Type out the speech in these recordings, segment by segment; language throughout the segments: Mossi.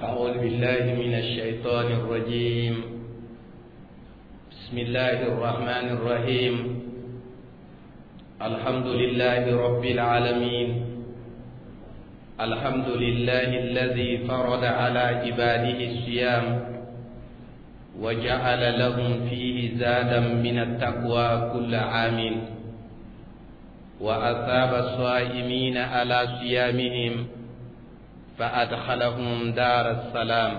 أعوذ بالله من الشيطان الرجيم بسم الله الرحمن الرحيم الحمد لله رب العالمين الحمد لله الذي فرض على عباده الصيام وجعل لهم فيه زادا من التقوى كل عام وأثاب الصائمين على صيامهم فأدخلهم دار السلام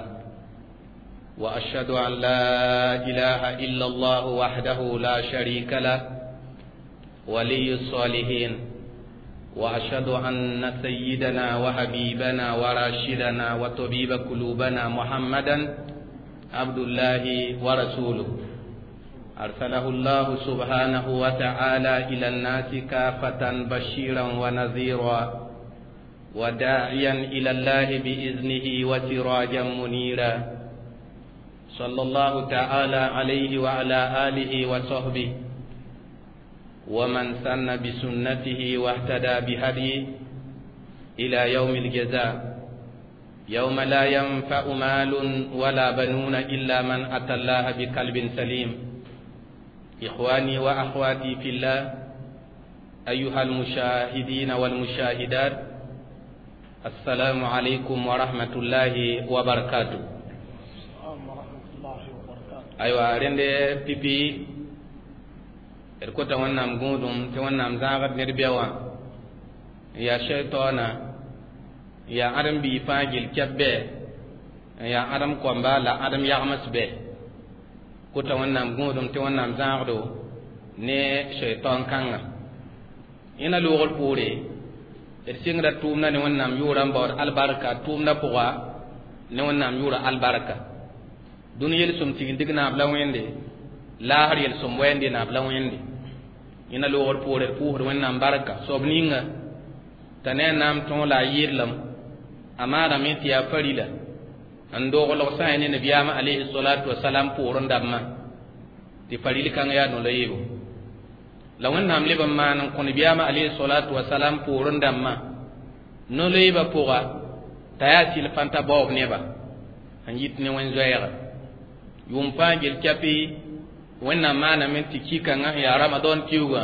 وأشهد أن لا إله إلا الله وحده لا شريك له ولي الصالحين وأشهد أن سيدنا وحبيبنا وراشدنا وطبيب قلوبنا محمدا عبد الله ورسوله أرسله الله سبحانه وتعالى إلى الناس كافة بشيرا ونذيرا وداعيا إلى الله بإذنه وسراجا منيرا صلى الله تعالى عليه وعلى آله وصحبه ومن سن بسنته واهتدى بهديه إلى يوم الجزاء يوم لا ينفع مال ولا بنون إلا من أتى الله بقلب سليم إخواني وأخواتي في الله أيها المشاهدين والمشاهدات السلام عليكم ورحمة الله وبركاته أيوة rẽnde pipi d kota wẽnnaam gũudum tɩ wẽnnaam zãagd ned bɛ wã n yaa shaitaana n yaa ãdem-biig fãa gill kɛp bɛ n yaa ãdem koamba la ãdem yagms bɛ kota wẽnnaam gũudum tɩ wẽnnaam zãagdo ne shaitan kãnga ẽna loogr poore d sɩngda tʋʋmda ne wẽnnaam yʋʋra n baood albarka tʋʋmda pʋga ne wẽnnaam yʋʋra albarka dũni yel-sõm tigimdg naab la wẽnde laasr yel-sõm wɛɛnde naab la wẽnde ẽna loogr poore d pʋʋsd wẽnnaam barka soab ninga t'a ne a naam tõog la a yɩɩdlem a maadame tɩ yaa farila n doglg sã n ne nabiyaamã alayhi salatu wasalam poorẽ dãmbã tɩ faril kãng yaa no-la yeebo la wẽnnaam leb n maan n kõ nabiyaamã alayhi salatu wasalam poorẽ dãmbã no-loeebã pʋga t'a yaa sɩl fãnta baoob neba n yit ne wẽn-zoɛɛga yʋʋm fãa gel kɛpɩ wẽnnaam maaname tɩ ki-kãngã sẽn yaa ramadɔn kiuugã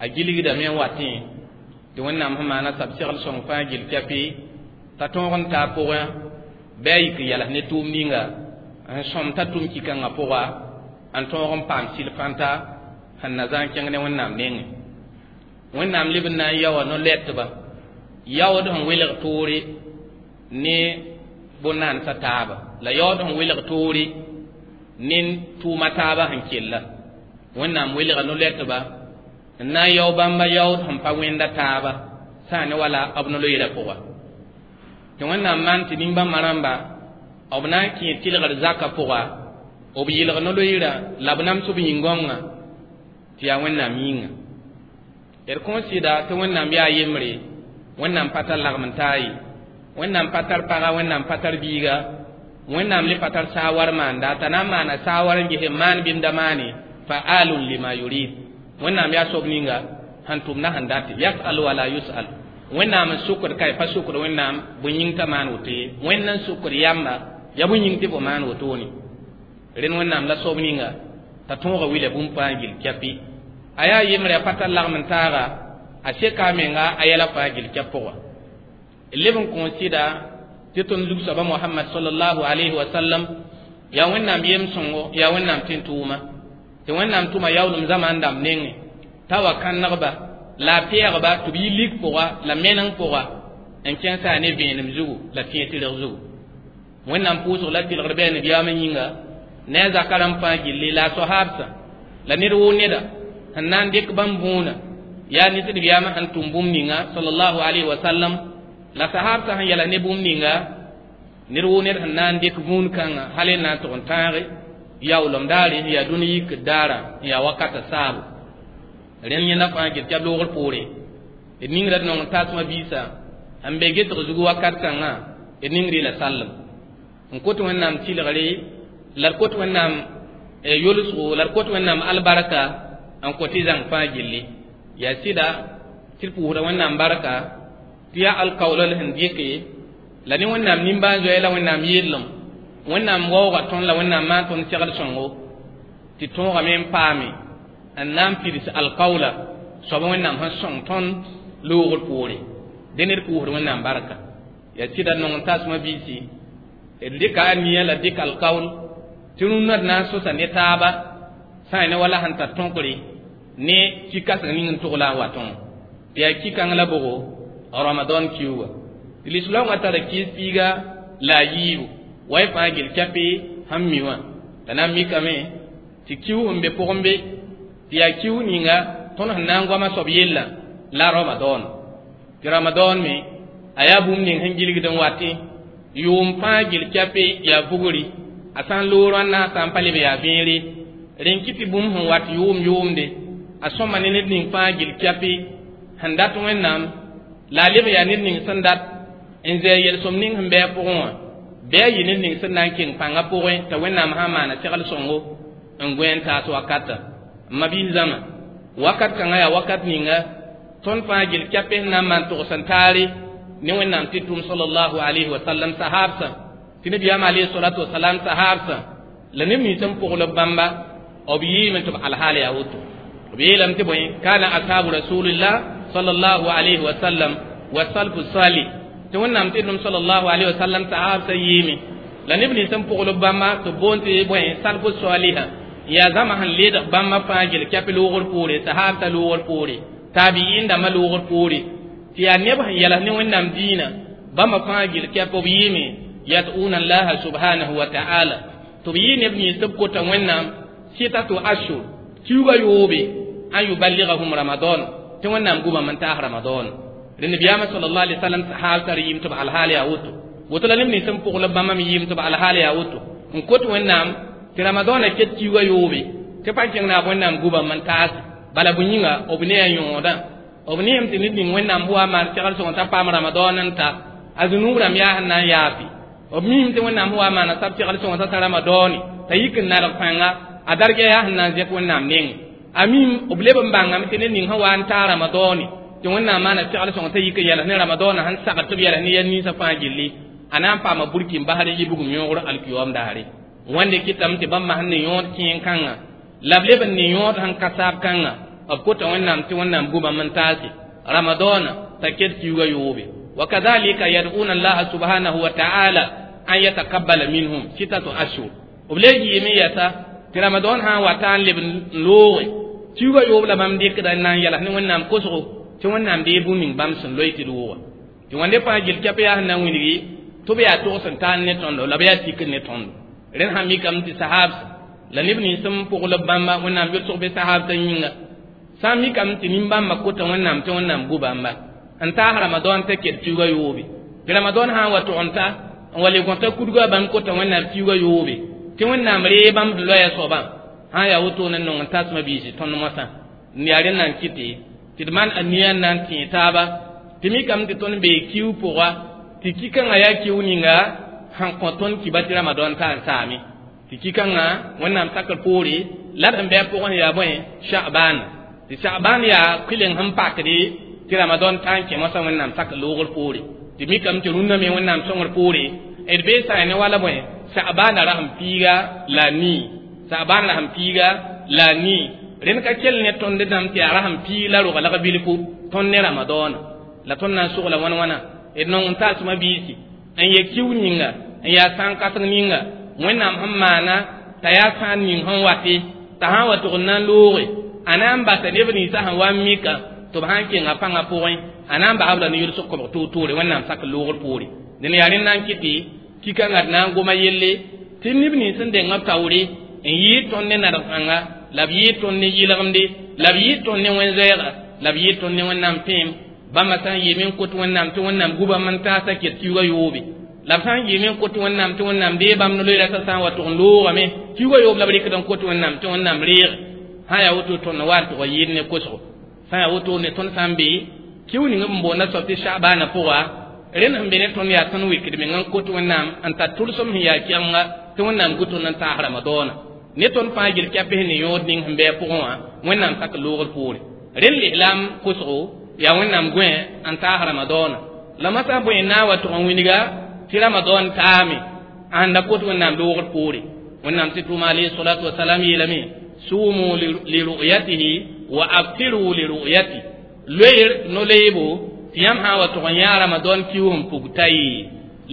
a gilgdame n watẽ tɩ wẽnnaam sẽn maana sab segl sõng fãa gel kɛpɩ t'a tõog n taa pʋgẽ bɩ a yik n yals ne tʋʋm ninga n sõm t'a tʋm ki-kãngã pʋga n tõog n paam sɩl fãnta sẽn na zã n kẽng ne wẽnnaam nengẽ wẽnnaam leb n na n yaoa no-lɛtba yaood sẽn welg toore ne bõn-naandsã taaba la yaood sẽn welg toore ne tʋʋma taaba sẽn kella wẽnnaam welga no-lɛtba n na n yao bãmba yaood sẽn pa wẽnda taaba sã ne wala b no-loeerã pʋga tɩ wẽnnaam maan tɩ nin-bãmba rãmba b na n kẽ tɩlgr zakã pʋga b yɩlg no-loeerã la b nams b yĩn-gãongã tɩ yaa wẽnnaam yĩnga d kõn sɩda tɩ wẽnnaam yaa yembre wẽnnaam pa tar lagm n taa ye wẽnnaam pa tar paga wẽnnaam pa tar biiga wẽnnaam le pa tar saawar maanda t'a na n maana saawar n ges n maan bɩmda maane fa'alun lima yurid wẽnnaam yaa soab ninga sẽn tʋmda sẽn date yasal wala yusal wẽnnaam n sʋkd ka pa sʋkd wẽnnaam bõe yĩng t'a maan woto ye wẽnd n sʋkd yamba ya bõe yĩng tɩ fo maan wotone rẽnd wẽnnaam la soab ninga t'a tõoga wila bũmb fãa gil kɛpɩ a yaa yembre a pa tar lagm n taaga a seka a menga a yɛla fãa gil kɛp pʋga leb n kõn sɩda tɩ tõnd zug-soaba mohamad salallahu alayhi wa sallam yaa wẽnnaam yem-sõngo yaa wẽnnaam tẽn-tʋʋma tɩ wẽnnaam tʋma yaoolem zamaan dãmb nengẽ t'a wa kãnegba la a pɛɛgba tɩ b yi lig pʋga la meneng pʋga n kẽnsa ne vẽenem zugu la tẽeg-tɩrg zugu wẽnnaam pʋʋsg la tɩlgr bɩ a nabiyaamã yĩnga ne a zaka rãmb fãa gilli la a soahaabsã la ned woo neda sẽn na n dɩk bãmb võona yaa ne tɩ nabiyaamã sẽn tʋm bũmb ninga sallallahu alayhi wa sallam la sahaabsã sẽn yɛla ne bũmb ninga ned woo ned sẽn na n dɩk vũun kãngã hal n na n tʋg n tãage yaoolem daare n yaa dũni yikd daara n yaa wakata saabo rẽnd yẽnda fãa gɩ tɩ b loogr poore d ningra d nong n tasmã biisã n be getg zug wakat kãngã d ningre la sallem n kot wẽnnaam tɩlgre la d kot wẽnnaam yolsgo la d kot wẽnnaam albarka n kõ tɩ zãng fãa gilli yaa sɩda tɩ d pʋʋsda wẽnnaam barka tɩ yaa alkaoolal sẽn dɩke La ne Wẽnnaam nimbãan-zoɛɛ la Wẽnnaam yellem Wẽnnaam waooga tõnd la Wẽnnaam maan tõnd segl sõngo tɩ tõogame n paame n na n pids alkaoola soab Wẽnnaam sẽn sõng tõnd loogr poore dẽ ned pʋʋsd Wẽnnaam barka yaa sɩda nong n tasmã biisi d dɩka a nia la dɩk alkaool tɩ rũnnã d na n sosa ne taaba sã n ne wala sẽn tar tõkre ne ki-kãseng ning n tog la n watẽ tɩ yaa ki-kãng la bʋgo Ramadan kiuga tɩ lislaoongã tara kɩɩs piiga la a yiibu wa y fãa gil kɛpɩ sẽn mi wã la na n mikame tɩ kiu sẽn be pʋgẽ be tɩ yaa kiu ninga tõnd sẽn na n goama soab yella la Ramadan tɩ Ramadan me a yaa bũmb ning sẽn gilgd n watẽ yʋʋm fãa gil kɛpɩ yaa vugri a sã n loor wãnna sã n pa leb yaa vẽere rẽn kɩ tɩ bũmb sẽn wat yʋʋm yʋʋmde a sõma ne ned ning fãa gil kɛpɩ sẽn dat Wẽnnaam la a leb yaa ned ning sẽn dat n zɛɛ yel-sõm ning sẽn bɩ a pʋgẽ wã bɩ a yɩ ned ning sẽn na n keng pãngã pʋgẽ t'a Wẽnnaam sã n maana segl sõngo n gõe n taas wakata n ma-biis zãma wakat kãngã yaa wakat ninga tõnd fãa gil kɛpɩ sẽn na n maan togs n taare ne Wẽnnaam tɩ tʋm sallallahu alayhi wa sallam sahaabsã tɩ nabiyaam alayhi salatu wasalam sahaabsã la neb nins n pʋgl b bãmba b yɩɩme tɩ b alhaal yaa woto b yeelame tɩ bõe kana ashabu rasulillah sallallahu alayhi wa sallam wa salfu salih tɩ Wẽnnaam tɩ tʋm sallallahu alayhi wa sallam sahaabsã yɩɩme la neb nins n pʋgl b bãmba tɩ b boond tɩ bõe salfu saliha yaa zãma sẽn leedg bãmba fãa gil kɛp loogr poore sahaabsã loogr poore taabiin dãmbã loogr poore tɩ yaa neb sẽn yɛls ne Wẽnnaam diinã bãmba fãa gil kɛp b yɩɩme yad'una allaha subhanahu wa ta'ala tɩ b yɩ neb nins tɩ b kota Wẽnnaam sitatu ashur kiuga yoobe an yuballighahum Ramadan tɩ Wẽnnaam gubame n taas Ramadan rẽ nabiyaamã sallallahu alaihi wasallam sahaab tar yɩɩm tɩ b alhaal yaa woto woto la neb nins n pʋgl b bãmba me yɩɩm tɩ b alhaal yaa woto n kot Wẽnnaam tɩ Ramadɔnã ket kiuga yoobe tɩ pa kẽng naab Wẽnnaam gubame n taas bala bõe yĩnga b ne a yõodã b neem tɩ ned ning Wẽnnaam wa maan segl sõng t'a paam Ramadan n ta a zũnub rãmb yaa sẽn na n yaafe b miime tɩ Wẽnnaam wa maana sab segl sõng t'a ta Ramadɔne t'a yik n nadg pãnga a darga yaa sẽn na n zẽk Wẽnnaam neng a miim b leb n bãngame tɩ ned ning sẽn wa n taa Ramadɔne tɩ Wẽnnaam maana segl sõng t'a yik n yɛls ne Ramadɔnã sẽn sagd tɩ b yɛls ne yɛl ninsã fãa gilli a na n paama burkin basr n yɩ bugum yõogr alkiyoom daare wẽnde kɩtame tɩ bãmba sẽn ne yõod kẽen kãngã la b leb n ne yõod sẽn ka saab kãngã b kota Wẽnnaam tɩ Wẽnnaam gubame n taase Ramadɔnã t'a ket kiuga yoobe wa kadhalika yad'una allaha subhanahu wa ta'ala an yataqabbala minhum sitatu ashhur b le yɩɩme yɛsa tɩ Ramadan sã n wa ta n leb n looge kiuga yoob la bãmb dɩkda n na n yɛls ne Wẽnnaam kosgo tɩ Wẽnnaam dee bũmb ning bãmb sẽn loe tɩ d wʋga tɩ wãnde fãa gil kɛp yaa sẽn na n wilgi tɩ b yaa togs n taan ne tõndo la b yaa tikr ne tõndo rẽnd sã mikame tɩ sahaabsã la neb nins n pʋgl b bãmba Wẽnnaam yʋlsg be sahaabsã yĩnga sã n mikame tɩ nin-bãmbã kota Wẽnnaam tɩ Wẽnnaam gu bãmba n taas Ramadan t'a ket kiuga yoobe tɩ Ramadan sã n wa tog n ta n wa le gõta kudga bãmb kota Wẽnnaam kiuga yoobe tɩ Wẽnnaam ree bãmb sẽn loɛɛ soabã sã n yaa wotone n nong n tasmã biisi tõnd moasã n yaa rẽnd na n kɩte tɩ d maan a nia n na n tẽe taaba tɩ mikame tɩ tõnd bee kiu pʋga tɩ ki-kãngã yaa kiu ninga sẽn kõ tõnd kiba tɩ Ramadan ta n saame tɩ ki-kãngã Wẽnnaam sakr poore la d sẽn bɩ a pʋgẽ yaa bõe Sha'ban tɩ Sha'ban yaa kʋleng sẽn pakde tɩ Ramadan ta n kẽ moasã Wẽnnaam sakr loogr poore tɩ mikame tɩ rũnnã me Wẽnnaam sõngr poore d bee sã ne wala bõe Sha'bana rasem piiga la nii Sha'ban rasem piiga la nii rẽnd ka kell ne tõnd dãmb tɩ yaa rasem piig la roga lag bilfu tõnd ne Ramadɔna la tõnd na n sogla wãn wãna d nong n taasmã biisi n yɛ kiu ninga n yaa sãn kãseng ninga Wẽnnaam sẽn maana t'a yaa sãan ning sẽn wate t'a sã n wa tʋg n na n looge a na n basa neb ninsã sẽn wa n mika tɩ b sã n kenga pãngã pʋgẽ a na n basb la ne yʋlsg kobg toor-toore Wẽnnaam sak loogr poore dẽn yaa rẽnd na n kɩtɩ ki-kãngã d na n goma yelle tɩ neb nins sẽn deng b taoore n yɩɩd tõnd ne nadg pãnga la b yɩɩd tõnd ne yɩlgemde la b yɩɩd tõnd ne wẽn-zoɛɛga la b yɩɩd tõnd ne Wẽnnaam pẽem bãmba sã n yɩɩme n kot Wẽnnaam tɩ Wẽnnaam gubame n taasa ket kiuga yoobe la b sã n yɩɩme n kot Wẽnnaam tɩ Wẽnnaam dee bãmb no-loeera t'a sã n wa tʋg n loogame kiuga yoob la b rɩkd n kot Wẽnnaam tɩ Wẽnnaam reeg sã n yaa woto tõnd wa n tʋg n yɩɩd ne kosgo sã n yaa woto ne tõnd sã n be kiu ning b boonda soab tɩ Sha'bana pʋga rẽnd sẽn be ne tõnd yaa tõnd wikd meng n kot Wẽnnaam n tar tʋlsem sẽn yaa kɛlenga tɩ Wẽnnaam gu tõnd n taas Ramadɔna ne tõnd fãa gil kɛps ne yõod ning sẽn bɩ a pʋgẽ wã Wẽnnaam sak loogr poore rẽnd lislaam kosgo yaa Wẽnnaam gõe n taas Ramadɔna la masã bõe n na n wa tʋg n wilga Tɩ Ramadan taame ãnda kot Wẽnnaam loogr poore. Wẽnnaam tɩ tʋʋma alayhi salatu wasalam yeelame sumu li ru'yatihi wa aftiru li ru'yati loeer no-loeebo tɩ yãmb sã n wa tʋg n yã Ramadan kiu n pug ta ye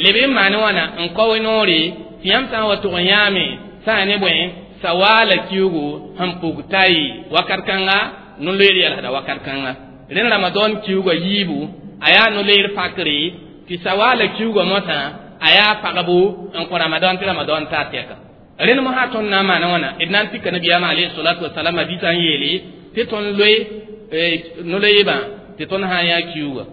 leb n maan wãna n kao noore tɩ yãmb sã n wa tʋg n yãame sã ne bõe sawaala kiugu sẽn pug ta ye wakat kãnga no-loeer yɛlsda wakat kãnga rẽnd Ramadan kiuga yiibu a yaa no-loeer pakre tɩ sawaala kiuga mosã a yaa pagbo n kõ Ramadan tɩ Ramadan taa tɛka rẽnd mosã tõnd na n maana wãna d na n tika nabiyaamã alayhi salatu wasalam a dita n yeele tɩ tõnd loe no-loeebã tɩ tõnd sã n yã kiuga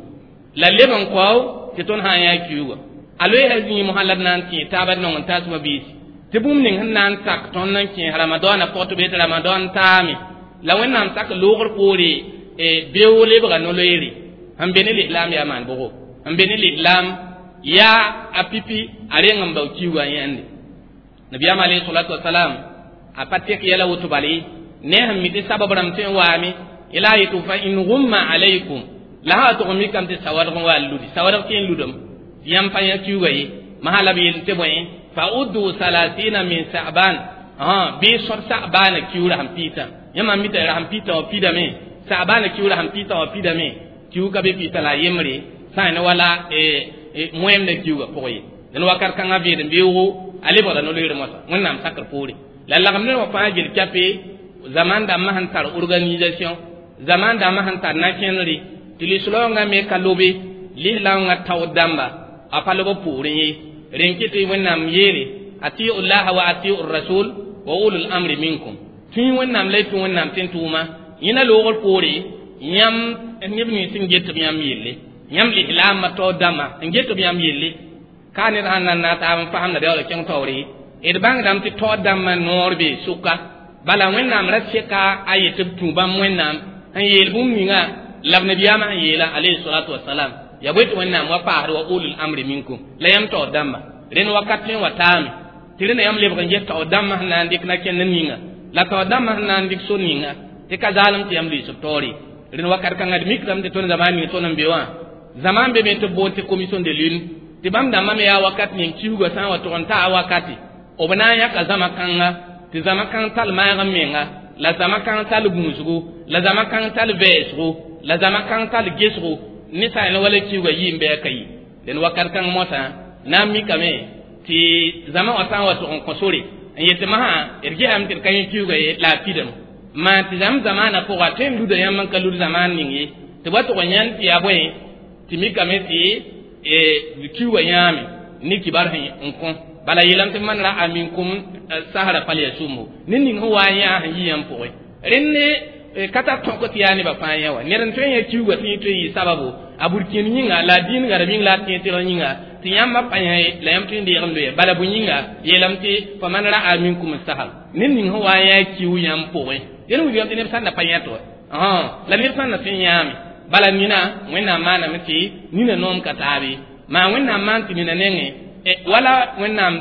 la leb n kao tɩ tõnd sã n yã kiuga a loeesa zĩig mosã la d na n kẽ taaba d nong n taasmã biisi tɩ bũmb ning sẽn na n sak tõnd n kẽes Ramadɔɔnã pʋg tɩ bee tɩ Ramadan taame la Wẽnnaam sak loogr poore beoog lebga no-loeere sẽn be ne lislaam yaa maan bʋgo sẽn be ne lislaam yaa a pipi a reng n bao kiuga n yãnde nabiyaam alayhi salatu wasalam a pa tek yɛla woto bale ne sẽn mi tɩ sabab rãmb tõe n waame yela a yetɩ fa in gumma alaykum la sã wa tʋg n mikame tɩ sawadg n wa n ludi sawadg tɩ n ludem tɩ yãmb pa yã kiuga ye masã la b yel tɩ bõe fa uddu salasina min sa'ban bɩ sõd sa'baana kiuura sẽn piitã yãmb mita ra sẽn piitã wã pidame sa'baana kiuura sẽn piitã wã pidame kiug ka be piitã la a yembre sã ne wala moẽmda kiuga pʋgẽ ye dẽn wakat kãngã veed n beoogo a lebgda no-loeer moasã Wẽnnaam sakr poore la lagem ned wã fãa gel kɛpe zaman dãmbã sẽn tar organisation zaman dãmbã sẽn tar na-kẽnere tɩ lislaoongã me ka lobe lislaoongã taood dãmba a pa lob b poorẽ ye rẽn kɩ tɩ Wẽnnaam yeele atiu llaha wa atiu rasul wa ulul amri minkum tũi Wẽnnaam la y tũ Wẽnnaam tɩ n tʋʋma yẽna loogr poore yãmb neb nins n get b yãmb yelle yãmb lislaamã taood dãmbã n get b yãmb yelle ka ned sãn na n na taab n fasemda beoolg kẽng taoore d bãngdame tɩ taood dãmbã noor bee sʋka bala Wẽnnaam ra seka a yet b tũ bãmb Wẽnnaam n yeel bũmb ninga la b nabiyaamã sẽn yeela alayhi salatu wasalam ya bõe tɩ Wẽnnaam wa paasd wa ulul amri minkum la yãmb taood dãmba rẽnd wakat tõe n wa taame tɩ rẽnda yãmb lebg n get taood dãmbã sẽn na n dɩk na-kẽnd ninga la taood dãmbã sẽn na n dɩk so ninga tɩ ka zaalem tɩ yãmb lʋɩs b taoore rẽnd wakat kãngã d mikdame tɩ tõnd zamaan ning tõnd n be wã zaman be me tɩ b boond tɩ commission de lune tɩ bãmb dãmbã me yaa wakat ning kiuga sã n wa tʋg n taa wakati b na n yãka zãma kãnga tɩ zãma kãng tall maag n menga la zãma kãng tall gũusgo la zãma kãng tall vɛɛsgo la zãma kãng tall gesgo ne sã n wala kiuga yɩ n bɩ a ka yi dẽn wakat kãng mosã na n mikame tɩ zãma wã sã n wa tʋg n kõ sore n yetɩ masã d gesame tɩ d ka yẽ kiuga ye la a pidame maan tɩ zãmb zamaanã pʋga tõe n luda yãmb n ka lud zamaan ning ye tɩ b wa tʋg n yãnd tɩ yaa bõe tɩ mikame tɩ kiuga yãame ne kibar sẽn n kõ bala yeelame tɩ man ra'a minkum sahra falyasumhu ned ning sẽn wa n yã sẽn yi yãmb pʋgẽ rẽnd ne ka tar tõk tɩ yaa nebã fãa yã wa ned n tõe n yã kiuga tɩ yẽ tõe n yɩ sababu a burkĩnd yĩnga la a dĩin garem yĩng la a tẽeg yĩnga tɩ yãmbã pa yã ye la yãmb tõe n deeg n loe bala bõe yĩnga yeelame tɩ fa man ra'a minkum sahar ned ning sẽn wa n yã kiu yãmb pʋgẽ dẽn wilgame tɩ neb sãn da pa yẽt wa la neb sãn na tõe n yãame bala nina Wẽnnaam maaname tɩ nina noom ka taabe maa Wẽnnaam maan tɩ nina nengẽ wala Wẽnnaam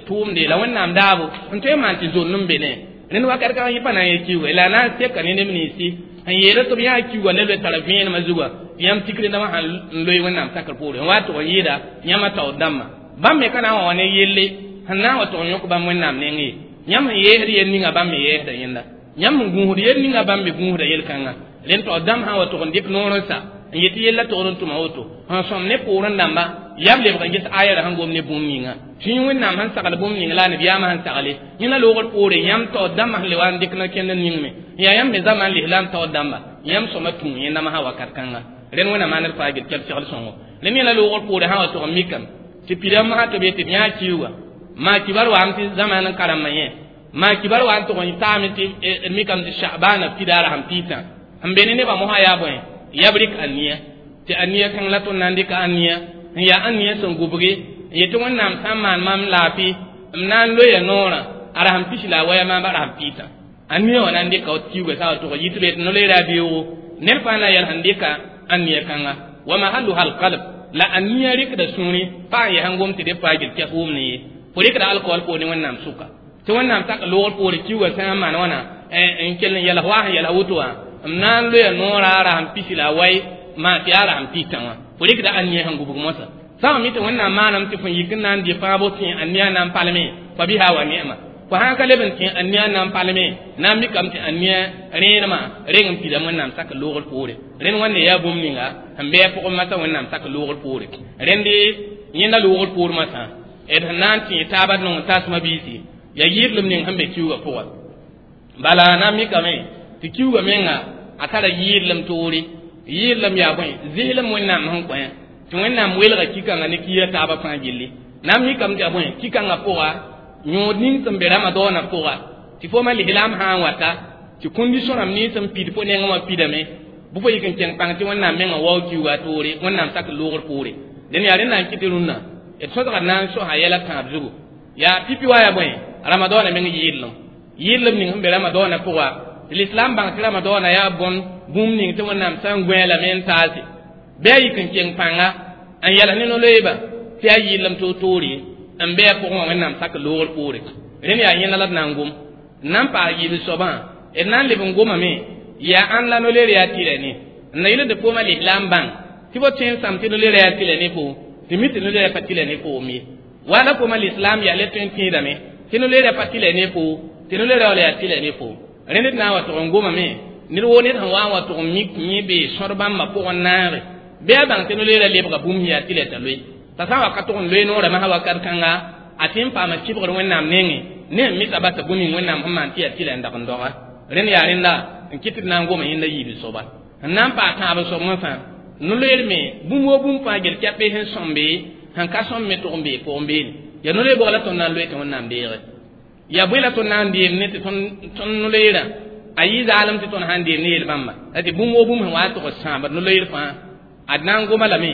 tʋʋmde la Wẽnnaam daabo n tõe n maan tɩ zond n be ne rẽnd wakat kãngã yẽ pa na n yã kiuga la a na n seka ne neb ninsi sẽn yeela tɩ b yã kiuga ne loe tara vẽenemã zugã tɩ yãmb tikre dãmbã sãn n loe Wẽnnaam sakr poore n wa tʋg n yɩɩda yãmba taood dãmbã bãmb me ka na n wa wa ne yelle sẽn na n wa tʋg n yõk bãmb Wẽnnaam neng ye yãmb sẽn yeesd yel ninga bãmb me yeesda yẽnda yãmb sẽn gũusd yel ninga bãmb me gũusda yel-kãnga rẽnd taood dãmb sã n wa tʋg n dɩk noor n sa n yetɩ yella togd n tʋma woto sẽn sõm ne poorẽ dãmba yaa b lebg n ges ayara sẽn gom ne bũmb ninga tũi Wẽnnaam sẽn sagl bũmb ning la a nabiyaamã sẽn sagle yẽna loogr poore yãmb taood dãmbã sẽn le wa n dɩk na-kẽnd ningme yaa yãmb me zamaan lislaam taood dãmba yãmb sõma tũ yẽnda masã wakat kãnga rẽnd Wẽnnaam maand d faa gel kɛb segl sõngo rẽnd yẽla loogr poore sã wa tʋg n mikame tɩ pidame masã tɩ b yetɩ b yã kiuga maa kibar waam tɩ zamaan n karembã yẽ maa kibar wa n tʋg n taame tɩ d mikame tɩ sha'baana pidaara sẽn piitã sẽn be ne nebã mosã yaa bõe yaa b rɩk aniya tɩ aniya kãng la tõnd na n dɩka aniya n yaa aniya sẽn gubge n yetɩ Wẽnnaam sã n maan maam laafɩ m na n loeya noorã a rasem pis la a waya maam a rasem piitã aniya wã na n dɩka kiuga sã wa tʋg yɩ tɩ b yetɩ no-loeera a beoogo ned fãa na n yɛls n dɩka aniya kãnga wa mahalluha alqalb la aniya rɩkda sũurẽ pa n yɛs n gom tɩ deb faa gel kɛs wʋmne ye fo rɩkda alkool poor ne Wẽnnaam sʋka tɩ Wẽnnaam sak loogr poore kiuga sã n maan wãna n kell n yɛls wa sẽn yɛls woto wã m na n loeya noorã a rasem pis la a wai maa tɩ yaa rasem piitã wã fo rɩkda aniya sẽn gubg mosã Sã mi tɩ Wẽnnaam maanam tɩ fõn yik n na n dɩ fãabo tẽ a nia na n palme, fa biha wa ni'ma. Fo sã n ka leb n tẽ a nia na n palme, na n mikame tɩ a nia rẽenemã reng n pidame Wẽnnaam sak loogr poore. Rẽnd wãnde yaa bũmb ninga sẽn bɩ a pʋgẽ masã Wẽnnaam sak loogr poore. Rẽnde yẽnda loogr poor masã d sẽn na n tẽ taaba d nong n tasmã biisi yaa yɩɩdlem ning sẽn be kiuugã pʋga. Bala na n mikame tɩ kiuugã menga a tara yɩɩdlem toore. Yɩɩdlem yaa bõe? Zɩslem Wẽnnaam sẽn kõ tɩ Wẽnnaam welga kikãngã ne kiirã taabã fãa gilli. Na n mikame tɩ yaa bõe? Kikãngã pʋga yõod ning sẽn be Ramadaanã pʋga tɩ fo ma lislaam sã n wata tɩ kondisõ rãmb nins sẽn pid fo nengẽ wã pidame bɩ fo yik n kẽng pãng tɩ Wẽnnaam mengã waoog kiuugã a toore Wẽnnaam sak loogr poore. Dẽn yaa rẽnd na n kɩt rũnnã d sõsgd na n sosa yɛla tãab zugu. Yaa pipi wa yaa bõe? Ramadaanã meng yɩɩdlem. Yɩɩdlem ning sẽn be Ramadaanã pʋga tɩ lislaam bãng tɩ Ramadaanã yaa bõn bũmb ning tɩ Wẽnnaam sã n gõe lame n taase bɩ a yik n kẽng pãnga n yɛls ne no-loeeba tɩ yaa yɩɩdlem toor-toore n be a pʋgẽ wã Wẽnnaam sak loogr poore. Rẽnd yaa yẽnda la d na n gom. N na n paas yiib soabã d na n leb n gomame yaa ãn la no-leer yaa tɩlɛ ne n na yɩl tɩ fooma lislaam bãng tɩ fo tõe n sãm tɩ no-leer yaa tɩlɛ ne fo tɩ mi tɩ no-leer pa tɩlɛ ne foom ye. Wala fooma lislaam yaa le tõe n tẽedame tɩ no-leer pa tɩlɛ ne fo tɩ no-leer wala yaa tɩlɛ ne fo. Rẽnd d na n wa tʋg n gomame ned woo ned sẽn wa n wa tʋg n mik yẽ bee sõd bãmbã pʋgẽ naage bɩ a bãng tɩ no-leerã lebga bũmb sẽn yaa tɩlɛ t'a loe. T'a sã n wa ka tʋg n loe noorã masã wakat kãnga a tɩ n paama kɩbgr Wẽnnaam nengẽ ne sẽn misa basa bũmb ning Wẽnnaam sẽn maan tɩ yaa tɩlɛ n dag n doga. Rẽnd yaa rẽnda n kɩt tɩ d na n goma yẽnda yiib soaba. N na n paas tãab soab masã no-loeer me bũmb woo bũmb fãa gel kɛpɩ sẽn sõmbe sẽn ka sõm me tʋg n bee pʋgẽ beene. Yaa no-loeer bʋga la tõnd na n loe tɩ Wẽnnaam deege. Yaa bõe la tõnd na n deem ne tɩ tõnd no-loeerã a yɩ zaalem tɩ tõnd sã n deem ne yel-bãmba la tɩ bũmb woo bũmb sẽn wa n tʋg n sãambd no-loeer fãa ad na n goma lame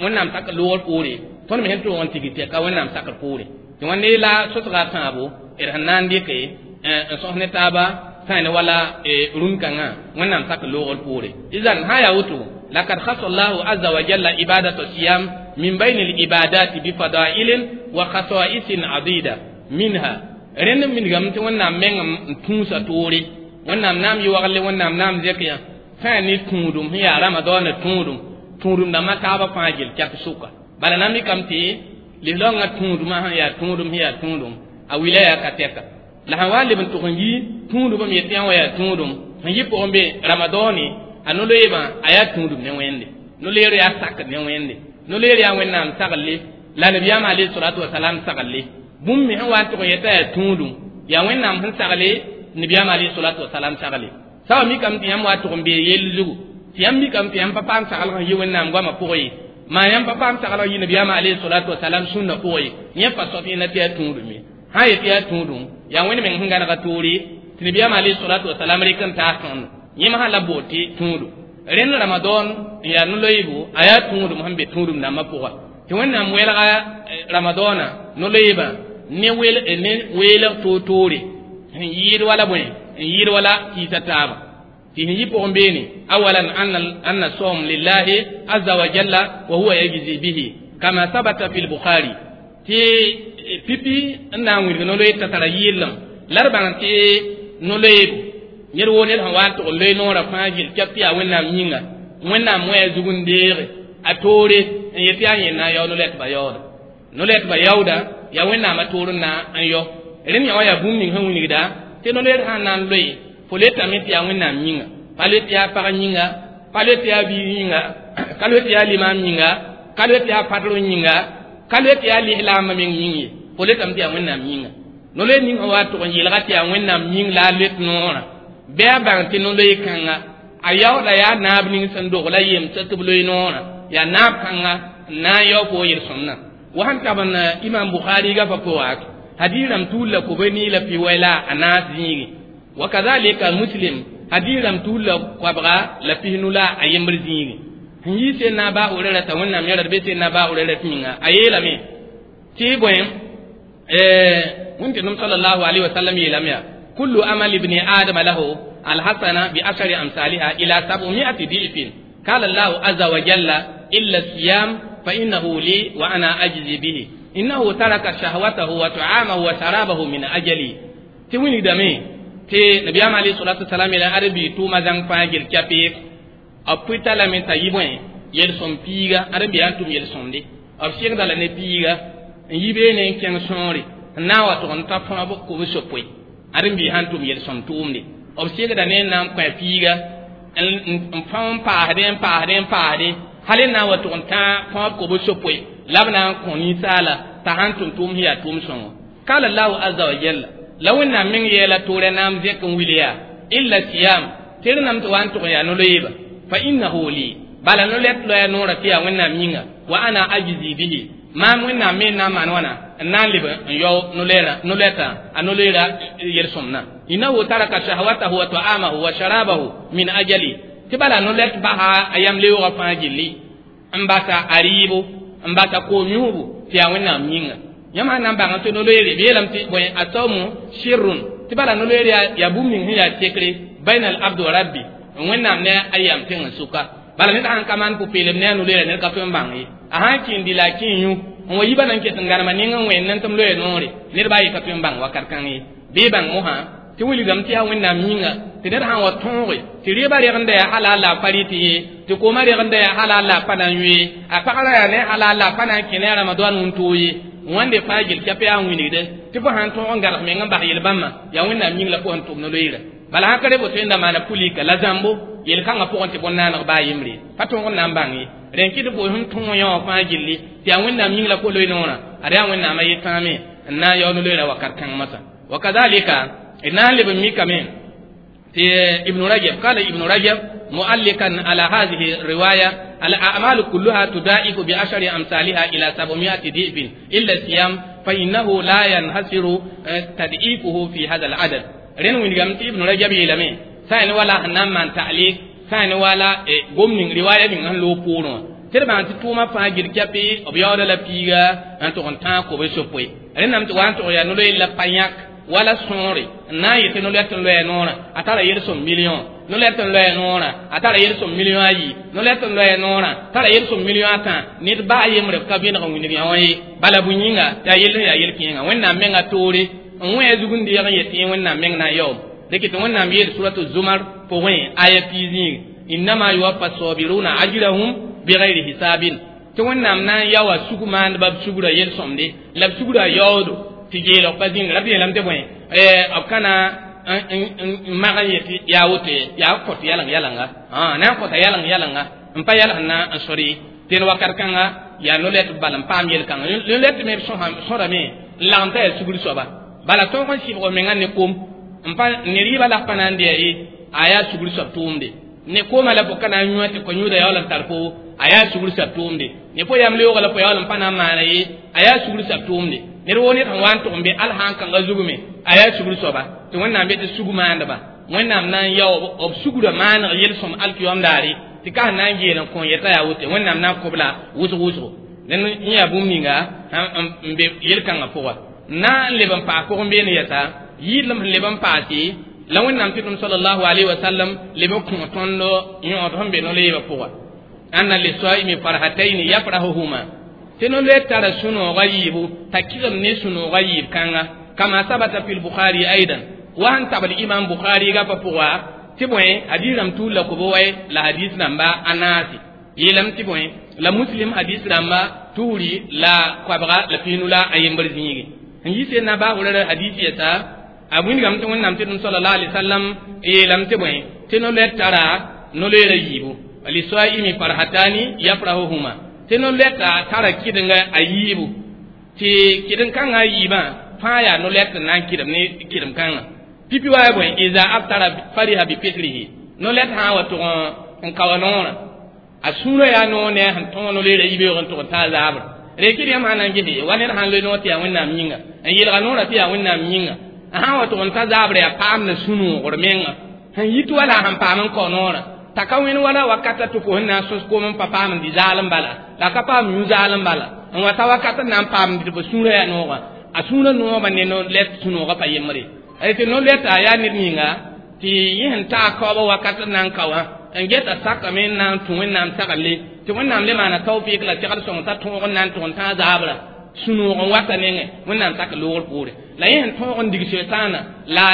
Wẽnnaam sak loogr poore tõnd me sẽn tʋg n tigr tɛka Wẽnnaam sakr poore. Tɩ wãnde la sosga tãabo d sẽn na n dɩke n sõs ne taaba sã ne wala rũn-kãngã Wẽnnaam sak loogr poore. Izan sã n yaa woto lakad khassa Allahu azza wa jalla ibadata siyam min bayni al-ibadati bi fadailin wa khasa'isin adida minha. Rẽnd minigame tɩ Wẽnnaam meng n tũusa toore Wẽnnaam naam yɩ wagle Wẽnnaam naam zɛk yã sã ne tũudum sẽn yaa Ramadaanã tũudum tũudum dãmbã taabã fãa gel kɛp sʋka. Bala na mikame tɩ lislaoongã tũudumã sẽn yaa tũudum sẽn yaa tũudum a wila yaa ka tɛka. La sẽn wa n leb n tʋg n yi tũudum m yetɩ yã wã yaa tũudum sẽn yɩ pʋgẽ be Ramadaane a no-loeebã a yaa tũudum ne Wẽnde. No-loeer yaa sakd ne Wẽnde. No-loeer yaa Wẽnnaam sagle la nabiyaam alayhi salatu wasalam sagle. Bũmb me sẽn wa n tʋg n yeta yaa tũudum yaa Wẽnnaam sẽn sagle nabiyaam alayhi salatu wasalam sagle. Sã wa mikame tɩ yãmb wa tʋg n bee yell zugu tɩ yãmb mikame tɩ yãmb pa paam saglg n yɩ Wẽnnaam goamã pʋgẽ ye maa yãmb pa paam saglg yɩ nabiyaam alayhi salatu wasalam sũnna pʋgẽ ye yẽ pa soab yẽnda tɩ yaa tũudum ye. Sã n yetɩ yaa tũudum yaa Wẽnd meng sẽn gãnega toore tɩ nabiyaam alayhi salatu wasalam rɩk n taas tõndo yẽ masã la bood tɩ tũudum. Rẽnd Ramadan n yaa no-loeebo a yaa tũudum sẽn be tũudum dãmbã pʋga tɩ Wẽnnaam welga Ramadaanã no-loeebã ne weelg toor-toore sẽn yɩɩd wala bõe n yɩɩd wala kɩɩsa taaba. Tɩ sẽn yɩ pʋgẽ beene awalan anna sawm lillahi azza wa jalla wa huwa yajzi bihi kama sabata fi lbukhari tɩ pipi n na n wilg no-loeer t'a tara yɩɩdlem la d bãng tɩ no-loeebo ned woo ned sẽn wa n tʋg n loe noorã fãa gel kɛp tɩ yaa Wẽnnaam yĩnga Wẽnnaam wẽ a zug n deege a toore n yet yaa yẽnd na n yao no-lɛtbã yaooda. No-lɛtbã yaooda yaa Wẽnnaamã toor n na n yao. Rẽnd yã wã yaa bũmb ning sẽn wilgda tɩ no-loeer sã n na n loe fo letame tɩ yaa Wẽnnaam yĩnga pa le tɩ yaa pag yĩnga pa le tɩ yaa biig yĩnga ka le tɩ yaa limaam yĩnga ka le tɩ yaa padr yĩnga ka le tɩ yaa lislaambã meng yĩng ye fo letame tɩ yaa Wẽnnaam yĩnga. No-loeer ning sẽn wa tʋg n yeelga tɩ yaa Wẽnnaam yĩng la a let noorã bɩ a bãng tɩ no-loeer kãnga a yaooda yaa naab ning sẽn dog la yemsa tɩ b loe noorã yaa naab kãnga n na n yao fo yel-sõmdã. Wa sẽn tab n Imam Bukhari gapa pʋga hadiis rãmb tuul la kobe nii la pi-wɛ la a naas zĩigi. Wa kadhalika Muslim hadiis rãmb tuul la koabga la pisnu la a yembr zĩigi. Sẽn yɩ sẽn na ba Hurɛra t'a Wẽnnaam yẽra d be sẽn na ba Hurɛra tɩ yĩnga a yeelame tɩ bõe Wẽnnaam sallallahu alaihi wasallam yeelame yaa kullu amali ibni adama lahu alhasana bi ashari amsaliha ila sab'umi'ati di'fin qala Allahu azza wa jalla illa siyam fa innahu li wa ana ajzi bihi innahu taraka shahwatahu wa ta'amahu wa sharabahu min ajali. Tɩ wilgdame tɩ nabiyaam alayhi salatu wasalam yeela ad-bi tʋʋma zãng fãa gel kɛpɩ b pʋɩta lame t'a yɩ bõe yel-sõm piiga ad-n bɩ yaa n tʋm yel-sõmde B segda la ne piiga n yi beene n kẽng sõore n na n wa tʋg n ta fõab kobs-yopoe ãdem-biis sãn tʋm yel-sõm tʋʋmde b segda ne n na n kõ a piiga n fão n paasdẽ n paasdẽ n paasdẽ hal n na n wa tʋg n tã fõab kobs-yopoe la b na n kõ ninsaala t'a sãn tʋm tʋʋm sẽn yaa tʋʋm sõngo. Qala Allahu azza wa jalla la Wẽnnaam meng yeela toorã naam zẽk n wil yaa illa siyam tɩ d nam tɩ wa n tʋg n yaa no-loeeba fa innahu li bala no-lɛt loya noorã tɩ yaa Wẽnnaam yĩnga wa ana ajzi bihi maam Wẽnnaam me n na n maan wãna n na n leb n yao no-lɛtã a no-loeera yel-sõmdã innahu taraka shahwatahu wa ta'amahu wa sharabahu min ajali tɩ bala no-lɛt basa a yam leoogã fãa gilli n basa a rɩɩbo n basa koom yũubu tɩ yaa Wẽnnaam yĩnga. Yãmb sãn na n bãng tɩ no-loeere b yeelame tɩ bõe asawmu sirrun tɩ bala no-loeere yaa bũmb ning sẽn yaa sekre baina al abd wa rabbi Wẽnnaam ne a yam tẽng n sʋka bala ned sãn ka maan pʋ-peelem ne a no-loeera ned ka tõe n bãng ye a sãn kẽ n dɩ la a kẽ n yũ n wa yiba na n ket n gãnema ning n wẽnd n tɩ m loe noore ned baa ye ka tõe n bãng wakat kãng ye bɩ bãng mosã tɩ wilgame tɩ yaa Wẽnnaam yĩnga tɩ ned sãn wa tõoge tɩ rɩɩbã regenda yaa halal la a pa rɩt ye tɩ koomã regenda yaa halal la a pa na n yũ ye a pagrã yaa ne halal la a pa na n kẽ ne a Ramadan wũntoo ye wãnde fãa gil kɛp yaa n wilgde tɩ fo sãn tõog n gãrg meng n bas yel-bãmbã yaa Wẽnnaam yĩng la fo sẽn tʋm no-loeera bala sãn ka re boto yẽnda maana pulika la zãmbo yel-kãngã pʋgẽ tɩ bõn-naaneg baa yembre pa tõog n na n bãng ye rẽn kɩ tɩ fo sẽn tõog yã wã fãa gilli tɩ yaa Wẽnnaam yĩng la fo loe noorã ad yaa Wẽnnaamã yetãame n na n yao no-loeera wakat kãng masã wa kadalika d na n leb n mikame tɩ Ibn Rajab qala Ibn Rajab muallikan ala hadhihi riwaya الأعمال كلها تضاعف بعشر أمثالها إلى 700 ضعف إلا الصيام فإنه لا ينحصر تضعيفه في هذا العدد. رين وين Ibn Rajab yeelame sã n wala sẽn na n maan ta'liq sã n wala gom ning riwaya ning sẽn loog poorẽ wã tɩ d bãng tɩ tʋʋmã fãa gil kɛpɩ b yaooda la piiga n tʋg n tãag kobs-yopoe rẽndame tɩ wa n tʋg yaa no-loeel la pa yãk wala sõore n na n yetɩ no-lɛt n loya noorã a tara yel-sõm million no-lɛt n loya noorã a tara yel-sõm million ayi no-lɛt n loya noorã tara yel-sõm million atã ned baa yembre b ka vẽneg n wilg yã wã ye bala bũ-yĩnga yaa yell sẽn yaa yel-kẽengã Wẽnnaam mengã toore n wẽ a zug n deeg n yetɩ Wẽnnaam meng na n yaoom dɩk tɩ Wẽnnaam yeel suratu Zumar pʋgẽ aya piig innama yuwaffa sabiruna ajrahum bigayri hisabin tɩ Wẽnnaam na n yaoa sug maandbã b sugrã yel-sõmde la b sugrã yaoodo tɩ geelg pa zĩnga la b yeelame tɩ bõe b ka na n mag n yetɩ yaa woto ye yaa kõt yaleng yalanga na n kõta yaleng yalanga n pa yalg na n sor ye tɩ wakat kãnga yaa no-lɛt bal n paam yel-kãnga no-lɛt me sõrame n lagem t'a yaa sugr soaba bala tõog n sɩbg menga ne kom n pa ne rɩɩbã la pa na n dɩa ye a yaa sugr soab tʋʋmde ne koomã la fo ka na n yũ tɩ ko-yũuda yaool n tar fo a yaa sugr soab tʋʋmde ne fo yam leoogã la fo yaool n pa na n maana ye a yaa sugr soab tʋʋmde ned woo ned sẽn wa n tʋg n be al sãn kãngã zugme a yaa sugr soaba tɩ Wẽnnaam be tɩ sug maandba Wẽnnaam na n yao b sugrã maaneg yel-sõm alkiyom daare tɩ ka sẽn na n geel n kõ yeta yaa woto Wẽnnaam na n kõ-b la wʋsg wʋsgo dẽn n yaa bũmb ninga n be yel-kãngã pʋga na n leb n paas pʋgẽ beene yɛsa yɩɩdlem sẽn leb n paase la Wẽnnaam tɩ tʋm sallallahu alayhi wa sallam leb n kõ tõnd yõod sẽn be no-loeebã pʋga anna lisaimi farhataini yafrahuhuma tɩ no-loeer tara sũ-noogã yiibu t'a kɩgem ne sũ-noogã yiib kãnga kama sabata fi lbukhari aidan wa sẽn tabl Imam Bukhari gapa pʋga tɩ bõe hadis rãmb tuul la kobo wɛ la hadis rãmba a naase yeelame tɩ bõe la Muslim hadis rãmba tuuri la koabga la pinu la a yembr zĩige n yi sẽn na baa hurɛra hadis yɛsa a wĩndgame tɩ Wẽnnaam tɩ tʋm sallallahu alaihi wasallam yeelame tɩ bõe tɩ no-loɛr tara no-loeerã yiibu lisaimi farhatani yafrahuhuma tɩ no-lɛta tara kɩdenga a yiibu tɩ kɩden-kãngã a yiibã fãa yaa no-lɛt n na n kɩdem ne kɩdem-kãngã pipi wa yaa bõe iza aftara fariha bi fitrihi no-lɛt sã n wa tʋg n kao noorã a sũurã yaa noor ne a sẽn tõog no-loeerã yibeoog n tʋg n taa zaabr rekɩd yãmb sã na n gese wa ned sãn loe noor tɩ yaa Wẽnnaam yĩnga n yelga noorã tɩ yaa Wẽnnaam yĩnga a sã n wa tʋg n ta zaabr yaa paam na sũ-noogr menga sẽn yit wala sẽn paam n kao noorã t'a ka wẽnd wala wakata tɩ fo sẽn na n sõs koom n pa paam n dɩ zaalem bala la ka paam yũ zaalem bala n wa ta wakat n na n paam tɩ fo sũurã yaa noogã a sũurã noogã ne no-lɛt sũ-noogã pa yembre tɩ no-lɛta yaa ned ninga tɩ yẽ sẽn taa kaoobã wakat n na n ka wã n geta sakame n na n tũ Wẽnnaam sagle tɩ Wẽnnaam le maana tawfɩɩk la segd sõng t'a tõog n na n tʋg n tãag zaabra sũ-noog n wata nengẽ Wẽnnaam sak loogr poore la yẽ sẽn tõog n dig setaana la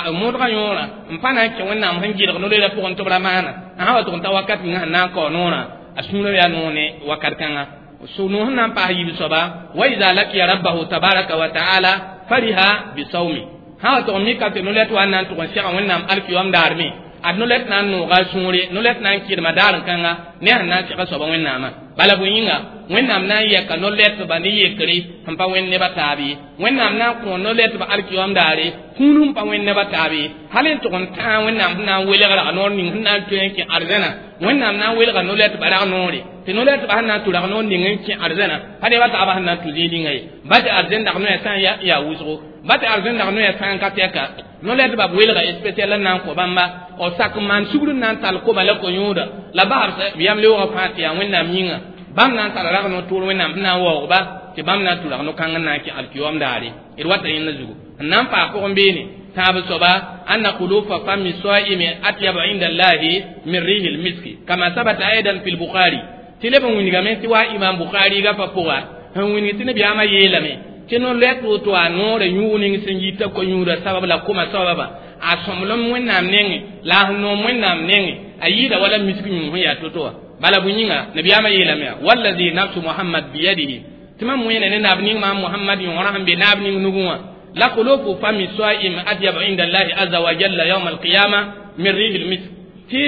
a modgã yõorã n pa na n kẽ Wẽnnaam sẽn gɩlg no-loeerã pʋgẽ tɩ b ra maana a sã wa tʋg n ta wakat ninga sẽn na n kao noorã a sũurã yaa noog ne wakat kãnga Sunu nan pa yib soba wa iza laqiya rabbahu tabaraka wa ta'ala fariha bi sawmi ha to mi ka te nolet wa nan to sega wẽnnaam alkiyom daarme ad nolet na n nooga sũure nolet na n kɩdma daar n kãnga ne sẽn na n sega soaba wẽnnaamã bala bõe yĩnga wẽnnaam na n yɛka no-lɛtba ne yekre sẽn pa wẽnd nebã taab ye wẽnnaam na n kõ no-lɛtba alkiyom daare kũun sẽn pa wẽnd nebã taab ye hal n tʋg n tãag wẽnnaam sẽn na n welg rag noor ning sẽn na n tõe n kẽ arzãna wẽnnaam na n welga no-lɛtba rag noore tɩ no-lɛtba sẽn na n tʋ rag noor ning n kẽ arzãna pa nebã taabã sẽn na n tʋ zĩig ninga ye ba tɩ arzẽn dag noyã sã n yaa wʋsgo ba tɩ arzẽn dag noyã sã n ka tɛka no-lɛtba b welga spesial n na n kõ bãmba b sak n maan sugr n na n tall koma la ko-yõoda la basb yam leoogã fãa tɩ yaa wẽnnaam yĩnga bãmb na n tara rag no tʋʋr wẽnnaam sẽn na n waoogba tɩ bãmb na n tʋ rag no-kãng n na n kẽ alkiyom daare d wata yẽnda zugu n na n paas pʋgẽ beene tãab soaba anna khulufa fami saimi atyabu inda allahi min rihi lmiski kama sabata aidan fi lbukhari tɩ leb n wilgame tɩ wa imam bukhari gafa pʋga sẽn wilg tɩ nabiyaamã yeelame tɩ no-lɛt woto a noorã yũug ning sẽn yita ko-yũudã sabab la koma sababa a sõmblem wẽnnaam nengẽ la a sẽn noom wẽnnaam nengẽ a yɩɩda wala misk yũug sẽn yaa to-to wã bala bõe yĩnga nabiyaamã yeelame yaa wallazi nafsu muhammad biyadihi tɩ mam wẽena ne naab ning maam muhammad yõorã sẽn be naab ning nugẽ wã la khulufu fami saim atyabu inda allahi aza wa jalla yawm alqiyama min rihi lmisk tɩ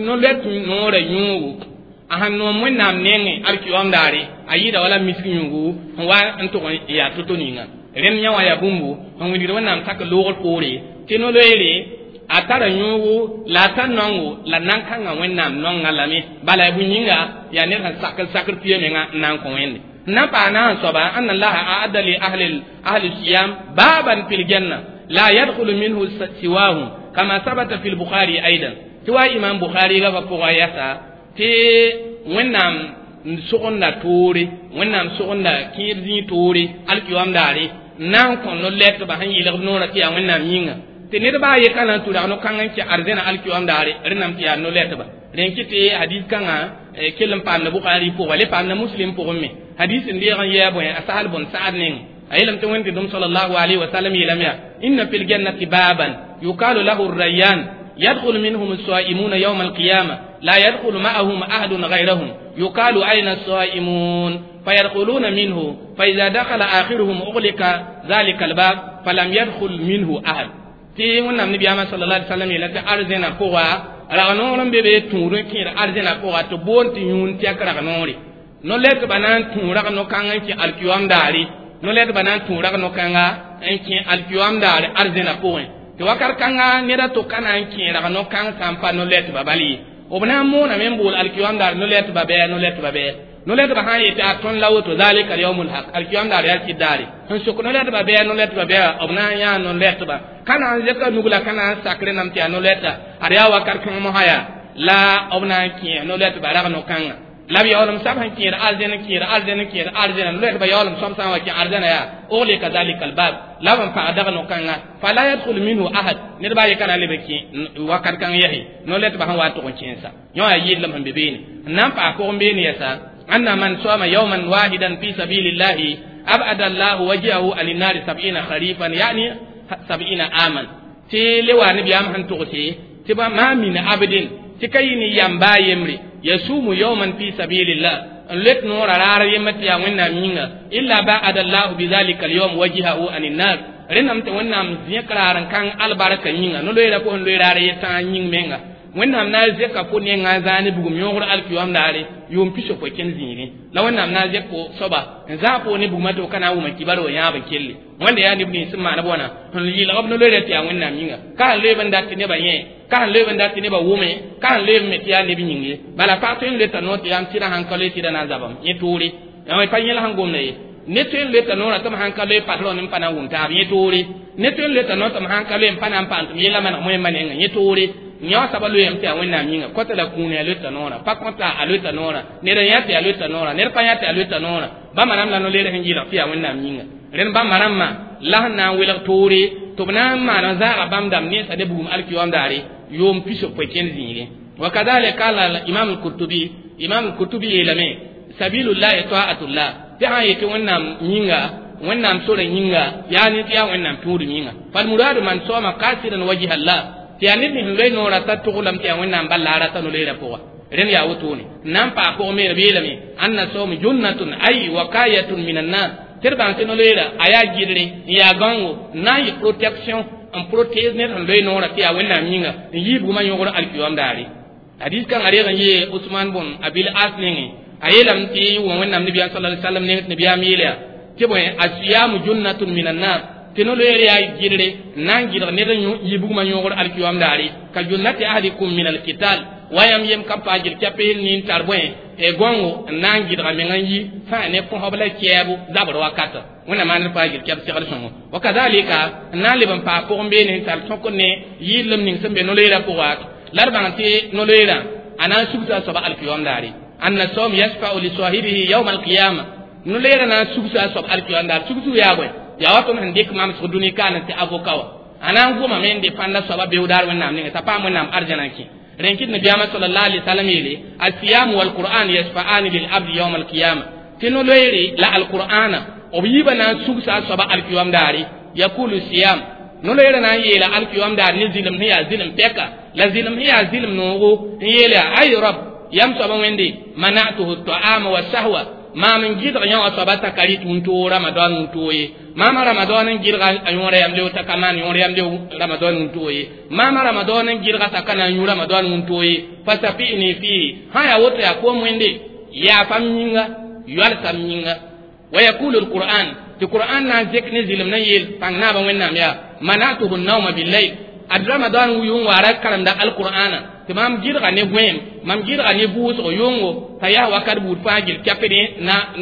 no-lɛt noorã yũugu a sẽn noom wẽnnaam nengẽ alkiyom daare a yɩɩda wala misk yũugu sẽn wa n tʋg n yaa to-to ninga rẽnd yã wã yaa bũmbu sẽn wilgd wẽnnaam sak loogr poore tɩ no-loeere a tara yũugu la a tar nongo la nan-kãngã wẽnnaam nonga lame bala bõe yĩnga yaa ned sẽn sak n sakr pia menga n na n kõ wẽnde n na n paas na n soaba anna allaha aadda li ahli siyam baban fi ljanna la yadkhulu minhu siwahum kama sabata fi lbukhari aidan tɩ wa imam bukhari gafa pʋga yasa tɩ wẽnnaam n sogenda toore wẽnnaam sogenda kẽed zĩig toore alkiyom daare n na n kõ no-lɛtba sẽn yɩlg b noorã tɩ yaa wẽnnaam yĩnga tɩ ned baa ye ka na n tʋ rag no-kãng n kẽ arzẽna alkiyom daare rẽnnam tɩ yaa no-lɛtba rẽn kɩ tɩ hadis kãngã kell n paamda bukhari pʋga le paamda muslim pʋgẽ me hadis n deeg n yɛɛ bõe a sahal bõn sa'ad neng a yeelame tɩ wẽnd-dɩdem salallahu alayhi wa sallam yeelame yaa inna fi ljannati baban yukalu lahu rayyan يدخل منهم الصائمون يوم القيامة لا يدخل معهم أحد غيرهم يقال أين الصائمون فيدخلون منه فإذا دخل آخرهم أغلق ذلك الباب فلم يدخل منه أحد tɩ wẽnnaam nabiyaamã sala ali salam yeela tɩ arzẽna pʋga rag-noor n be be tũud n kẽed arzẽna pʋga tɩ boond tɩ yũun tɛk rag-noore no-lɛtbã na n tũ rag-no-kãng n kẽ alkiyom daare no-lɛtbã na n tũ rag-no-kãnga n kẽ alkiyom daare arzẽna pʋgẽ tɩ wakat kãnga ned a to ka na n kẽ rag-no-kãng sã n pa no-lɛtbã bal ye b na n mooname n bool alkiyom daar no-lɛtbã bɩ no-lɛtbã bɩ no-lɛtbã sã n yetɩ a tõnd la woto zalika yaumul haq alkiyom daar yaa kɩt daare sẽn sok no-lɛtbã bɩ no-lɛtbã bɩ b na n yãa no-lɛtbã ka na n zẽka nug la ka na n sak rẽnnam tɩ yaa no-lɛta ad yaa wakat kãng mosã yaa la b na n kẽ no-lɛtbã rag-no-kãngã la b yaoolem sab sẽn kẽed arzẽn kẽed arzẽn kẽed arzẽna no-lɛtbã yaoolem sõm sã n wa kẽ arzẽna yaa uglika zalika albab la b n pag dag no-kãnga fala yadkhulu minhu ahad ned baa ye ka na n leb n kẽ wakat kãng yɛse no-lɛtbã sẽn wa tʋg n kẽensa yõ yaa yɩɩdlem sẽn be beene n na n paas pʋgẽ beene yɛsa anna man sama yawman wahidan fi sabilillahi abada allahu wajhahu an innari sab'ina kharifan yani sab'ina aman tɩ le wa nabiyaam sẽn tʋgse tɩ ba ma min abdin tɩ ka yɩ ne yam baa yembre yasumu yawman fi sabilillah n let noora raar yemma tɩ yaa wẽnnaam yĩnga illa ba'ada allahu bidhalika alyawm wajhahu an innar rẽnnam tɩ wẽnnaam zẽk raar n kãng albarka yĩnga no-loeera pʋgẽ loe raar ye tãag yĩng menga wẽnnaam na n zẽka fo nengã n zãa ne bugum yõogr alkiyom daare yʋʋm pisopoe kẽnd zĩigẽ la wẽnnaam na n zẽk fo soaba n zãag fo ne bugmã tɩ f ka na n wʋma kibar wa yãab n kelle wẽnda yaa neb nins sẽn maan b wãna sẽn yɩlg b no-loeera tɩ yaa wẽnnaam yĩnga ka sẽn loeeb n dat tɩ nebã yẽ ka sẽn loeeb n dat tɩ nebã wʋme ka sẽn loeeb me tɩ yaa neb yĩng ye bala pag tõe n loeta noor tɩ yaa m sɩdã sãn ka loe sɩdã na n zabame yẽ toore pa yẽl sẽn gomda ye ne tõe n loeta noorã tɩ m sãn ka loe patron n pa na n wʋm taab yẽ toore ne tõe n loeta noor tɩ m sãn ka loe n pa na n paam tɩ m yella maneg moẽmba nengã yẽ toore yõ saba loeem tɩ yaa wẽnnaam yĩnga kõta la kũune a loeta noorã pa kõta a loeta noorã ned n yã tɩ a loeta noorã ned pa yã tɩ a loeta noorã bãmba rãmb la no-leer sẽn yɩlg tɩ yaa wẽnnaam yĩnga rẽnd bãmba rãmbã la sẽn na n welg toore tɩ b na n maan n zaaga bãmb dãmb nensã ne bugum alkiyom daare yʋʋm pisopoe kẽnd zĩigẽ wa kadalik qala imam al-qurtubi imam al-qurtubi yeelame sabilullahi ta'atullah tɩ sã n yetɩ wẽnnaam yĩnga wẽnnaam sorã yĩnga yaa ne tɩ yaa wẽnnaam tũudum yĩnga falmuradu man soma qasidan wajha allah tɩ yaa ned nins n loe noorã t'a tʋglame tɩ yaa wẽnnaam bal la a rata no-loeerã pʋga Rẽnd yaa wotone nan paa pʋgẽ me b yeelame anna sawm junnatun ay wakayatun min annar tɩ d bãng tɩ no-loeera a yaa gɩdre n yaa gãongo n na n yɩ protection n protège ned sẽn loe noorã tɩ yaa Wẽnnaam yĩnga n yii bugmã yõgr alkiyom daare. Hadis kãngã reeg n yee Usman bõn Abil As nengẽ a yeelame tɩ wõ Wẽnnaam nabiyaam sala ali sallam neng tɩ nabiyaam yeela yaa tɩ bõe asiyamu junnatun min annar tɩ no-loeer yaa gɩdre n na n gɩdg ned n yi bugmã yõgr alkiyom daare ka junnati ahadikum min alkital wa yãmb yem ka paa gil kɛpes nin tar bõe e gõngo n na n gɩdga meng n yi sã ne kõsb la kɛɛbo zabr wakata Wẽnnaam maan paa gil kɛp segd sõngo wa kazalika n na n leb n paa pʋgẽ beene n tar tõk ne yɩɩdlem ning sẽn be no-loeerã pʋga la d bãng tɩ no-loeerã a na n sugsa a soaba alkiyom daare anna sawm yasfa'u li sahibihi yawm alqiyama no-loeerã na n sugsa a soab alkiyom daare sugsu yaa bõe yaa wa tõnd sẽn dɩk mamsg dũni kaana tɩ avoka wa a na n gomame n defãnda soaba beoog daar Wẽnnaam ninga t'a paam Wẽnnaam arjana n kẽ rẽn kɩt nabiyaamã sallallahu alaihi wasallam yeele asiyam walquran yasfa'ani lilabdi yawm alqiyama tɩ no-loeere la alqur'ana b yiibã na n sugsa a soaba alkiyom daare yakulu siyam no-loeerã na n yeela alkiyom daar ne zɩlem sẽn yaa zɩlem pɛka la zɩlem sẽn yaa zɩlem noogo n yeela ay rab yam soaba Wẽnde manatuhu taama wa sahwa maam n gɩdg yã wã soaba t'a ka rɩt wũntoo ramadan wũntoo ye maama ramadan n gɩdga a yõora yam leo t'a ka maan yõor yam leo ramadan wũntoo ye maama ramadan n gɩdga t'a ka na n yũ ramadan wũntoo ye fasafini fihi sã yaa woto yaa koom Wẽnde yaafam yĩnga yoalsam yĩnga wa yakulu alquran tɩ qur'an na n zek ne zɩlem na n yeel pãng naabã Wẽnnaam yaa manatuhu nauma billayl ad ramadan yʋng waara karemda alqur'ana tɩ maam gɩdga ne gõeem mam gɩdga ne vʋʋsgo yʋngo t'a yaa wakat buud fãa gil kɛpd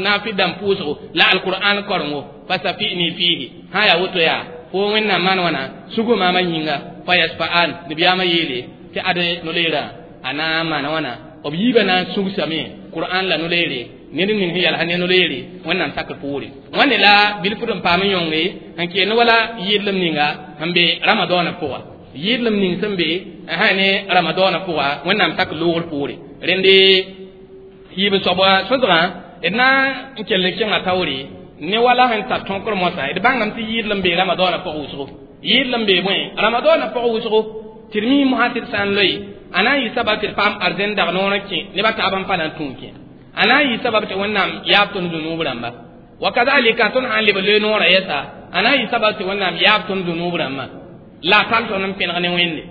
na fi dãmb pʋʋsgo la alqur'an korengo fasafini fihi sã yaa woto yaa fo Wẽnnaam maan wãna sugu maamã yĩnga fa yasfa'an nabiyaamã yeele tɩ ad no-leerã a na n maana wãna b yiibã na n sugsame qur'an la no-leere ned ning sẽn yalsã ne no-leere Wẽnnaam sakr poore wãne la bilfd n paam n yõnge n keend wala yɩɩdlem ninga sẽn be ramadaanã pʋga yɩɩdlem ning sẽn be ne ramadaanã pʋga Wẽnnaam sak loogr poore rẽnde yiib soaba sõsgã d na n kell n kẽngã taoore ne wala sẽn tar tõkr moasã d bãngame tɩ yɩɩdlem bee ramadaanã pʋg wʋsgo yɩɩdlem bee bõe ramadaanã pʋg wʋsgo tɩ d mi mosã tɩ d sã n loe a na n yɩ sabab tɩ d paam arzẽn dag noor n kẽ nebã taab n pa na n tũu kẽ a na n yɩ sabab tɩ Wẽnnaam yaab tõnd zũnuub rãmba wa kazalika tõnd sã n leb loe noorã yɛsa a na n yɩ sabab tɩ Wẽnnaam yaab tõnd zũnuub rãmbã la a tall tõnd n pẽneg ne Wẽnde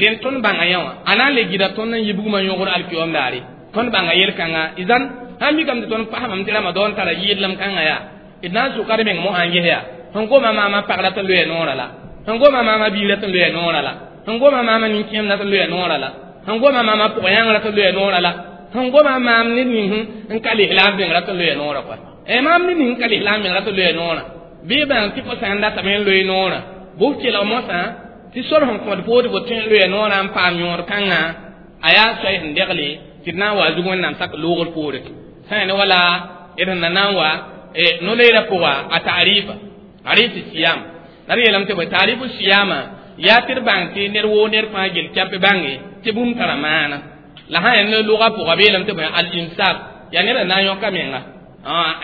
rẽnd tõnd bãnga yã wã a na n le gɩda tõnd n yi bugmã yõgr alkiyom daare tõnd bãnga yel-kãnga izan sãn mikame tɩ tõnd pasmame tɩ ramadan tara yɩɩdlem kãngã yaa d na n sʋka d meng mosã n ges yaa sẽn goma maamã pag la tɩ loya noorã la sẽn goma maamã biig la tɩ loya noorã la sẽn goma maamã nin-kẽem la tɩ loya noorã la sẽn goma maamã pʋg-yãngr tɩ loya noorã la sẽn goma maam ned ning n ka lislaam bẽng ra tɩ loya noorã koa maam ned ning n ka lislaam bẽng ra tɩ loya noorã bɩ bãng tɩ fo sã n datame n loe noorã bʋ kelg mosã tɩ sor sẽn kõt fo tɩ fo tõe n loya noorã n paam yõod kãngã a yaa soay sẽn degle tɩ d na n wa zug Wẽnnaam sak loogr poore sã ne wala d sẽn na n wa no-loeerã pʋga a taarifa arifi siyam la d yeelame tɩ bõe taarifu siyama yaa tɩ d bãng tɩ ned woo ned fãa gel kɛp bãnge tɩ bũmb tara maana la sã yaa ne lʋga pʋga b yeelame tɩ bõe al imsak yaa ned na n yõka menga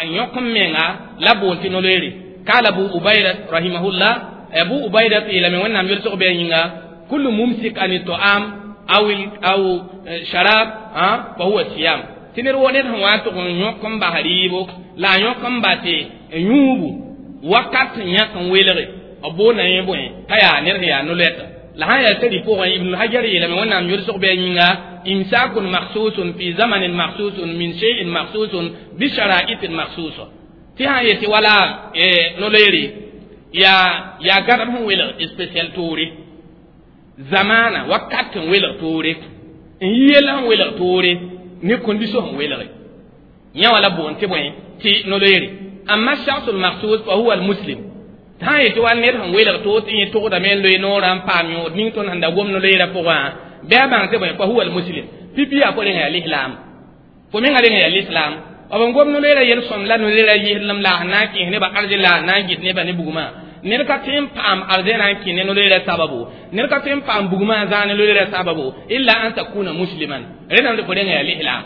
n yõk n menga la boond tɩ no-loeere kaala Abu Ubayda rahimahullah Abu Ubayda yeelame Wẽnnaam yʋlsg bɩ a yĩnga kullu mumsik an ta'am aw sharab fa huwa siyam tɩ ned woo ned sẽn wa n tʋg n yõk n bas rɩɩbo la a yõk n bas tɩ yũubu wakat n yãk n welge b boonda yẽ bõe t'a yaa ned sẽn yaa no-loɛta la sã n yaa sɛri pʋgẽ Ibn Hajar yeelame Wẽnnaam yʋlsg bɩ a yĩnga imsakun makhsusun fi zamanin makhsusun min shay'in makhsusun bi shara'itin makhsusa tɩ sã n yetɩ wala no-loeere yaa gãdem sẽn welg spécial toore zamana wakat n welg toore n yel sẽn welg toore ne condition sẽn welge yã wala boond tɩ bõe tɩ no-loeere amma shakhsul makhsus fa huwa almuslim sã n yetɩ wa ned sẽn welg toor tɩ yẽ togdame n loe noorã n paam yõod ning tõnd sẽn da gom no-loeerã pʋgã bɩ a bãng tɩ bõe fa huwa almuslim pipi yaa fo rẽnga yaa lislaam fo menga rẽnga yaa lislaam b n gom no-loeerã yel-sõm la no-loeerã yɩsdlem la sẽn na n kẽes nebã arzẽ la na n gɩt nebã ne bugmã ned ka tõe n paam arzẽnã n kẽ ne no-loeerã sababu ned ka tõe n paam bugmã n zãag ne no-loeerã sababu illa an takuna musliman rẽndame tɩ fo rẽnga yaa lislaam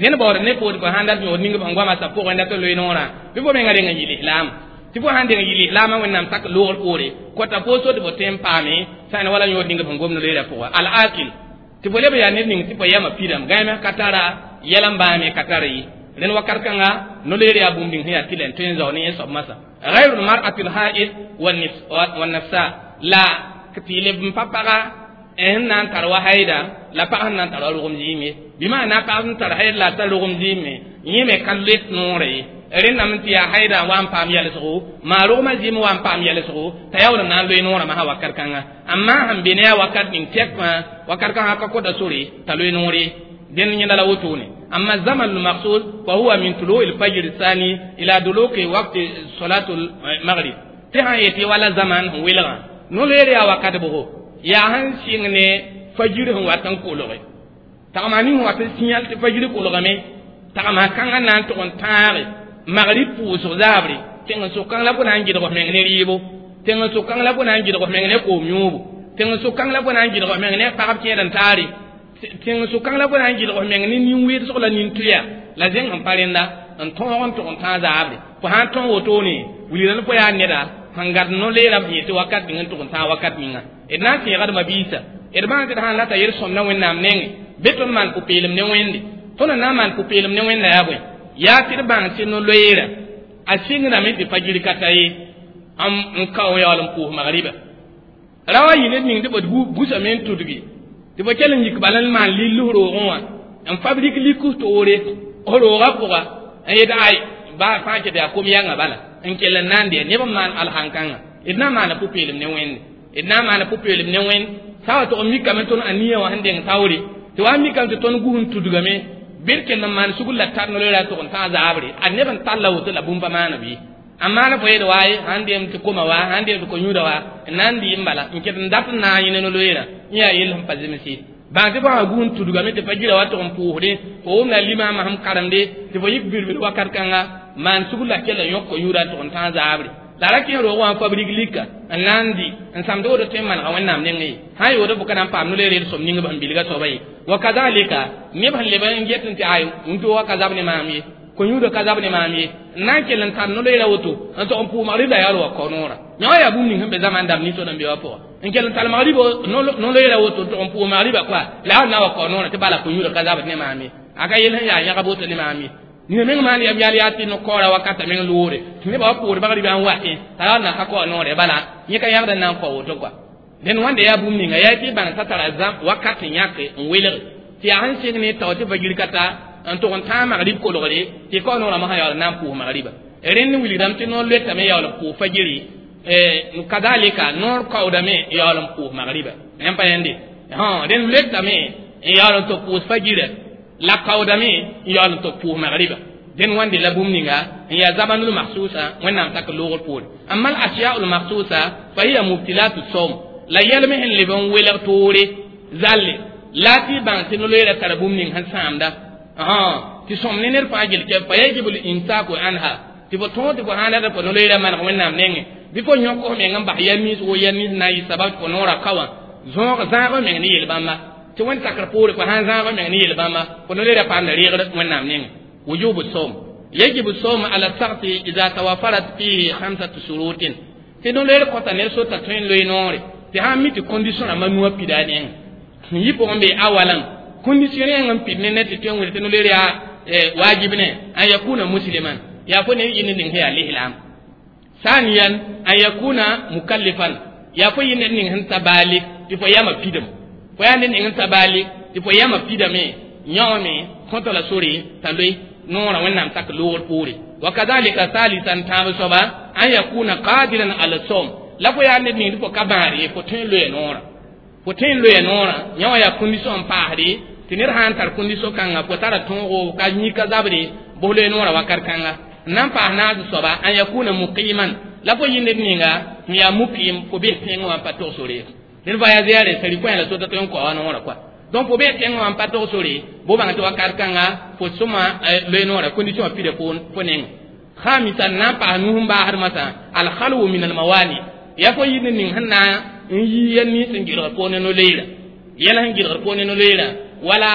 zẽnd baood ne fo tɩ fo sãn dat yõod ning sẽn goamã sa pʋgẽ dat n loe noorã bɩ fo menga reng n yɩ lislaam tɩ fo sãn deng n yɩ lislaamã Wẽnnaam sak loogr poore kota fo so tɩ fo tõe n paame sã n wala yõod ning sẽn gom no-loeerã pʋga al akil Tɩ fo leb yaa ned ning tɩ fo yama pidame gãame ka tara yɛl n bãame ka tara ye rẽnd wakat kãnga no-loeer yaa bũmb ning sẽn yaa tɩlɛ n tõe n zao ne yẽ soab masã غayr lmar'ati lhaid wannafsa la tɩ leb n pa paga sẽn na n tar wa haida la pag sẽn na n tar wa rogem zɩɩm ye bɩ maana pag sẽn tar haid la a tar rogem zɩɩm me yẽ me ka loet noorã ye rẽndame tɩ yaa haida n wa n paam yɛlsgo maa rogmã zɩɩm wa n paam yɛlsgo t'a yaool n na n loe noorã masã wakat kãnga amma sẽn be ne a wakat ning tɛk fãa wakat kãngã ka kota sore t'a loe noor ye dẽnd yẽnda la wotone amma zaman lmaksud fa huwa min tului lfajr thani ila duluki wakti salatu lmagrib tɩ sãn yetɩ wala zaman sẽn welgã no-loeer yaa wakat bʋgo yaa sẽn sɩng ne fajir sẽn wat n kolge tagma ning sẽn wat n sĩyal tɩ fajir kolgame tagma kãngã na n tʋg n tãage magrib pʋʋsg zaabre tẽng-sʋk kãng la fo na n gɩdg f meng ne rɩɩbo tẽng-sʋk kãng la fo na n gɩdg f meng ne koom yõobo tẽng-sʋk kãng la fo na n gɩdg f meng ne pagb kẽed n taare tẽng-sʋk kãng la fo na n gɩdg f meng ne nin-weedsg la nin-tʋya la zẽng sẽn pa rẽnda n tõog n tʋg n tãag zaabre fo sã n tõog wotone wilgrã fo yaa neda sẽn gad no-leerã b yetɩ wakat ning n tʋg n tãag wakat ninga d na n tẽegdmã biisa d bãng tɩ d sãn rata yel-sõmda wẽnnaam nengẽ bɩ tõnd maan pʋ-peelem ne wẽnde tõnd n na n maan pʋ-peelem ne wẽnda yaa bõe yaa tɩ d bãng tɩ no-loeera a sɩngdame tɩ fajir ka ta ye n kao yaool n pʋʋs magriba ra wa yɩ ned ning tɩ b busame n tudgi tɩ fo kell n yik bala n maan lill f roogẽ wã n fabrik lik f toore f roogã pʋga n yet ay baa fãa ket yaa kom yãnga bala n kell n na n dɩ neb n maan alhãn-kãngã d na n maana pʋ-peelem ne wẽnde d na n maana pʋ-peelem ne wẽnd sã wa tʋg n mikame tõnd a nia wã sẽn deng taoore tɩ wa n mikame tɩ tõnd gus n tudgame bɩ d kell n maan sugr la tar no-loeera tʋg n tãag zaabre a neb n talla woto la bũmb pa maana bɩ a maana fo yed waaye sãn deem tɩ koma wa sãn deem tɩ ko-yũuda wa n na n dɩ n bala n ket n dat n na n yẽ ne no-loeerã yẽ yaa yell sẽn pa zemse bãng tɩ fo sã gus n tudgame tɩ pa gira wa tʋg n pʋʋsdẽ fo wʋmda limaamã sẽn karemde tɩ fo yik birbir wakat kãnga maan sugr la kell n yõk ko-yũuda n tʋg n tãag zaabre la ra kẽ roog wã n fabrik lika n na n dɩ n sãmd woto tõe n manega wẽnnaam nengẽ ye sã n yood fo ka na n paam no-loeer yel-sõm ning b sẽn bilga soaba ye wa kazalika neb sẽn leb n get n tɩ ay n tooga ka zab ne maam ye ko-yũudã ka zab ne maam ye n na n kell n tar no-loeera woto n tog n pʋʋs magrib la yaool wa kao noorã yã wã yaa bũmb ning sẽn be zaman dãmb ninsod n be wã pʋga n kell n tar magrib no-loeera woto n tog n pʋʋs magriba koa la yaool na wa kao noorã tɩ bala ko-yũudã ka zabd ne maam ye a ka yel sẽn yaa yãgb woto ne maam ye nina meng maan yam yal yaa tɩ no-kaoora wakata meng loore tɩ nebã wa pʋʋd magribã n watẽ t'a yaool na ka kao noore bala yẽ ka yãgd n na n kao woto koa dẽnd wãnda yaa bũmb ninga yaa tɩ bãng t'a tara zãm wakat n yãke n welge tɩ yaa sẽn sɩng ne tao tɩ fajir ka ta n tʋg n tãag magrib kolgre tɩ kao noorã mosã yaool n na n pʋʋs magriba rẽnd wilgdame tɩ noor loetame yaool n pʋʋs fajiri kadalika noor kaoodame yaool n pʋʋs magriba yãmb pa yẽnde rẽnd loetame n yaool n tɩ pʋʋs fajira la kaoodame n yaool n tɩ pʋʋs magriba dẽnd wãnde la bũmb ninga n yaa zamanul mahsusa wẽnnaam tak loogr poore amma al ashyau lmahsusa fa hiya mubtilatu sawm la yɛlme sẽn leb n welg toore zalle la tɩ bãng tɩ no-loeera tara bũmb ning sẽn sãamda tɩ sõm ne ned fãa gel kɛ fa yajibu linsaku anha tɩ fo tõog tɩ fo sãn rata fo no-loeera maneg wẽnnaam nengẽ bɩ fo yõk f meng n bas yɛl nins wo yɛl nins na n yɩ sabab tɩ fo noorã ka wã zõog zãag f meng ne yel-bãmba tɩ wẽnd sakr poore fo sãn zãag f meng ne yel-bãmba fo no-loeera paamda reegr wẽnnaam nengẽ وجوب الصوم يجب الصوم على الشخص إذا توفرت فيه خمسة شروط tɩ no-loeer kõta ned sota tõe n loe noore tɩ sãn mi tɩ condition rãmbã nuwã pida nengẽ sẽn yɩ pʋgẽ be awalan condition rẽng n pid ne ned tɩ tõe n wilg tɩ no-loeer yaa wajib ne an yakuna musliman yaa fo ne yɩ ned ning sẽn yaa lislaam saniyan an yakuna mukallifan yaa fo yɩ ned ning sẽn ta baalik tɩ fo yama pidem fo yaa ned ning sẽn ta baalik tɩ fo yama pidame yãoome kõta la sore t'a loe noorã wẽnnaam sak loogr poore wa kadalika salisan tãab soaba an yakuna qadiran ala som la fo yaa ned ning tɩ fo ka bãar ye fo tõe n loe noorã fo tõe n loe noorã yã wã yaa condition n paasde tɩ ned sã n tar condition kãnga fo tara tõogo ka yĩka zabre bos loe noorã wakat kãnga n na n paas naas soaba an yakuna muqiman la fo yɩ ned ninga n yaa muqim fo bes tẽngã wã n pa tog sore ned voyage yaa re sari kõ la sota tõe n kao wa noorã koa donc fo be tẽngã wã n pa tog sore bo bãng tɩ wakat kãnga fo sõma loe noorã condition wã pida fo neng khamisan na n paas nus n baasd masã alhalwu min almawani yaa fo yɩ ned ning sẽn na n yi yɛl nins n gɩlgr poor ne no-loeera yɛl sẽn gɩlgr poor ne no-loeera wala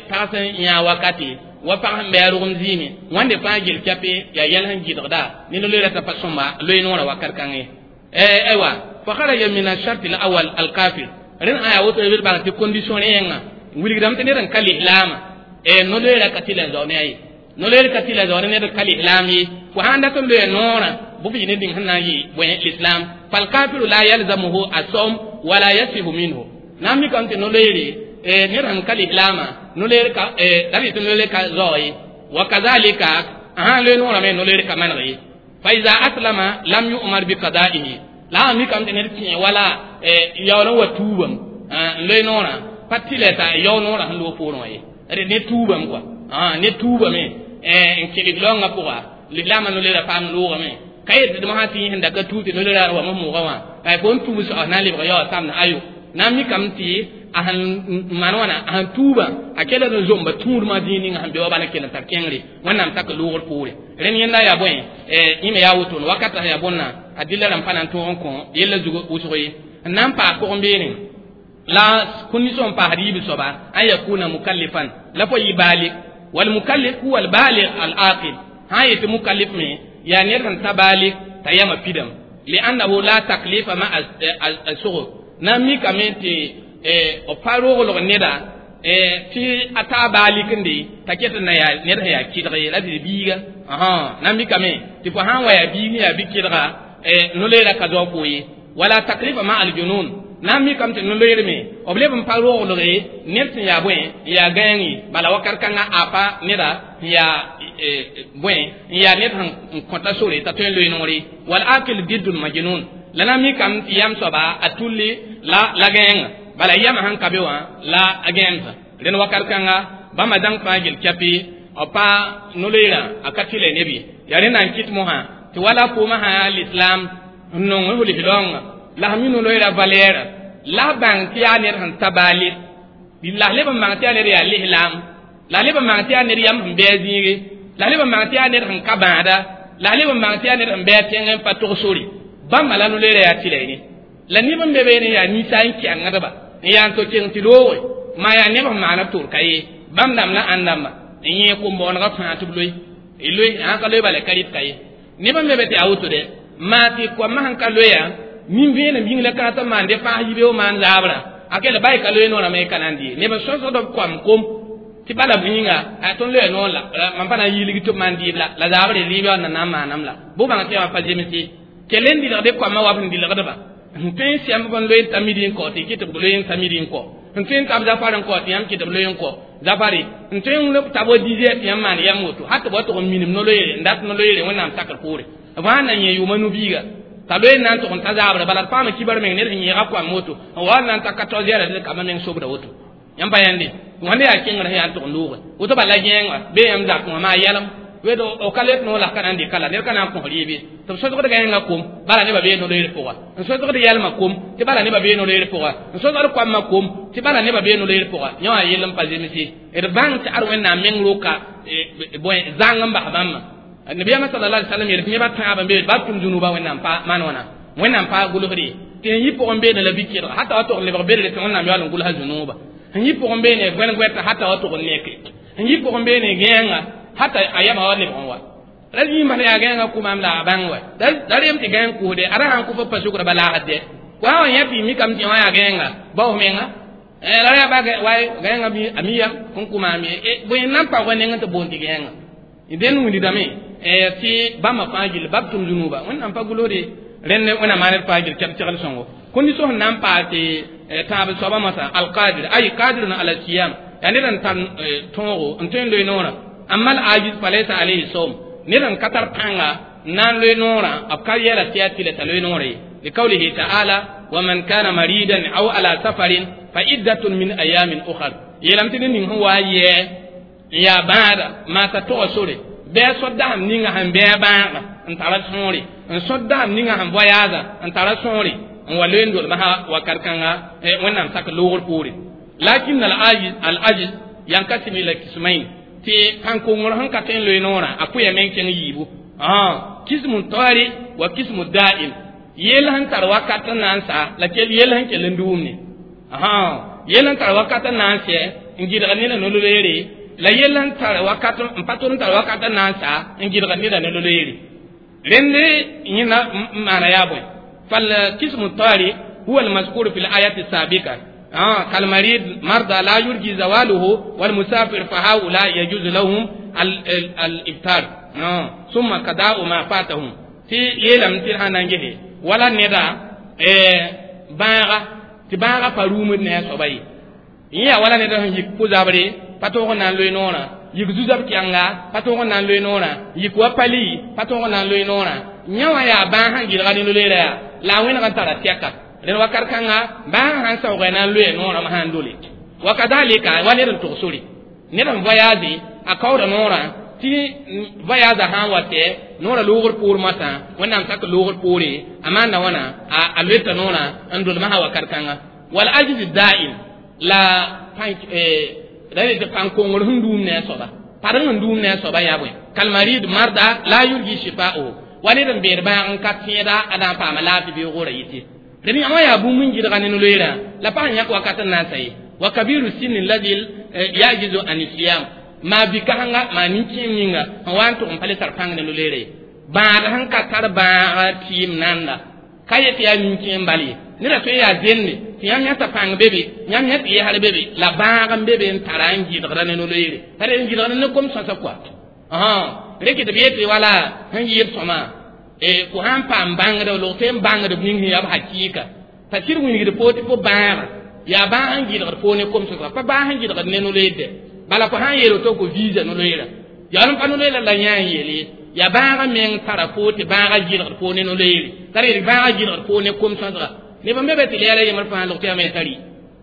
pag sẽn yã wakate wa pag sẽn bɩ a rogem zɩɩme wãnde fãa gel kɛpe yaa yɛl sẽn gɩlgda ne no-loeera t'a pa sõma loe noorã wakat kãngẽ ye aywa fa kharaja min ashart alawal alkafir rẽnd ã yaa woto b bãng tɩ condition rẽenga Wilgdame tɩ ned n ka lislaamã no-loeera ka tɩl n zao ne a ye no-loeer ka tɩl n zao ne ned n ka lislaam ye fo sãn dat n loe noorã bʋ f yɩ ned ning sẽn na n yɩ bõe l'islam falkafiru la yalzamuhu asawm wala yasihu minhu na n mikame tɩ no-loeere ned sẽn ka lislaamã no-loeer ka la b yetɩ no-loeer ka zao ye wa kazalika a sãn loe noorã me no-loeer ka maneg ye fa iza aslama lam yu'mar bi qada'ihi la a mikame tɩ ned kẽ wala yaool n wa tuubame n loe noorã pa tɩlɛ t'a yao noorã sẽn loog poorẽ wã ye ne tuubame kɔa ne tuubame n kẽ lislaoongã pʋga lislaamã no-loeerã paam loogame ka yet tɩ mosã tɩ yẽ sẽn da ka tuub tɩ no-loeerã wame moogã wã fo n tuub soab na n lebg yaoog samd ayo na n mikame tɩ a sẽn maan wãna a sẽn tuubã a kell n zomba tũudmã zĩig ninga sẽn be wa bala kell n tar kẽngre wẽnnaam tak loogr poore rẽnd yẽnda yaa bõe yẽ me yaa wotone wakata sẽn yaa bõnna a dɩlla rãmb pa na n tõog n kõ yella zug wʋsg ye n na n paas pʋgẽ beene la condition n paasd yiib soaba an yakuna mukallifan la fo yɩ baalik wal mukallif huwa al baligh al aqil sã n yetɩ mukallif me yaa ned sẽn ta baalik t'a yamã pidame liannahu la taklifa ma a sʋgo na n mikame tɩ b pa roglg neda tɩ a taa baalik n de t'a ket n na yaa ned sẽn yaa kɩdg ye la tɩ biiga na n mikame tɩ fo sã n wa yaa biig sẽn yaa bi-kɩdga no-loeera ka zao fo ye wala taklifa ma aljunun na n mikame tɩ no-loeer me b leb n pa roglge ned sẽn yaa bõe n yaa gãeng ye bala wakat kãngã a pa neda sẽn yaa bõe n yaa ned sẽn kõta sore t'a tõe n loe noore wal akil diddul majnun la na n mikame tɩ yam soaba a tulli la gãenga bala yamã sẽn ka be wã la a gãemsã rẽnd wakat kãnga bãmba zãng fãa gel kɛpɩ b pa no-loeerã a ka tɩlɛ neb ye yaa rẽnda n kɩt mosã tɩ wala foomã sã yaa l'islam n nong f lislaoongã la sẽn mi no-loeerã valɛɛra la b bãng tɩ yaa ned sẽn ta baale la s leb n bãng tɩ yaa ned yaa lislaam la leb n bãng tɩ yaa ned yam sẽn bɩ a zĩige la leb n bãng tɩ yaa ned sẽn ka bãada la leb n bãng tɩ yaa ned sẽn bɩ a tẽng n pa tog sore bãmba la no-loeerã yaa tɩlɛ ne la neb n be beene yaa ninsã n kɛngdba n yaa n to keng tɩ looge maa yaa neb sẽn maana tor ka ye bãmb dãmb la ãnd dãmba n yẽ kom-bõonegã fãa tɩ b loe y loe sã ka loe bala ka rɩt ka ye neb n be be tɩ yaa woto dɛ maa tɩ koamã sẽn ka loeya nin-vẽenem yĩng la kãat n maan dẽ fãas yibeoog maan zaabrã a kell ba y ka loe noorã me y ka na n dɩ neb n sõsgd b koam kom tɩ bala b yĩnga a tõnd loya noor la mam pa na n yiilg tɩ b maan dɩɩb la zaabre rɩɩbã na na n maanam la bʋ bãng tɩ yã pa zems ye kell n dɩlgd koamã wa b sẽn dɩlgdba n tõe n sɛmb n loe n ta midi n kao tɩ kɩ tɩ b loe n ta midi n kao n tõe n tab zafar n kao tɩ yãmb kɩ tɩ b loe n kao zafare n tõe n tab wa dizeer tɩ yãmb maan yam woto hat tɩ b wa tʋg n minim no-loeere n dat no-loeere wẽnnaam takr poore b sã n na yẽ yʋʋma no-biiga t'a loe n na n tʋg n ta zaabrã bala d paama kibar meng ned sẽn yẽega koam woto n wa na n ta 14 heures tɩ kambã meng sobda woto yãmb pa yãnde wãnda yaa kẽngr sẽn yaa n tʋg n looge woto bala gẽeng wã bee yãmb zakẽ wã maa yɛlem wed o ka let noor la ka na n dɩka la ned ka na n kõs rɩɩb ye tɩ b sõsgd gãengã kom bala nebã bee no-loeer pʋga n sõsgd yɛlmã kom tɩ bala nebã bee no-loeer pʋga n sõsgd koamã kom tɩ bala nebã bee no-loeer pʋga yẽ wã yell n pa zemse d bãng tɩ ad wẽnnaam meng roka bõe zãng n bas bãmbã nabiyaamã sallallahu alaihi wasallam yel tɩ nebã tãab n be ba tʋm zũnuba wẽnnaam pa maan wãna wẽnnaam pa gʋlsd ye tɩ n yi pʋgẽ beene la bi-kɩdga hata wa tʋg n lebg bedre tɩ wẽnnaam yaool n gʋlsa zũnuba n yi pʋgẽ beene goɛn-goɛta hata wa tʋg n neke n yi pʋgẽ beene gãenga hata a yama wa lebg n wa la yĩmba yaa gãenga kʋmaam la a bãng wa da rem tɩ gãeng kʋsde a ra sãn kʋ fo pa sʋkra ba laasd dɛ wa wã yã tɩ mikame tɩ wã yaa gãenga bao f menga la yaa ba wa gãenga a mi yam n kʋmaam ye bõe n na n pa wa neng tɩ boond tɩ gãenga dẽn windame tɩ bãmba fãa gill bab tʋm zũnuba wẽnnaam pa gʋlsde rẽnd wẽnnaam maan d fãa gill kɛb segl sõngo condition sẽn na n paas tɩ tãab soabã mosã alqadir ay qadirun ala siyam yaa ned n tar tõogo n tõe n loe noorã amma al ajiz falaysa alayhi sawm ned n ka tar pãnga n na n loe noorã b ka yɛla tɩ yaa tɩla t'a loe noorã ye liqawlihi ta'ala wa man kana maridan aw ala safarin fa iddatun min ayamin ukhar yeelame tɩ ned ning sẽn wa n yɛɛ n yaa bãada maa t'a toga sore bɩ a sod dasem ninga sẽn bɩ a bãaga n tara sõore n sod dasem ninga sẽn voyaasa n tara sõore n wa loe n dolmsã wakat kãnga wẽnnaam sak loogr poore lakin al ajiz al ajiz yankasim ila kismain tɩ pãn-kongr sẽn ka tõe n loe noorã a pʋya meng kẽng yiibu kismu tari wa kismu da'im yel sẽn tar wakat n na n sa la kell yel sẽn kell n duumne yel sẽn tar wakat n na n sɛ n gɩdg neda no-loeere la yel sẽn tar wakat n pa tʋr n tar wakat n na n sa n gɩdg neda no-loeere rẽnd yẽna n maana yaa bõe فالقسم الطارئ هو المذكور في الآية السابقة كالمريض مرضى لا يرجي زواله والمسافر فهؤلاء يجوز لهم الإفطار ثم قضاء ما فاتهم تي يلم تي هانانجه ولا ندا باغا تي باغا فروم ne sobai ya wala neda yik puzabre pato na loy nora yik zuzab kyanga pato na loy nora yik wa pali pato na loy nora nyawa ya ba han gilga ni loy la wena kan tara tiaka ren wakar kanga ba han sawga na loy nora ma han dole wa kadhalika wala tugsuri neda voyage akawra nora ti voyage han wate nora lugor pour mata wannan sak lugor pore amana wana a leta nora andul ma wakar kanga wal ajiz da'im la pank rene de pankongor hundum ne soba paran hundum ne soba ya boy kalmarid marda la yurji shifa'u wani dan ber ba an ka tieda ada pa ma la fi bi gora yiti rene amma ya bu mun girga ne loira la pa nya ko akata na sai wa kabiru sinni alladhi yajizu an siyam ma bi kahanga ma ninki ninga wan to pale tar pang ne lolere ba han ka tar ba tim nanda kayeti ya ninki mbali nira to ya zenne ti yam yata pang bebe yam yata ye hal bebe la baagam bebe n tara n gɩdgra ne no-loeere tara n gɩdgra ne kom sõsa kɔa reke tɩ b yetɩ wala sẽn yɩɩd sõma fo sãn paam bãngd log tɩ n bãngd b ning sẽn yaa b hakɩɩka t'a sɩd wilgd fo tɩ fo bãaga yaa bãag n gɩdgd fo ne kom sõsga pa bãag n gɩdgd ne no-loeerde bala fo sãn yeel to fo visa no-loeera yaa n pa no-loeera la yã n yeele ya bãaga meng tara fo tɩ bãaga gɩdgd fo ne no-loeere tara yel bãaga gɩdgd fo ne kom sõsga ne ban bebe tilala yamar fa lokti ame tari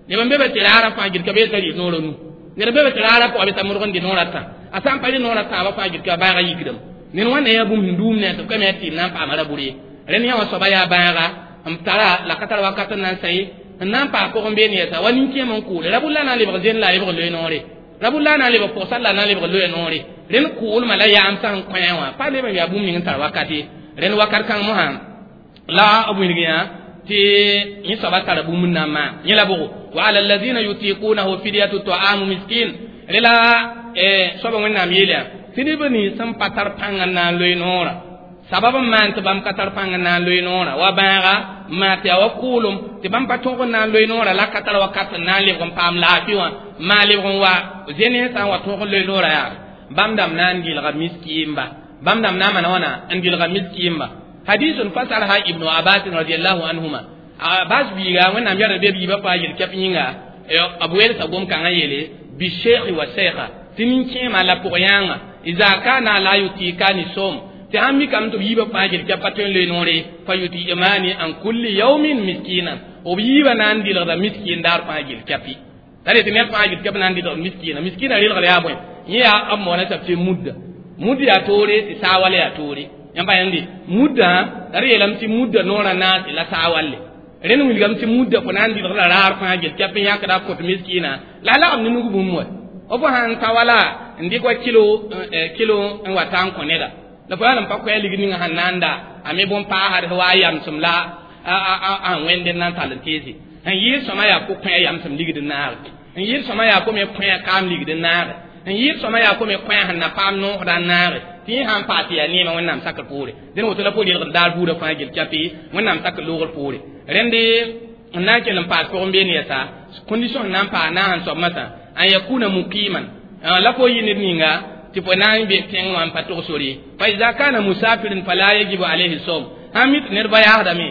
ne ban bebe tilala fa girka be tari noro nu ne bebe tilala ko abita murgon di nora ta asan pali nora ta ba fa girka ba ga yigdam ne wana ya bum ndum ne to kame ti na pa mara buri ren ya waso ba ya ba ga am tara la katar wakata nan sai nan pa ko be ne ta wani ke mon ku rabulla na le bazen la le le nore rabulla na le ko salla na le le nore ren ku ul mala ya am san kwanwa pa le ya bum ni tar wakati ren wakar kan mo han la abu ni ya ti ni saba tara bum na ma ni la bugo wa ala alladhina yutiqunahu fidyatu ta'amu miskin rela saba wẽnnaam yeela tɩ neb nins sẽn pa tar pãng n na n loe noorã sabab n maan tɩ bãmb ka tar pãng n na n loe noorã wa bãaga n maan tɩ yaa wa kʋʋlem tɩ bãmb pa tõog n na n loe noorã la ka tar wakat n na n lebg n paam laafɩ wã n maan lebg n wa zẽne sã n wa tõog n loe noorã yaa bãmb dãmb na n gɩlga miskiimba bãmb dãmb na n maan wãna n gɩlga miskiimba hadisun fasarha ibnu abbas radiallahu anhuma abbas biiga wẽnnaam yɛra be biibã fãa yel-kɛp yĩnga b welsa gom-kãngã yeele بالشيخ والشيخة تنين ما لا بوريان إذا كان لا يطيقان الصوم تهم كم تبيب فاجر كفتن لنوري فيطي إيماني عن كل يوم مسكينا وبيب ناندي لغدا مسكين دار فاجر كفي ترى تنين فاجر كف ناندي لغدا مسكينا مسكينا ريل غلا يابوين يا أمونا تبتي مدة مدة توري تساوالي توري يamba yandi mudda tare yelam ti mudda nora na la sawale ren wilgam tɩ mudda fo na n dɩlg la raar fãa gel kɛp n yãkda kõt miskiina la a lagem ne nug bũmb wa fo sãn ta wala n dɩk wa kilo kilo n wa ta n kõ neda la fo yaa n pa koɛɛ ligd ninga sẽn na n da a me bõn-paasd wa a yamsem la a wẽnd n na n tall n teese n yɩɩd sõma yaa ko kõ a yamsem ligd n naage n yɩɩd sõma yaa ko me kõ a kaam ligd n naage n yɩɩd sõma yaa ko me kõ a sẽn na paam noosda n naage tɩ yẽ sãn paa tɩ yaa neemã wẽnnaam sakr poore dẽn woto la fo relgd daar buudã fãa gel kɛpɩ wẽnnaam sakr loogr poore rẽnde n na n kell n paas pʋgẽ beene yɛsa condition n na n paa na n soab masã an yakuna muqiman la fo yɩ ned ninga tɩ fo na n be tẽng wã n pa tog sore fa ida kana musafirin fala yajibu alayhi sawm sãn mi tɩ ned ba yaasdame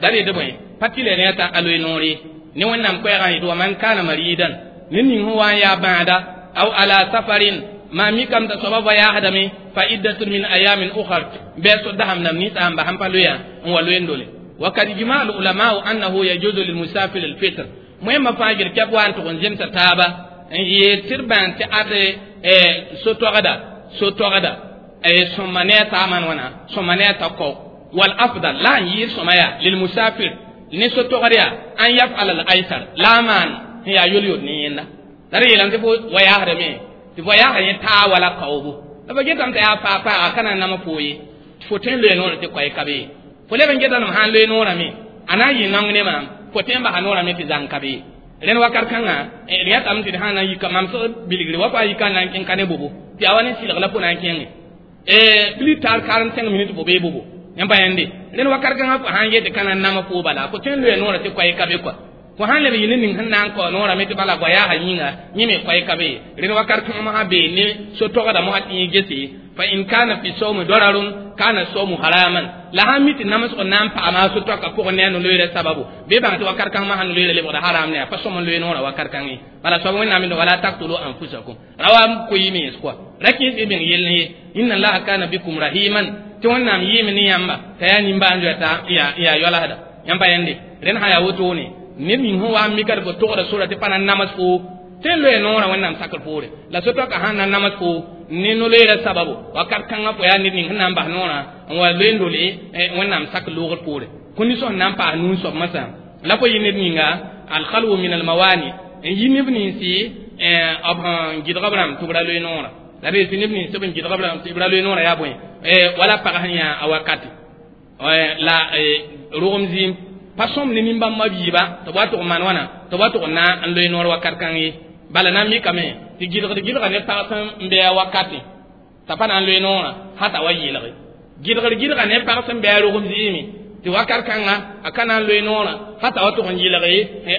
da reed bõe pa tɩ le ne t'a a loe noore ne wẽnnaam koɛɛgã yetɩ wa man kana maridan ned ning sẽn wa n yaa bãada aw ala safarin ma mi kam ta soaba voyaasdame fa iddatun min ayamin ukhar bɩ so dasam nam ninsã n bas n pa loeya n wa loe n dole وقد اجمع العلماء انه يجوز للمسافر الفطر مهم فاجر كبوان تكون زمت تابا يتربان تأد سوتوغدا سوتوغدا سمانيتا من ونا سمانيتا كو والافضل لا يير سمايا للمسافر ني سوتوغريا ان يفعل الايسر لا مان هي يوليو نينا تري لان تفو ويا هرمي تفو يا هرمي تا ولا كوبو لبا جيتام تا فا فا كان نما فوي فوتين لو نور تي كوي كابي fo leb n geta m sãn loe noorame a na n yɩ naong ne maam fo tõe n basa noorame tɩ zãng ka be rẽnd wakat kãngã d yãtame tɩ d sã n na n yika mam sg bilgre wa pa yika n na n kẽng ka ne bobo tɩ yaa wa ne sɩlg la fo na n kẽnge plus tard 45 minutes fo bee bobo yãmb pa yãnde rẽnd wakat kãngã fo sãn yet tɩ ka na n nama fo bala fo tõe n loe noorã tɩ koɛɛ ka be kɔa Fo sãn leb yɩ ne ning sẽn na n kao noorame tɩ bala goa yaa yĩnga yẽ me koɛɛ ka be ye rẽnd wakat kãng mosã bee ne so-togda mosã tɩ yẽ gese fa in kana fi sawmi dararun kana sawmu haraman la sãn mi tɩ namsg n na n paama a so-toaka pʋgẽ ne a no-loeera sababu bɩ bãng tɩ wakat kãng mosã no-loeera lebgda haram ne a pa sõm n loe noorã wakat kãng ye bala soab wẽnnaam yẽnd wala taktulu anfusakum ra wa koyi mens kɔa ra kẽes y meng yell ye inna allaha kana bikum rahiman tɩ wẽnnaam yɩɩme ne yãmba t'a yaa nimbãan-zoɛɛ t'a yaa yoalsda yãmb pa yẽnde rẽnd sã yaa wotone ned ning sẽn wa n mika tɩ fo togda sora tɩ pa na n nams foo tɩ n loe noorã wẽnnaam sakr poore la so-toaka sãn na nams foo ne no-loeera sababu wakat kãngã fo yaa ned ning sẽn na n bas noorã n wa loe n dole wẽnnaam sak loogr poore kũni sẽn na n paas nuu soab masã la fo yɩ ned ninga alkhalwu min almawani n yi neb ninsi b sẽn gɩdg b rãmb tɩ b ra loe noorã la d tɩ neb nins tɩ b n gɩdg b rãmb tɩ b ra loe noorã yaa bõe wala pag sẽn yã a wakati la rogem zĩim pa sõm ne nin-bãmba biiba tɩ b wa tʋg n maan wãna tɩ b wa tʋg n na n loe noor wakat kãng ye bala na n mikame tɩ gɩlgd gɩlga ne pag sẽn be a wakati t'a pa na n loe noorã sã t'a wa yɩlge gɩlgd gɩlga ne pag sẽn be a rogem zɩɩme tɩ wakat kãnga a ka na n loe noorã sã t'a wa tʋg n yɩlge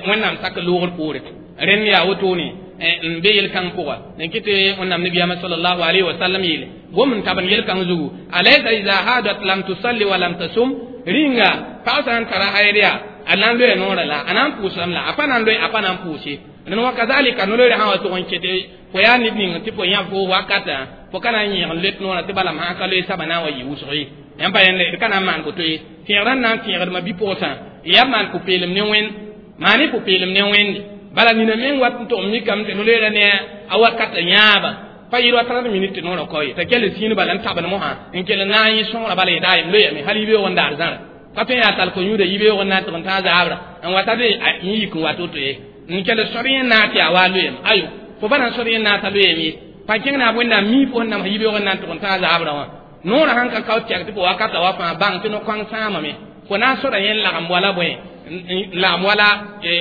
wẽnnaam sak loogr poore rẽnd yaa wotone n be yel-kãng pʋga n kɩ tɩ wẽnnaam nabiyaamã sallallahu alayhi wa sallam yeele gom n tab n yel-kãng zugu alaysa iza hadat lam tusalli wa lam tasum rĩnga pag sã n tara hayd yaa a na n loe noorã la a na n pʋʋsdame la a pa na n loe a pa na n pʋʋse rẽnd wa kazalika no-loeere sã wa tʋg n kete fo yaa ned ning tɩ fo yã fo wakatã fo ka na n yẽg n let noorã tɩ bala sã ka loe saba na n wa yɩ wʋsg ye yãmb pa yẽnde d ka na n maan boto ye tẽegdã n na n tẽegdmã bi-pʋgsã yaa maan pʋ-peelem ne wẽnd maan y pʋ-peelem ne wẽnde bala nina meng wat n tʋg n mikame tɩ no-loeera ne a wakatã yãaba pa yɩl wa 30 minutes tɩ noorã kao ye t'a kell sĩin bala n tabd mosã n kell na n yẽ sõgra bala yetɩ ayem loyame hal yibeoog n daar zãra ka tõe n yaa tall ko-yũuda yibeoog n na n tɩg n tãag zaabra n wata be n yik n wat woto ye n kell sor yẽ na tɩ yaa waa loyame ayo fo pa na n sor yẽ na t'a loyame ye pa kẽng na wẽnnaam mii fo sẽn nam yibeoog n na n tʋg n tãag zaabra wã noorã sãn ka kao tɛg tɩ fo wakata wa fãa bãng tɩ no-kõng sãamame fo na n sora yẽ n lagem wala bõe n lagem wala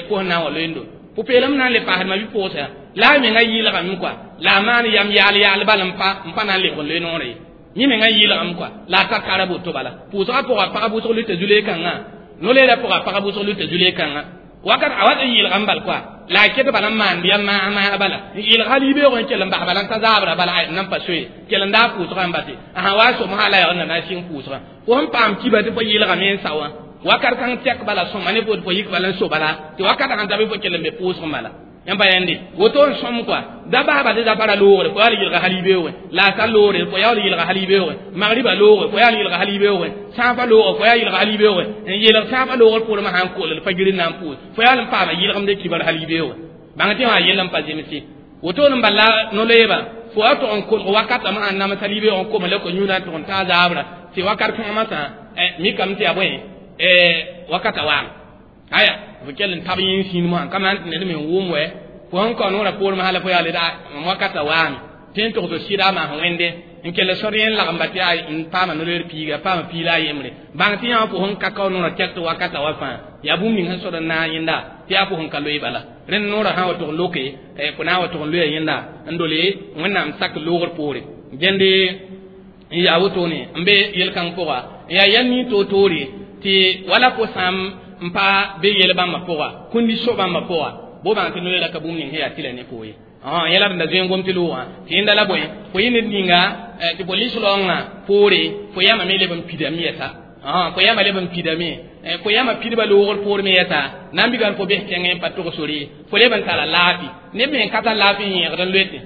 fo sẽn na n wa loeendo pʋ-peelem na n le paasdmã bɩ-pʋgsa la a menga yɩɩlgame kɔa la a maan yam yaal yaal bal n pa na n lebg n loe noorã ye yẽ menga yɩɩlgame kɔa la a ta kara boto bala pʋʋsgã pʋga pag wʋsg luta zu-leekãngã no-leerã pʋga pag wʋsg luta zu-leekãngã wakat a wat n yɩɩlgame bal kɔa la a ket bala n maand yam maas bala n yɩɩlg hal yibeoog n kell n bas bala n ta zaabra bala n nan pa soe kell n daa pʋʋsgã n base a sã wa som sã la yag n na na sɩng pʋʋsgã fo sẽn paam kiba tɩ fo yɩɩlgame n sa wã wakat kãng tɛk bala sõma ne fo yik bala n so bala tɩ wakat sãn ta bɩ fo kell n be pʋʋsg bala yãmb pa yẽnde woto n sõm kɔa da baaba tɩ da para loogre fo yaa l yɩlga hal yibeoogẽ la a loogre fo yaa l yɩlga hal yibeoogẽ magriba loogre fo yaa l yɩlga hal yibeoogẽ sãafã loogre fo yaa yɩlga hal yibeoogẽ n yelg sãafã loogr poormã sãn koolel fa gir n na n pʋʋs fo yaa l n paama yɩlgemde kibar hal yibeoogẽ bãng tɩ wã yell n pa zemse woto n bala no-loeeba fo wa tʋg n kolg wakatame sãn nams hal yibeoog n koma la ko-yũudã n tʋg n taa zaabra tɩ wakat kãngã masã mikame tɩ yaa bõe wakata waame aya fo kell n tab yẽ sĩin mosã ka maan tɩ ned me n wʋm wɛ fo sẽn kao noorã poormã hala fo yaa le wakata waame tɩ n tog tɩ sɩda maas wẽnde n kell sor yẽ n lagem ba tɩ yaa n paama no-loeer piiga paama piila a yembre bãng tɩ yã fo sẽn ka kao noorã tɛk tɩ wakata wa fãa yaa bũmb ning sẽn sod n naag yẽnda tɩ yaa fo sẽn ka loe bala rẽnd noorã sã wa tʋg n loke fo na n wa tʋg n loeya yẽnda n dole wẽnnaam sak loogr poore gẽnde n yaa wotone n be yel-kãng pʋga n yaa yɛl nin toor-toore tɩ wala fo sãn n pa be yel bãmbã pʋga kũndi so bãmbã pʋga bo bãng tɩ no-loeera ka bũmb ning sẽn yaa tɩla ne fo ye yẽla d da zoe n gom tɩ loogã tɩ yẽnda la bõe fo yɩ ned ninga tɩ fo lis-raoongã poore fo yãmame leb n pidame yɛsa fo yãma leb n pidame fo yãma pidbã loogr poor me yɛsa na n bigan fo bes kẽngẽ n pa tog sore fo leb n tara laafɩ neb me n ka tar laafɩ n yẽegd n loete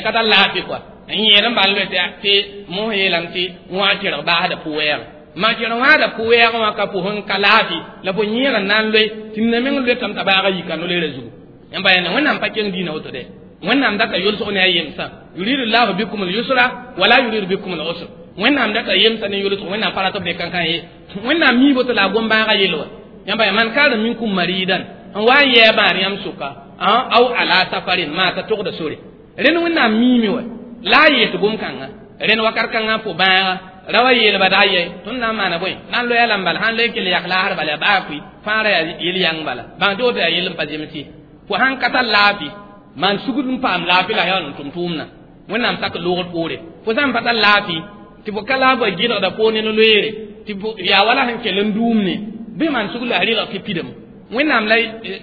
ka tar laafɩ kɔa n yẽed n bal loete tɩ mos yeelame tɩ wã tẽrg baasda pʋ-wɛɛg ma tẽrg wãada pʋ-wɛɛg wã ka pʋsẽ ka laafɩ la fo yẽeg n na n loe tɩ nina meng loetame t'a baaga yika no-loeerã zugu yãmb pa yẽnde wẽnnaam pa keng diinã woto dɛ wẽnnaam data yʋlsg ne a yemsã yuridu llahu bikum lyusra wala yuridu bikum lusr wẽnnaam data yemsã ne yʋlsg wẽnnaam pa rat b ne kãnkã ye wẽnnaam mii boto la a gom-bãagã yel wa yãmb pa man kana minkum maridan n wa n yɛɛ bãad yãmb sʋka aw ala safarin maa t'a togda sore rẽnd wẽnnaam miime wa la a yees gom-kãngã rẽnd wakat kãngã fo bãaga ra wa yeelba daa yɛ tõnd na n maana bõe na n loya lambala sãn loe kell yak laasr bala yaa baa kʋɩ fãa ra yaa yel yãng bala bãng tɩ woto yaa yell n pa zemse fo sãn ka tar laafɩ maan sugd n paam laafɩ la yaa n tʋm tʋʋmdã wẽnnaam sak loogr poore fo sã n pa tar laafɩ tɩ fo ka laafã gɩlgda poor ne no-loeere tɩ yaa wala sẽn kell n dʋʋmne bɩ maan sugd la a rɩlg tɩ pidame Wẽnnaam la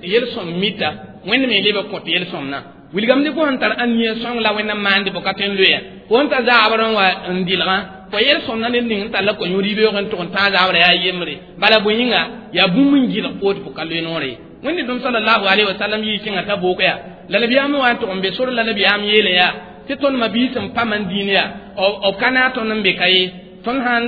yel-sõm mita Wẽnd me leb n kõt yel-sõmdã wilgame tɩ fo sẽn tar ãn-nia sõng la Wẽnnaam maande fo ka tõe n loeya fo sẽn ta zaabr n wa n dɩlgã fo yel-sõmdã ned ning n tar la ko-yũud yibeoog n tʋg n tãag zaabrã yaa yembre bala bõe yĩnga yaa bũmb n gɩlg fo tɩ fo ka loe noore ye Wẽnd dũm sallallahu alaihi wa sallam yɩ kẽnga t'a book yaa la nabiyaam wa n tʋg n be sor la nabiyaam yeele yaa tɩ tõnd ma-biis n pa man dĩin yaa b ka naag tõnd n be ka ye tõnd sãn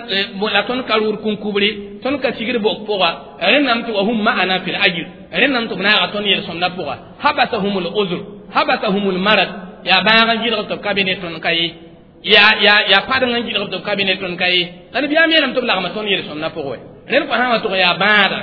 la tõnd ka rʋʋd kũn-kubre tõnd ka sigd bok pʋga rẽnnam tɩ wa hum ma'ana fil ajr rẽnnam tɩ b naaga tõnd yel-sõmdã pʋga habasahum l uzr habasahum l marad yaa bãag n gɩlg tɩ b ka be ne tõnd ka ye yaa padeng n gɩlg tɩ b ka be ne tõnd ka ye la nabiyaam yeelame tɩ b lagma tõnd yel-sõmdã pʋgẽ wɛ rẽnd fo sã wa tʋg yaa bãada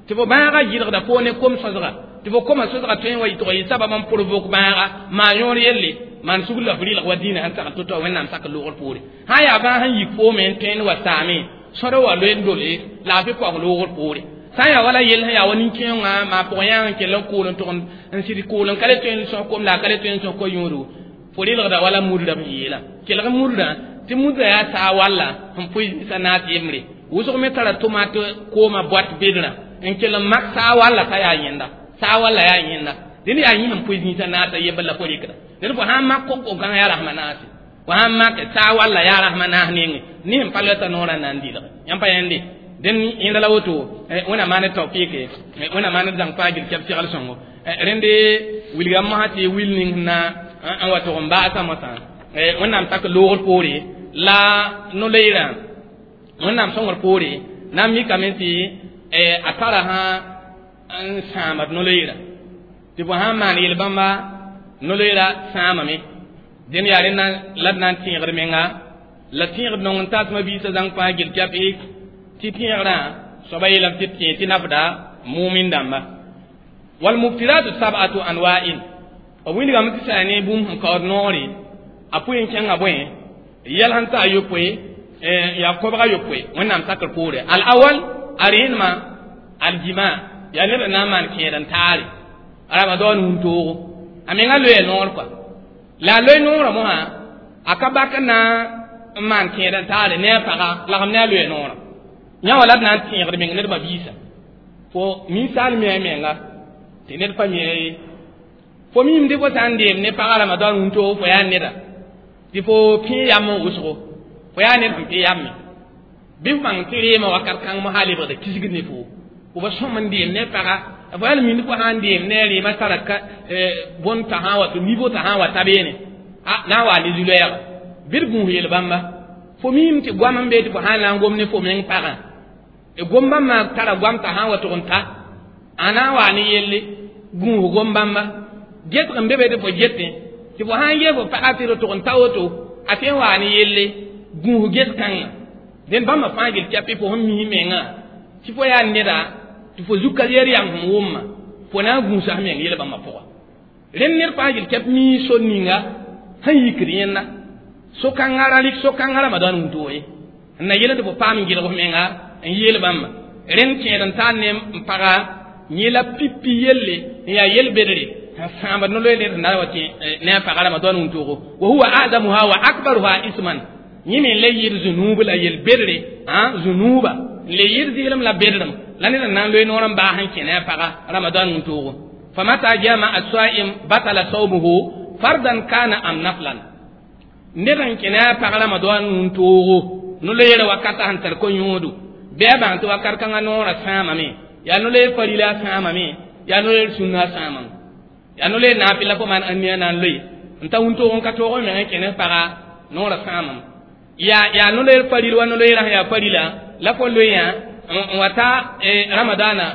tɩ fo bãaga gɩlgda fo ne kom-sõsga tɩ fo koma sõsga tõe n wa tɩ yɩ sabab n pʋrvok bãaga maan yõor yelle maan sugr la f rɩlg wa dĩinã sẽn sagl to-to Wẽnnaam sak loogr poore sã n yaa bãag sẽn yik foome n tõe n wa saame sõd wa loe n dole laafɩ paoog loogr poore sã n yaa wala yell sẽn yaa wa nin-kẽongã maa pʋgẽ yãag n kell n kʋʋl n tʋg n sɩd kʋʋl n ka le tõe n sõs kom la a ka le tõe n sõs ko-yũudu fo rɩlgda wala mudrã b yeela kelg mudrã tɩ mudrã yaa saa walla sẽn pʋɩ zĩsã naas yembre wʋsg me tara tomate kooma boat bedrã n kell n mak saa walla t'a yaa yẽnda saa walla yaa yẽnda dẽnd yaa yẽ sẽn pʋɩ zĩisã naasa yembr la fo rɩkda dẽnd fo sãn mak ko-gãng yaa rasmã naase fo sãn mak saa walla yaa rasmã naas nenge ne sẽn pa lota noorã na n dɩlge yãmb pa yẽnde dẽnd yẽnda la woto Wẽnnaam maan tawfɩɩke Wẽnnaam maan zãng fãa gil kɛb segl sõngo rẽnde wilgame mosã tɩ wil ning sẽn na n wa tʋg n baasa mosã Wẽnnaam sak loogr poore la no-loeerã Wẽnnaam sõngr poore na n mikame tɩ a tara sã n sãamd no-loeerã tɩ fo sãn maan yel-bãmba no-loeerã sãamame dẽnd yaa rẽnd la d na n tẽegd menga la tẽegd nong n tasma biisã zãng fãa gil kɛp tɩ tẽegrã soaba yeelame tɩ tẽ tɩ nafda mumin dãmba wal muftiratu sab'atu anwa'in b wilgame tɩ sã ne bũmb sẽn kaood noore a pʋɩ n kẽnga bõe yɛl sẽn ta a yopoe yaa kobga yopoe Wẽnnaam sakr poore al awal a rẽenemã aljima yaa ned n na n maan kẽed n taare Ramadan wũntoogo a menga loeya noor kɔa la a loe noorã mosã a ka bak n na n maan kẽed n taare ne a paga lagem ne a loeya noorã yã wa la d na n tẽegd meng ned mabiisa fo ninsaal mi a menga tɩ ned pa mi ye fo mimde fo sã n deem ne paga Ramadan wũntoogo fo yaa neda tɩ fo pẽ yam n wʋsgo fo yaa ned sẽn pẽ yamme bɩ f bãng tɩ reemã wakat kãng mosã lebgda kisgd ne fo fo ba sõm n deem ne paga fo yaa mind fo sã n deem ne a reemã tara bõn t'a sã n wa tɩ niveau t'a sã n wa ta beene a na n waa ne zu-loɛɛga bɩ d gũus yel-bãmba fo mim tɩ goam n bee tɩ fo sã n na n gom ne fo meng pagã gom bãmbã tara goam t'a sã n wa tʋg n ta a na n waa ne yelle gũus gom bãmba getg n be be tɩ fo getẽ tɩ fo sã n yee fo paga tɩ d tʋg n ta woto a tõe n waa ne yelle gũus get kãngã dẽnd bãmba fãa gil kɛpɩ fo sẽn mis mengã tɩ fo yaa neda tɩ fo zuka yer yam sẽn wʋmma fo na n gũusa f meng yel-bãmbã pʋga rẽnd ned fãa gil kɛp mii sor ninga sẽn yikd yẽnda so-kãngã ra rɩk so-kãngã Ramadan wũntoo ye n na yel tɩ fo paam n gɩlg f menga n yeel bãmba rẽnd kẽed n tar ne n paga yẽ la pipi yelle n yaa yel-bedre sẽn sãambd no-loeer ned sẽn na wa tɩ ne a paga Ramadan wũntoogo wa huwa azamuha wa akbaruha isman yẽ me n le yɩɩd zũnuub la yel-bedre zũnuuba n le yɩɩd zɩɩlem la bedrem la ned n na n loe noor n baas n kẽ ne a paga Ramadan wũntoogo famata jama as-saim batala sawmuhu fardan kana am naflan ned n kẽ ne a pag Ramadan wũntoogo no-loeerã wakata sẽn tar ko-yõodo bɩ a bãng tɩ wakat kãngã noorã sãamame yaa no-loeer farila sãamame yaa no-loeer sũnna sãamame yaa no-loeer naafɩla fo maan ãnnia na n loe n ta wũntoog n ka toog n meng n kẽ ne paga noorã sãamame yaa no-loeer faril wa no-loeerã sẽn yaa farila la fo loeeyã n wa ta ramadana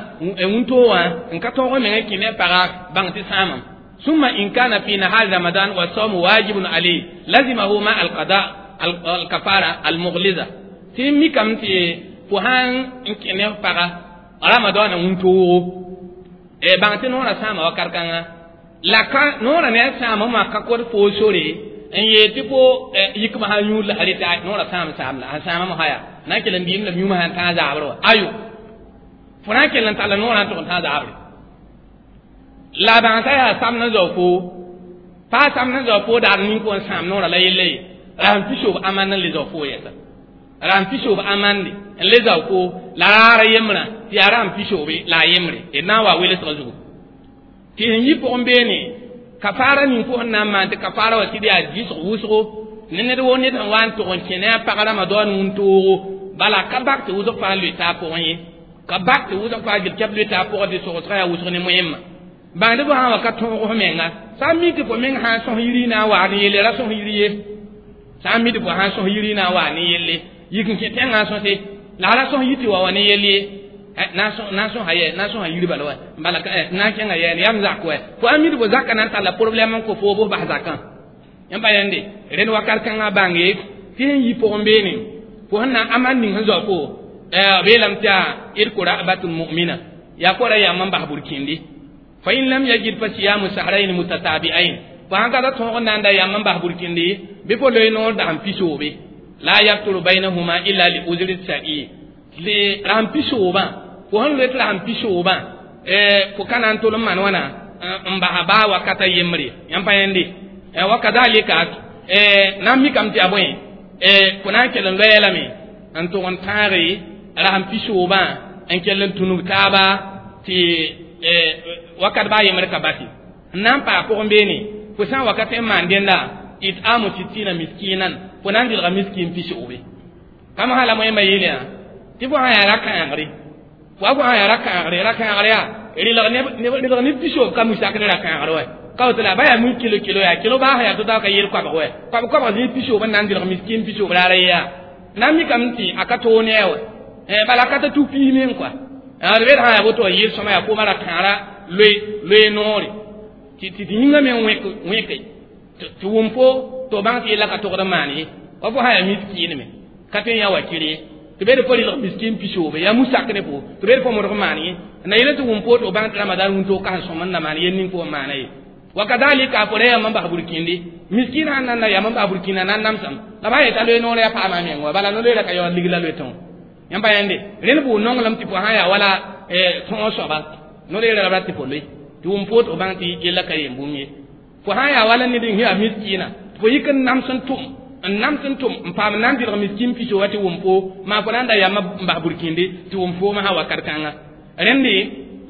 wũntoog wã n ka tõog n meng n kẽ ne paga bãng tɩ sãamame ثم إن كان في نهار رمضان والصوم واجب عليه لزمه مع القضاء الكفارة المغلظة tɩ mikame tɩ fo sãn n kẽ ne f paga Ramadan wũntoogo bãng tɩ noorã sãama wakat kãngã la ka noorã ne a sãama wã ka kod foo sore n yeel tɩ fo yikmã sã yũud la reta noorã sãam saam la sẽn sãama mosã yaa na n kell n dɩɩm la yũumã sãn tãag zaabr wa ayo fo na n kell n talla noorã n tʋg n tãag zaabre la bãng t'a yaa sam n zao fo paa sam n zao fo daar nin-kõ n sãam noorã la yella ye ra sẽn pisoob amand n le zao fo yɛsa ra sẽn pisoob amande n le zao ko la raara yembrã tɩ yaa rãmb pisoobe la a yembre d na n wa welsgã zugu tɩ sẽn yi pʋgẽ beene kafaara ning fo sẽn na n maan tɩ kafaara wa tɩ d yaa dɩsg wʋsgo ne ned woo ned sẽn wa n tʋg n kẽ ne a pag rãmbã daoon wũntoogo bala ka bak tɩ wʋsg fãa loe taa pʋgẽ ye ka bak tɩ wʋsg fãa gil kɛb loe taa pʋgẽ tɩ sogsgã yaa wʋsg ne moẽmma bãngd fo sã n wa ka tõog f menga sã n mi tɩ fo meng sã n sõs yiri na n waag ne yelle ra sõs yiri ye sã n mi tɩ fo sã n sõs yiri na n waag ne yelle yik n kẽ tẽngã n sõse la ra sõs yi tɩ wa wa ne yell ye na n sõsa yɛ na n sõsa yiri bala wa bala na n kẽnga yɛɛne yaa m zak wɛ fo a mi tɩ fo zakã na n talla problɛm n kõ foo bʋs bas zakã yãmb pa yẽnde rẽnd wakat kãngã bãnge tɩ sẽn yi pʋgẽ beene fo sẽn na amad ning sẽn zao fo b yeelame tɩ yaa d kora abatun mu'mina yaa kora yam n bas burkĩndi fa in lam yajid fa siyamu sahrayn mutatabi'ain fo sãn ka ta tõog n na n da yam n bas burkĩndi bɩ fo loe noor dasem pisoobe la yafturu baynahuma illa li uzri shar'i rasem pisoobã fo sẽn loe tɩ rasem pisoobã fo ka na n tol n maan wãna n basa baa wakata yembre yãmb pa yẽnde wa kadalika na n mikame tɩ yaa bõe fo na n kell n loɛɛ lame n tʋg n tãage rasem pisoobã n kell n tũnug taaba tɩ wakat baa yembre ka basi n na n paa pʋgẽ beene fo sã n wakat n maan dẽnda itamu sittina miskinan fo na n dɩlga miskin pisoobe kam sã la moẽmã yeelã tɩ fo sã yaa ra-kãagre fo a fo sã yaa ra-kãagre ra-kãagre yaa rɩlg ne pisoob ka musak ne ra-kãagre wɛ ka woto la ba yaa mui kilo kilo yaa kilo baa sã yaa tɩ ka yel koabg wɛ koab koabg zĩ pisoob n na n dɩlg miskin pisoob raara yaa na n mikame tɩ a ka toog ne a wɛ bala ka ta tu piis meng kɔa d bed sã yaa woto wa yel sõma yaa kooma ra-kãara loe loe noore tɩ tɩ yĩngã me wẽke tɩ wʋm fo tɩ f bãng tɩ yella ka togd n maan ye wa fo sã yaa miskiinme ka tõe n yaa wakir ye tɩ bed fo rɩlg miskin pisoobe yaa musak ne fo tɩ bed fo modg maan ye na yele tɩ wʋm fo tɩ f bãng tɩ ramadan wũntoo ka sẽn sõm n na maan yel ning fo n maana ye wa kadalika fo ra yam n bas burkĩndi miskin sãn nan na yam n bas burkĩndã na n namsame la ba yeta loe noor yaa paama meng wa bala no-loeera ka yaood ligla loe tõo yãmb pa yẽnde rẽnd bʋʋ nonglem tɩ fo sã yaa wala tõog soaba no-loeera la b rat tɩ fo loe tɩ wʋm fo tɩ f bãng tɩ yella ka yem bũmb ye fo sã n yaa wala ned n yaa miskiina tɩ fo yik n nams n tʋm n nams n tʋm n paam na n dɩlg miskin pisoo wa tɩ wʋm fo maa fo na n da yamã n bas burkĩndi tɩ wʋm foomã sã wakat kãnga rẽndi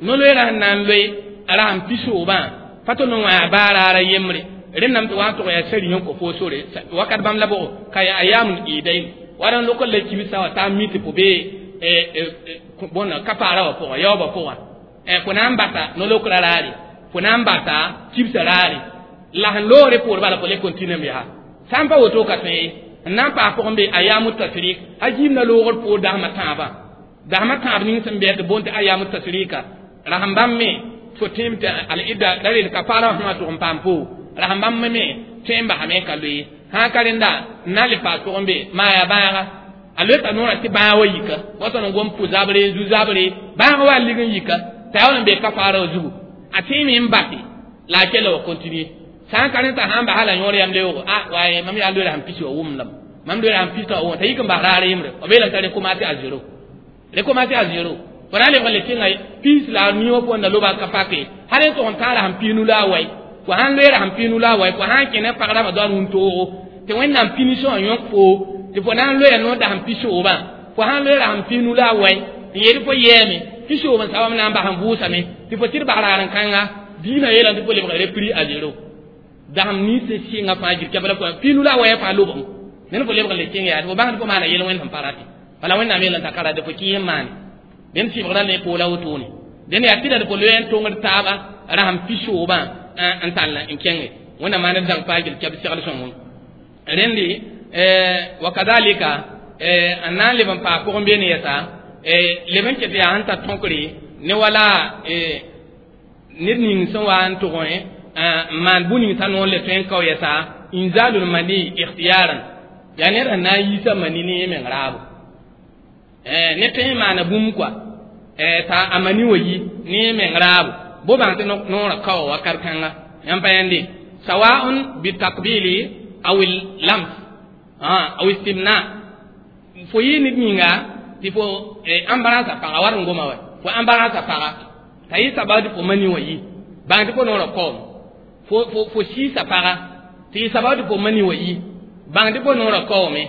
no-loeerã sẽn na n loe rasem pisoobã pa tɩ no wã yaa baa raara yembre rẽndame tɩ wa n tʋg yaa sari n kõ fo sore wakat bãmb la bʋgo ka yaa ayaamul idain wala n lok n la kibsã wa taa mi tɩ fo bee bõn kapaara wã pʋgã yaoobã pʋgã fo na n basa no-lokra raare fo na n basa kibsã raare la sẽn loogre poor bala fo le continue m yaa sã n pa woto ka tõe ye n na n paas pʋgẽ be ayamu tasrik a gĩimda loogr poor dasmã tãabã dasmã tãab ning sẽn bɩ tɩ boond tɩ ayamu tasrika rasem bãmb me fo tẽem tɩ al-idda la reel kafaara wã sẽn wa tʋg n paam fo rasem bãmb me tõe n basame ka loe sã ka rẽnda n na n le paas pʋgẽ be maa yaa bãaga a loeta noorã tɩ bãag wa yika wa tõnd n gom pʋ-zabre zu-zabre bãag wa lig n yika t'a yaa n be kafaara wã zugu a tẽeme n base la a kella wa continue sã n ka rẽ t'a sã n basa la yõor yam leoogo a waaye mam yaa loeera sẽn pis wa wʋmdame mam loeera sẽn pis t'a wa wʋm t'a yik n bas raar yembre b yeelame t'a recommencer à zéro recommencer à zéro fo na n lebg n le tẽnga piis la a niwã pʋgẽ na loba ka pake hal n tʋg n tãag sẽn piis nu la a wai fo sãn loeera sẽn piis nu la a wai fo sã n kẽ ne pag rãmbã doan wũntoogo tɩ Wẽnnaam punition wã yõk fo tɩ fo na n loeya noor dasem pisooba fo sãn loeera sẽn piis nu la a wai n yeel fo yɛɛme pisoob n sabam na n bas n vʋʋsame tɩ fo tɩ d bas raar n kãnga diinã yeelame tɩ fo lebg repris à zéro dasem nins sẽn sɩnga fãa gir kɛb la piis nu la a waya fãa lobem ned fo lebg n le kẽng yaa tɩ fo bãng tɩ fo maana yel wẽnd sẽn pa rate bala Wẽnnaam yeelame t'a ka rate fo kɩɩs n maane dẽnd sɩbgrã ne poola wotone dẽnd yaa tɩ la d fo loe n tõngd taaba rasem pisoobã n tall n kẽnge Wẽnnaam maan d dãng fãa gil kɛb segl sõngo rẽndi wa kadalika n na n leb n paas pʋgẽ beene yɛsa leb n ket yaa sẽn tar tõkre ne wala ned ning sẽn wa n tʋgẽ n maan bũ ning t'a noor le tõe n kao yɛsa inzalul mani ikhtiyaran yaa ned sẽn na n yiisa mani ne meng raabo ne tõe n maana bũmb kɔa t'a a mani wa yi ne meng raabo bo bãng tɩ noorã kao wakat kãnga yãmb pa yẽnde sawaun bitakbili aw lams aw istimna fo yɩ ned yĩnga tɩ fo embarrasse paga war n goma wa fo embarrasse paga t'a yɩ sabab tɩ fo mani wã yi bãng tɩ fo noorã kaoom fo siisa paga tɩ yɩ sabab tɩ fo mani wã yi bãng tɩ fo noorã kaoome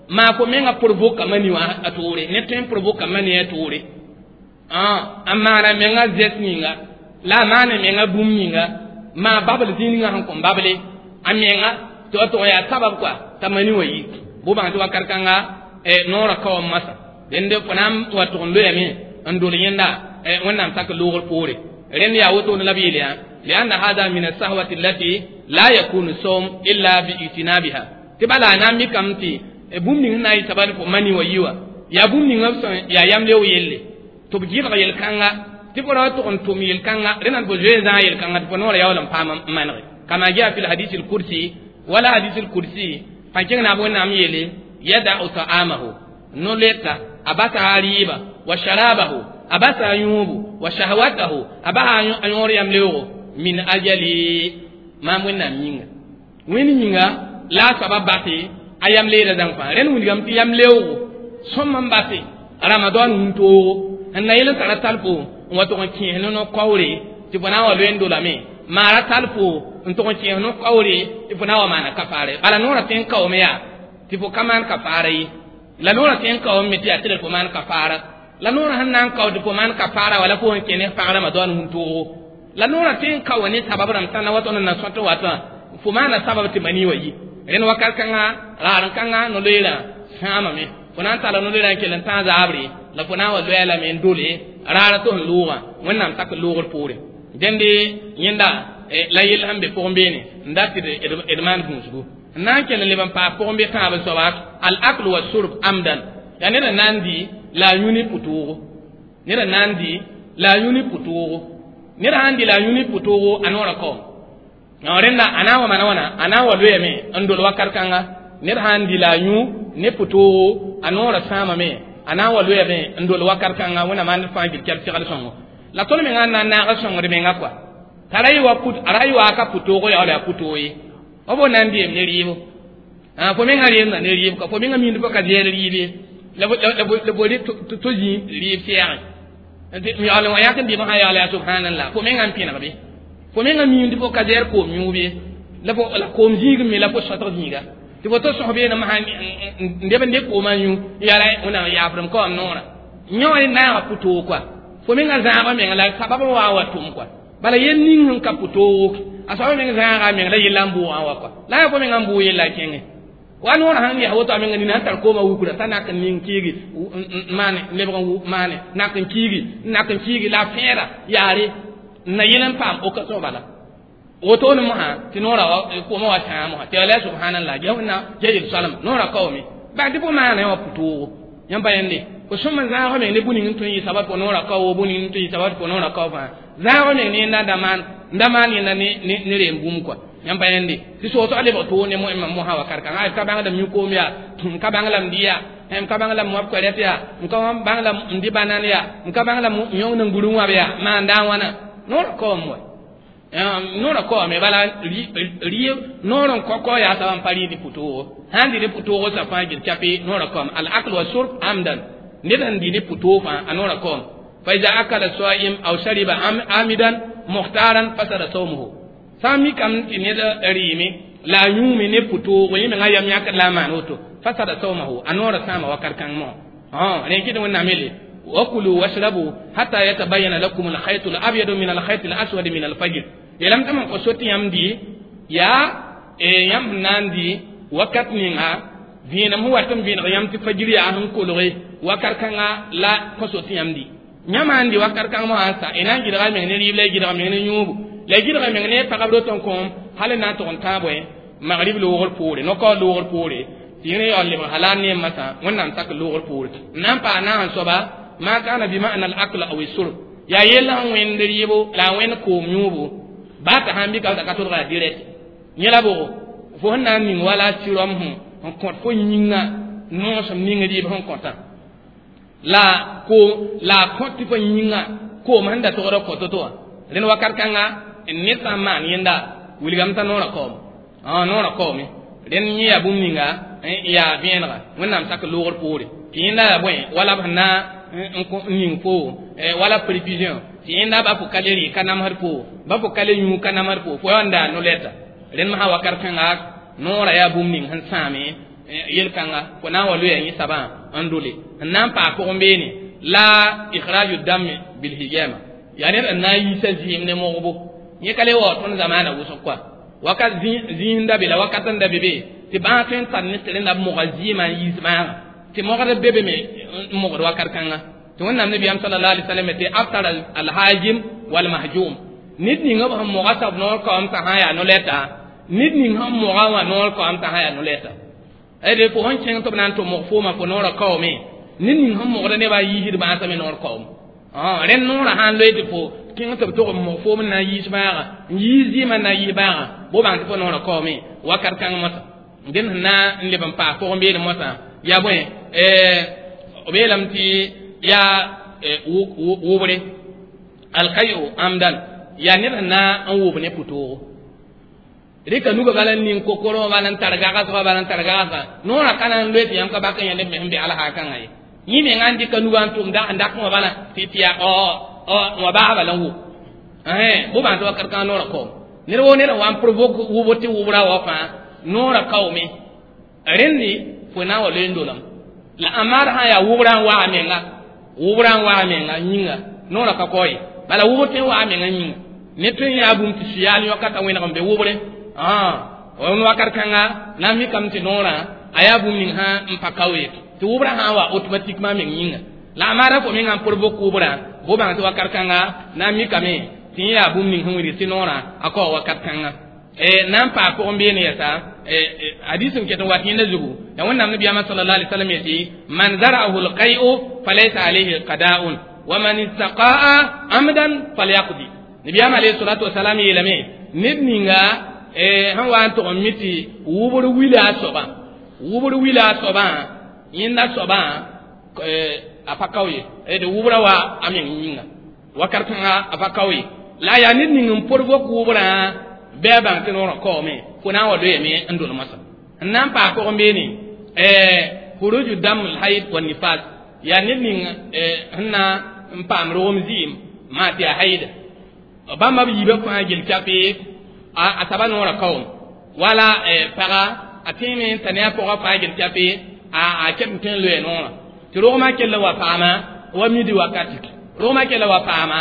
Maa fo menga provoka mani wã a toore ne tõe n provoka mani a toore a maana menga zɛs ninga la a maana menga bũmb ninga maa babl zĩig ninga sẽn kõn bable a menga tɩ wa tʋg yaa sabab koa t'a mani wã yi bʋ bãng tɩ wakat kãnga noorã ka wa masã dẽnde fo na n wa tʋg n loyame n dol yẽnda wẽnnaam sak loogr poore rẽnd yaa wotone la b yeel yaa لأن هذا من السهوة التي لا يكون الصوم إلا بإجتنابها tɩ bala a na n mikame tɩ bũmb ning sẽn na n yɩ sabad fo mani wa yi wã yaa bũmb ninga b sẽn yaa yam-leoog yelle tɩ b gɩlg yel-kãnga tɩ fo ra wa tʋg n tʋm yel-kãnga rẽna tɩ fo zoe zãag yel-kãnga tɩ fo noorã yaool n paam n manege kama jaa fi lhadis lkursi wala hadis lkursi pãn kẽng naab wẽnnaam yeele yadau ta'amahu no-leta a basa a rɩɩba wa sharabahu a basa a yũubu wa shahwatahu a basa a yõor yam-leoogo min ajali maam wẽnnaam yĩnga wẽnd yĩnga la a soaba base a yam leeda zãng fãa rẽnd wilgame tɩ yam leoogo sõm n base ramadan wũntoogo n na yel n tara tal fo n wa tʋg n kẽes ne no-kaoore tɩ fo na n wa loe n dolame maara tal fo n tʋg n kẽes no-kaoore tɩ fo na n wa maana kafaare bala noorã tõe n kaoome yaa tɩ fo ka maan kafaara ye la noorã tõe n kaoome me tɩ yaa tɩ fo maan kafaara la noorã sẽn na n kao tɩ fo maan kafaara wala fo sẽn kẽ ne pag ramadan wũntoogo la noorã tõe n kao ne sabab rãmb sã na wa tõnd n na sõt watã fo maana sabab tɩ mani wa yi rẽnd wakat kãnga raar-kãnga no-loeerã sãamame fo na n tara no-loeerã n kell n tãag zaabre la fo na n wa loɛɛ lame n dole raara tɩ sẽn loogã wẽnnaam sak loogr poore dẽnde yẽnda la yell sẽn be pʋgẽ beene n dat tɩ d maan gũusgu n na n kell n leb n paas pʋgẽ be tãab n soaba al akl wa surb amdan yaa ned n na n dɩ la a yũ ne pʋtoogo ned n na n dɩ la a yũ ne pʋtoogo ned sãn dɩ la a yũ ne pʋtoogo a noorã kaoom rẽnda a na n wa mana wãna a na n wa loyame n dol wakat kãnga ned sãn dɩ la a yũ ne pʋtoogo a noorã sãamame a na n wa loyame n dol wakat kãnga wẽnnaam ãnd fãa gil kɛb segl sõngo la tõnd menga n na n naag sõngd menga kɔa t'a ra yɩ wa ka pʋtoogo yaa wala yaa pʋtoog ye f fo na n deem ne rɩɩbo fo menga reemda ne rɩɩb ka fo menga mind fo ka zɛɛr rɩɩb ye la fo to zĩ rɩɩb sɛɛgẽ yaool wã yãk n dɩm sã yaool yaa subhanallah fo menga n pẽneg be fo menga mind fo ka zɛɛr koom yũub ye la fo la koom zĩig me la fo sõtg zĩiga tɩ fo to sõs beene masã n deb n de koomã yũ yaa wẽnnaam yaafrem ka wam noorã yõ wã naaga pʋtoog kɔa fo menga zãagã menga la sabab n wa n wa tʋm kɔa bala yel ning sẽn ka pʋtoog a soaba meng zãaga meng la yella n bʋʋgã wa kɔa la yaa fo menga n bʋʋg yella kẽngẽ wa noorã sãn yaa woto a menga nina sẽn tar koomã wukra t'a nak n ning kiigi maane lebg n maane nak n kiigi nak n kiigi la a fẽeda yaare n na yel n paam occasion bala wotone mosã tɩ noorã koomã wa sãa mosã tɩ ala subhanallah ja wẽnna ja yel soalem noorã kaoome baa tɩ fo maana wã pʋtoogo yãmb pa yẽnde fo sõm n zãag meng ne bũ ning n tõe n yɩ sabab fo noorã kao bũ ning n tõe n yɩ sabab fo noorã kao fãa zãag meng ne yẽnda n da maan yẽnda ne reem bũmb kɔa yãmb pa yẽnde tɩ soosg lebg toog ne moẽmã mosã wakat kãnga ka bãng la m yũ koom yaa m ka bãng la m dɩ yaa m ka bãng la m wãb koɛrɛt yaa m ka bãng la m dɩ banan yaa m ka bãng la m yõng n gũr n wãb yaa maan daa wãna noorã kaoom wa noorã kaoome bala rɩɩb noor n kɔ yaa soab n pa rɩɩd pʋtoogo sãn dɩ ne pʋtoogo sa fãa gil chape noorã kaoom al akl wa surb amdan ned sẽn dɩ ne pʋtoog fãa a noorã kaoom fa iza akala saim aw shariba amidan mukhtaran fasada sawmuhu sã n mikame tɩ ned rɩɩme la a yũume ne pʋtoogo yẽ menga yam yãkd la a maan woto fasada sawmahu a noorã sãama wakat kãng mosã rẽ kɩt wẽnnaam yeele wakulu washrabu hatta yatabayana lakum alkhaytu alabyadu min alkhayti alaswadi min alfajr yeelame tɩ m kõ so tɩ yãmb dɩ yaa yãmb sẽn na n dɩ wakat ninga vẽenem sẽn wat n vẽeneg yãmb tɩ fajir yaa sẽn kolge wakat kãnga la kõ so tɩ yãmb dɩ yãmb sãn dɩ wakat kãng mosã sa y na n gɩdga meng ne rɩɩb la y gɩdga meng ne yũubu la y gɩdga meng ne pagb rot n kõom hal n na n tʋg n tãag bõe magrib loogr poore no-kaoor loogr poore tɩ yẽ yaool lebg halal ne masã wẽnnaam sak loogr poore n na n paa naag n soaba ma kana bi ma'na al akl aw surb yaa yell sẽn wẽnd rɩɩbo la a wẽnd koom yũubu baa t'a sãn bɩka t'a ka tʋlga direct yẽ la bʋgo fo sẽn na n ning wala sɩrɔm sẽn n kõt fo yĩnga noosem ning rɩɩb sẽn kõtã la ko la a kõt tɩ fo yĩnga koom sẽn da togd kõ to-to wã rẽnd wakat kãnga ned sã n maan yẽnda wilgame t'a noorã kaoome noorã kaoome rẽnd yẽ yaa bũmb ninga yaa vẽenega wẽnnaam sak loogr poore tɩ yẽnda yaa bõe wala b sẽn na n ning fo wala prévision tɩ yẽnda ba fo ka le rɩ ka namsd fo ba fo ka le yũ ka namsd fo fo yaa n daa no-lɛta rẽnd masã wakat kãnga noorã yaa bũmb ning sẽn sãame Yel-kãnga fo na n wa loeya yẽ sabã n dole n na n paas pʋgẽ beene la ikhraju dam bilhijama yaa ned n na n yiisa zɩɩm ne mogbo yẽ ka le wa tõnd zamaana wʋsg koa wakat zĩis n da be la wakat n da be be tɩ bãag tõe n tar ne tɩ rẽnda b moga zɩɩmã n yiis bãaga tɩ mogd be be me n mogd wakat kãnga tɩ wẽnnaam nabiyaam sallallahu alaihi wasallam tɩ aftara alhajim walmahjum ned ninga b sẽn moga soab noor kaoom t'a sã n yaa no-lɛta ned ning sẽn moga wã noor kaoom t'a sã n yaa no-lɛta d fo sẽn kẽng tɩ b na n tʋ mog fooma fo noorã kaoome ned ning sẽn mogda nebã n yiisd bãasã me noor kaoom rẽnd noorã sã n loe tɩ fo kẽng tɩ b tog n mog foom n na n yiis bãaga n yiis zɩɩmã n na n yiis bãaga bo bãng tɩ fo noorã kaoome wakat kãng mosã dẽnd sẽn na n leb n paas pʋgẽ beene mosã yaa bõe b yeelame tɩ yaa wʋbre alkayo amdan yaa ned sẽn na n wʋb ne pʋtoogo rɩka nuga bala n ning kokorõ bala n tar gagsga bala n tar gagsga noorã ka na n loe tɩ yãmb ka bak n yã neb me sẽn be alhaakãngã ye yẽ menga n dɩka nuga n tʋm n dak wã bala tɩ yaa wã baasba la n wʋb bõ bãng tɩ wakat kãngã noorã kaoom ned woo ned n wa n provoke wʋbr tɩ wʋbra wa fãa noorã kaoome rẽndi fo na n wa loe n dolame la amaar sã n yaa wʋbrã n waa menga wʋbrã n waa menga yĩnga noorã ka kao ye bala wʋbr tõe n waa menga yĩnga ned tõe n yaa bũmb tɩ sʋyaal yõka t'a wẽneg n be wʋbre n wakat kãnga na n mikame tɩ noorã a yaa bũmb ning sã n pa kao ye tɩ wʋbrã sã n wa automatiquement meng yĩnga la amaara fo menga n provoke wʋbrã bo bãng tɩ wakat kãnga na n mikame tɩ yẽ yaa bũmb ning sẽn wilg tɩ noorã a kao wakat kãnga na n paas pʋgẽ beene yɛsa hadis n ket n wat yẽnda zugu ya wẽnnaam nabiyaamã sallallahu alaihi wasallam yetɩ man zara'ahu alqai'u falaysa alayhi qada'un wa man istaqa'a amdan falyaqdi nabiyaam alayhi salatu wasalam yeelame ned ninga sẽn wa n tʋg n mi tɩ wʋbr wila a soabã wʋbr wila a soabã yẽnda soabã a pa kao ye d wʋbrã wa a meng yĩnga wakat kãnga a pa kao ye la yaa ned ning n provoke wʋbrã bɩ a bãng tɩ noorã kaoome fo na n wa loeeme n dol moasã n na n paas pʋgẽ beene huruju dam lhaid wa nifas yaa ned ning sẽn na n paam rogem zɩɩm maa tɩ yaa haida bãmba b yiibã fãa gel kape a saba noorã kaoom wala paga a tẽeme n ta ne a pʋgã fãa gel kape a ket n tõe n loe noorã tɩ rogmã kell wa paama wa midi wakati rogmã kell wa paama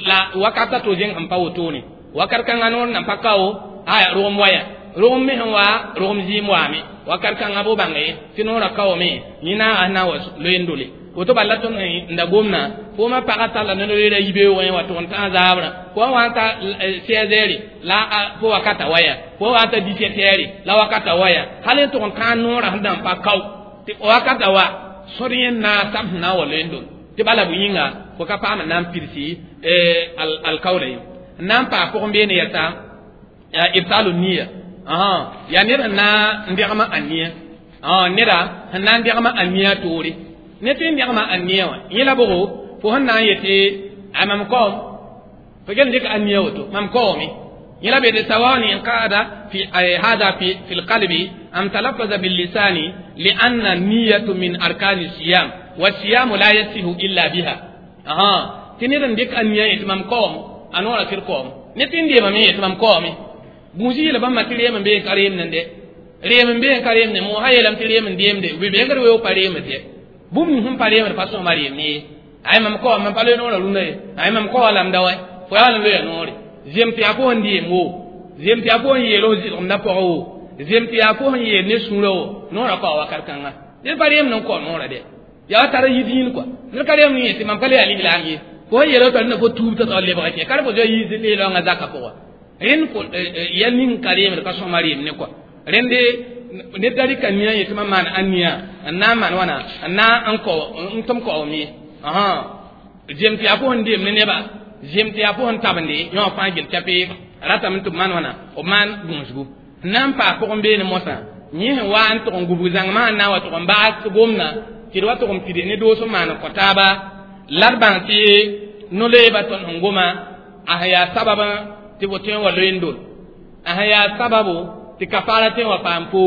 la wakat a to zẽng sẽn pa wotone wakat kãngã noor nan pa kao aya rogem waya rogem me sẽn wa rogem zɩɩm waame wakat kãngã bo bãnge tɩ noorã kaoome yẽ naaga sẽn na n wa loe n dole woto bala tõnd n da gomna foomã pagã talla ne loeera yibeoogẽ wa tʋg n tãag zaabrã fo wa n ta 16 heures la fo wakata waya fo wa n ta 17 heures la wakata waya hal n tʋg n tãag noorã sẽn da n pa kao tɩ wakata wa sor yẽ naasam sẽn na n wa loe n dol tɩ bala bʋ yĩnga fo ka paam n na n pidsi alkaola ye n na n paas pʋgẽ beene yɛsa ibtalu niya yaa ned sẽn na n degma a nia neda sẽn na n degma a nia toore ne tɩ n degma a nia wã yẽ la bʋgo fo sẽn na n yetɩ a mam kaoom fo gel n dɩk a nia woto mam kaoome yẽ la be sawaun inqada fi hada fi lqalbi am talaffaza billisani lianna niyatu min arkani siyam wasiyamu la yasihu illa biha tɩ ned n dɩk a nia yetɩ mam kaoom a noorã tɩ d kaoom ne tɩ n deemame yetɩ mam kaoome gũus yeela bãmba tɩ reem n bee n ka reem nende reem n bee n ka reem ne mo sã yeelame tɩ reem n deemde bɩ bengd weoog pa reemd ye bũmb ning sẽn pa reemd pa sõma reem ne ye ay mam kaoom mam pa loe noorã rũndã ye ay mam kaoa lamda wa fo yaa n loeya noore zem tɩ yaa fo sẽn deem wo zem tɩ yaa fo sẽn yeel f zɩlgemdã pʋgã wo zem tɩ yaa fo sẽn yeel ne sũurã wo noorã kao wakat kãnga ned pa reemd n kao noorã dɛ yaa wa tar yit yĩn kɔa ned ka reemd n yetɩ mam ka le yaa lislaam ye fo sẽn yeela t'a rẽnda fo tuub t'a taoor lebga kẽ ka fo zoa yiis leelãongã zakã pʋga rẽnd fo yɛl ning ka reemd ka sõma reem ne kɔa rẽnde ned da rɩka nia yetɩ mam maan a nia n na n maan wãna n na n kao n tʋm kaoom ye zem tɩ yaa fo sẽn deem ne neba zem tɩ yaa fo sẽn tabende yõ fãa gel kape ratame tɩ b maan wãna b maan gũusgu n na n paas pʋgẽ beene mosã yẽ sẽn wa n tʋg n gubg zãngmã n na n wa tʋg n baas gomna tɩ d wa tʋg n pid ne doos n maan n kõ taaba la d bãng tɩ no-loeeba tõnd sẽn goma a sẽn yaa sabab tɩ fo tõe n wa loe n dol a sẽn yaa sababo tɩ kafaara tõe n wa paam fo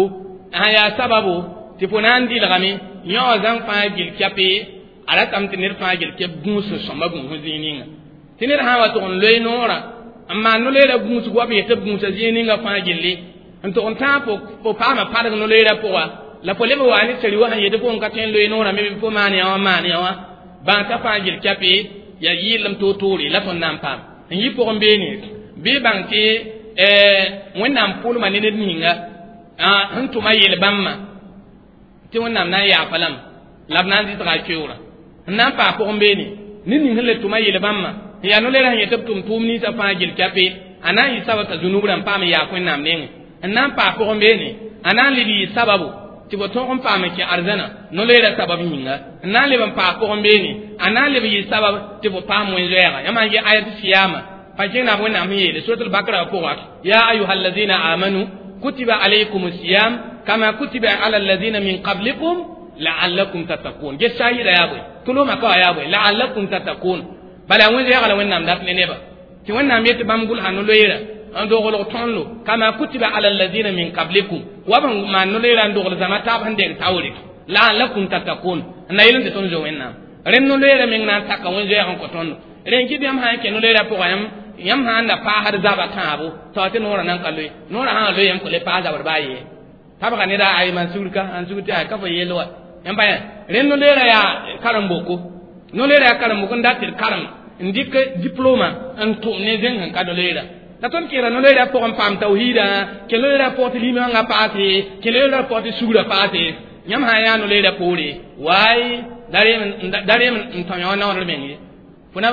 a sẽn yaa sababo tɩ fo na n dɩlgame yõ wã zãng fãa gil kɛpe a ratame tɩ ned fãa gil kɛp gũus n sõma gũus zĩig ninga tɩ ned sã n wa tʋg n loe noorã n maan no-loeera gũusg wa b yetɩ b gũusa zĩig ninga fãa gilli n tʋg n tãag fo paama padg no-loeera pʋga La fo leb wa ne seri wa sẽn yetɩ fo n ka tõe n loe noorã me bɩ fo maan yã wã maan yã wã bãng t'a fãa gil kɛpe ya yɩɩlem toor-toore la tõnd na n paam n yɩ pʋgẽ beene bɩ bãng tɩ Wẽnnaam pʋʋlma ne ned ninga sẽn tʋma yel-bãmbã tɩ Wẽnnaam na n yaafa lame la b na n zɩsga a keoorã n na n paas pʋgẽ beene ned ning sẽn le tʋma yel-bãmbã n yaa no-leerã sẽn yetɩ b tʋm tʋʋm ninsã fãa gil kɛpe a na n yɩ sabab t'a zunub rãmb paam n yaak Wẽnnaam nengẽ n na n paas pʋgẽ beene a na n leb yɩ sababu tɩ fo tõog n paam n kẽ arzãna no-leerã sabab yĩnga n na n leb n paas pʋgẽ beene a na n leb yɩ sabab tɩ fo paam wẽn-zoɛɛga yãmb n ge ayat siyama pa kẽng Wẽnnaam sẽn yeele suratul bakra pʋga ya ayuha allazina amanu kutiba alaykum siyam kama kutiba ala allazina min qablikum la'allakum tattaqun ge shahida yaa bõe tʋlʋmã ka wa yaa bõe la'allakum tattaqun bala wẽn-zoɛɛga la Wẽnnaam dat ne neba tɩ Wẽnnaam yetɩ bãmb gʋlsa no-loeera n doglg tõndo kama kutiba ala allazina min qablikum wa b maan no-loeera n dogl zãma taab sẽn deng taoore la'allakum tattaqun n na yel n tɩ tõnd zo Wẽnnaam rẽnd no-loeera meng na n taka wẽn-zoɛɛg n kõ tõndo rẽn kɩ yãmb sã n kẽ no-loeera pʋga yãmb sã n da paasd zaba tãabo t'a tɩ noorã nan ka loe noorã sã n loe yãmb kõ le paas zabr baa ye tabga neda ay man sugr ka an sugr tɩ ay ka fo yell wa yãmb pa rẽnd no-loeera yaa karen-boko no-loeera yaa karen-boko n dat tɩ d karem n dɩk diploma n tʋm ne zẽng sẽn ka no-loeera la tõnd kẽera no-loeera pʋgẽ n paam tawhiida kẽ loeera pʋgẽ tɩ limãngã paase kẽ loeera pʋgẽ tɩ sugrã paase yãmb sã n yaa no-loeera poore waay da reem n tõ yã wã naoodr meng ye fo na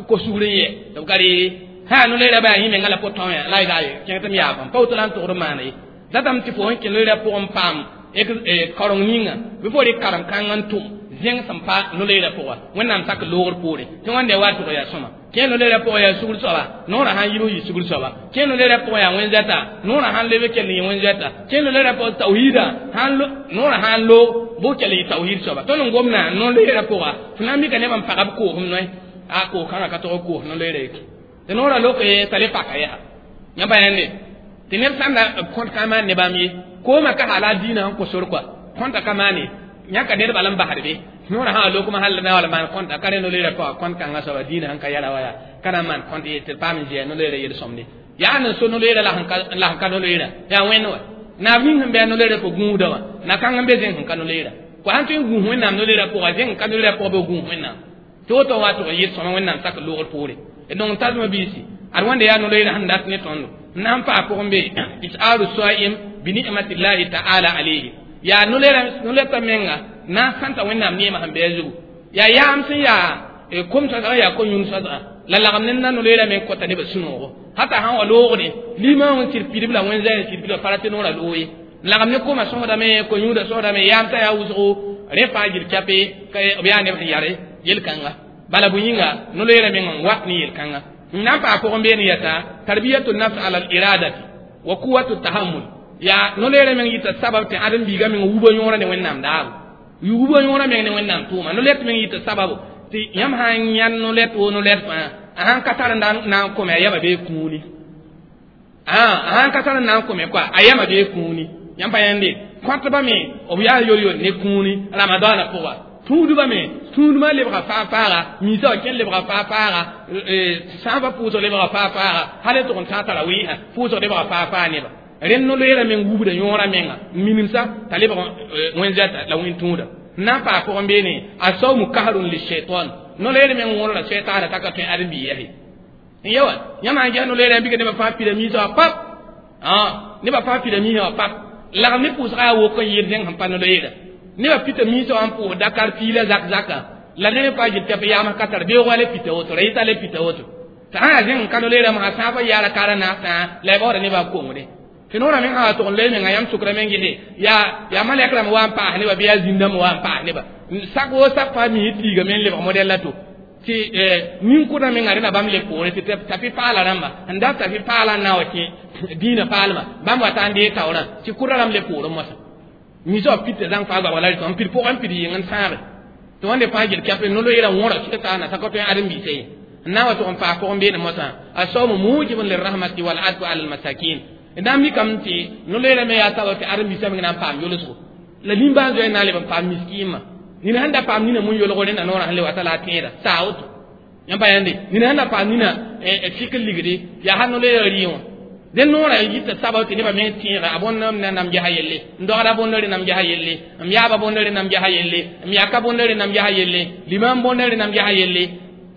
ko sugr n yɛ tɩ b ka reere sã yaa no-loeera baa yẽ menga la po tõe la y daa ye kẽng tɩ m yaafam pa woto la n togd n maana ye datame tɩ fo sẽn kẽ loeera pʋgẽ n paam kareng ninga bɩ fo rɩk karem-kãng n tʋm zẽng sẽn pa no-loeera pʋga Wẽnnaam sak loogr poore tɩ wãnde wa tʋg yaa sõma kẽ no-loeera pʋgẽ yaa sugr soaba noorã sãn yib n yɩ sugr soaba kẽ no-loeera pʋgẽ yaa wẽn-zoɛta noorã sãn leb kell n yɩ wẽn-zoɛta kẽ no-loeera pʋgẽ tawhiida noorã sãn loog bʋ kell n yɩ tawhiid soaba tõnd n gomdã no-loeera pʋga fo na n mika nebã n pagb koosem noe a koos-kãngã ka tog koos no-loeera ye tɩ noorã lok t'a le paka yaa yãmb pa yãnde tɩ neb sãn da kõt ka maan ne bãmb ye koomã ka hala diinã sẽn kõ sor kɔa kõnta ka maane yãka ned bala n basd be noorã sã lokmã hal na wala maan kõnta ka rẽ no-loeera pʋga kõnt kãngã soaba diinã sẽn ka yɛla wa yaa ka na n maan kõnt ye tɩ d paam n zɩa no-loeera yel-sõmde yaa n so no-loeera la sẽn ka no-loeera yaa wẽnd wa naab ning sẽn bɩ a no-loeera pʋg gũudã wã na-kãng n be zẽng sẽn ka no-loeera kɔ sãn tõe n gũus Wẽnnaam no-loeera pʋga zẽng n ka no-loeera pʋga bɩ gũus Wẽnnaam tɩ woto wa tʋg n yɩ sõma Wẽnnaam sak loogr poore donc tasma biisi ad wãnda yaa no-loeera sẽn dat ne tõndo n na n paa pʋgẽ be is'aru saim bi ni'matillahi ta'ala alayhi yaa no-loeerta menga na n sãnta Wẽnnaam neemã sẽn bɩ a zugu yaa yaam sẽn yaa kom soasgã yaa ko-yũud soasgã la lagem ne na no-loeera meng kõta nebã sũ-noogo hata sãn wa loogde limã n sɩd pidb la wẽn-zã n sɩd pidba pa ra tɩ noorã loog ye lagem ne koma sõsdame ko-yũudã sõsdame yaam t'a yaa wʋsgo rẽ fãa gil kɛpe b yaa neb sẽn yare yel-kãnga bala bõe yĩnga no-loeera meng n wat ne yel-kãnga n na n paa pʋgẽ beene yɛta tarbiyatu nafs ala al-iradati wa quwatu tahammul yaa no-loeera meng yɩta sabab tɩ ãdem-biigã meng wubã yõorã ne Wẽnnaam daabo wubã yõorã meng ne Wẽnnaam tʋʋma no-lɛt meng yɩta sababu tɩ yãmb sã n yãnd no-lɛt woo no-lɛt fãa a sãn ka tar n na n kome a yama bee kũuni a sãn ka tar n na n kome koa a yama bee kũuni yãmb pa yãnde kõtbã me b yaa yor-yor ne kũuni ramadaanã pʋga tũudbã me tũudmã lebga faa-faaga miisã wa kẽn lebga faa-faaga sãambã pʋʋsg lebga faa-faaga hal n tʋg n tãag tara wɩɩsã pʋʋsg lebga faa-faa neba rẽnd no-loeera meng wubda yõorã menga n minimsa t'a lebg wẽn-zɛta la wẽn-tũuda n na n paa pʋgẽ beene a sawmu kahrun lishaitan no-loeer meng wõrda sɛtaana t'a ka tõe ãdem-biig yɛse n ye wa yãmb sãn ges no-loeera n bika nebã fãa pida miisã wã pap nebã fãa pida miisã wã pap lagem ne pʋʋsgã yaa wok n yɩɩd zẽng sẽn pa no-loeera nebã pita miisã wã n pʋʋs Dakar piila zak zaka la neb pa gil tɩ b yaam ka tar beoogã le pita woto ra yɩta le pita woto t'a sã yaa zẽng n ka no-loeera masã sãabã yaara kaara naasã la y baooda nebã kongde tɩ noorã meng sã wa tʋg n loe menga yãmb sʋkrã meng gese yaa malɛk rãmb wa n paas neba bɩ yaa zĩn-dãmb wa n paas neba sak woo sak fãa mise tiiga me n lebg modɛl la to tɩ nin-kʋdã menga rẽna bãmb le poore tɩ tafi paala rãmba n dat tafi paala n na wa kẽ dĩinã paalmã bãmb wa ta n dee taoorã tɩ kʋdã rãmb le poorẽ moasã misã wa pita zãng fãa goamga la rɩtã n pid pʋgẽ n pid yɩng n sãage tɩ wãnde fãa gel kɛp no-loeerã wõra sɩtaana t'a ka tõe ãdem-biisã ye n na n wa tʋg n paas pʋgẽ beene moasã a saomu mujibun lirahmati wal adfu ala almasakin n na n mikame tɩ no-loeerã me yaa sabab tɩ ãdem-biisã meng na n paam yolsgo la nimbãan zoe n na n leb n paam miskiimã nina sẽn da paam nina mun yolg rẽnda noorã sẽn le wata la a tẽeda saa woto yãmb pa yãnde nina sẽn da paam nina fik n ligde yaa sã no-loeerã rɩ wã Den noora yita sabab tɩ nebã meng tẽega a bõnd m na nam gesa yelle, n dogda bõnd rẽndame gesa yelle, m yaaba bõnd rẽndame gesa yelle, m yaka bõnd rẽndame gesa yelle, limam bõnd rẽndame gesa yelle.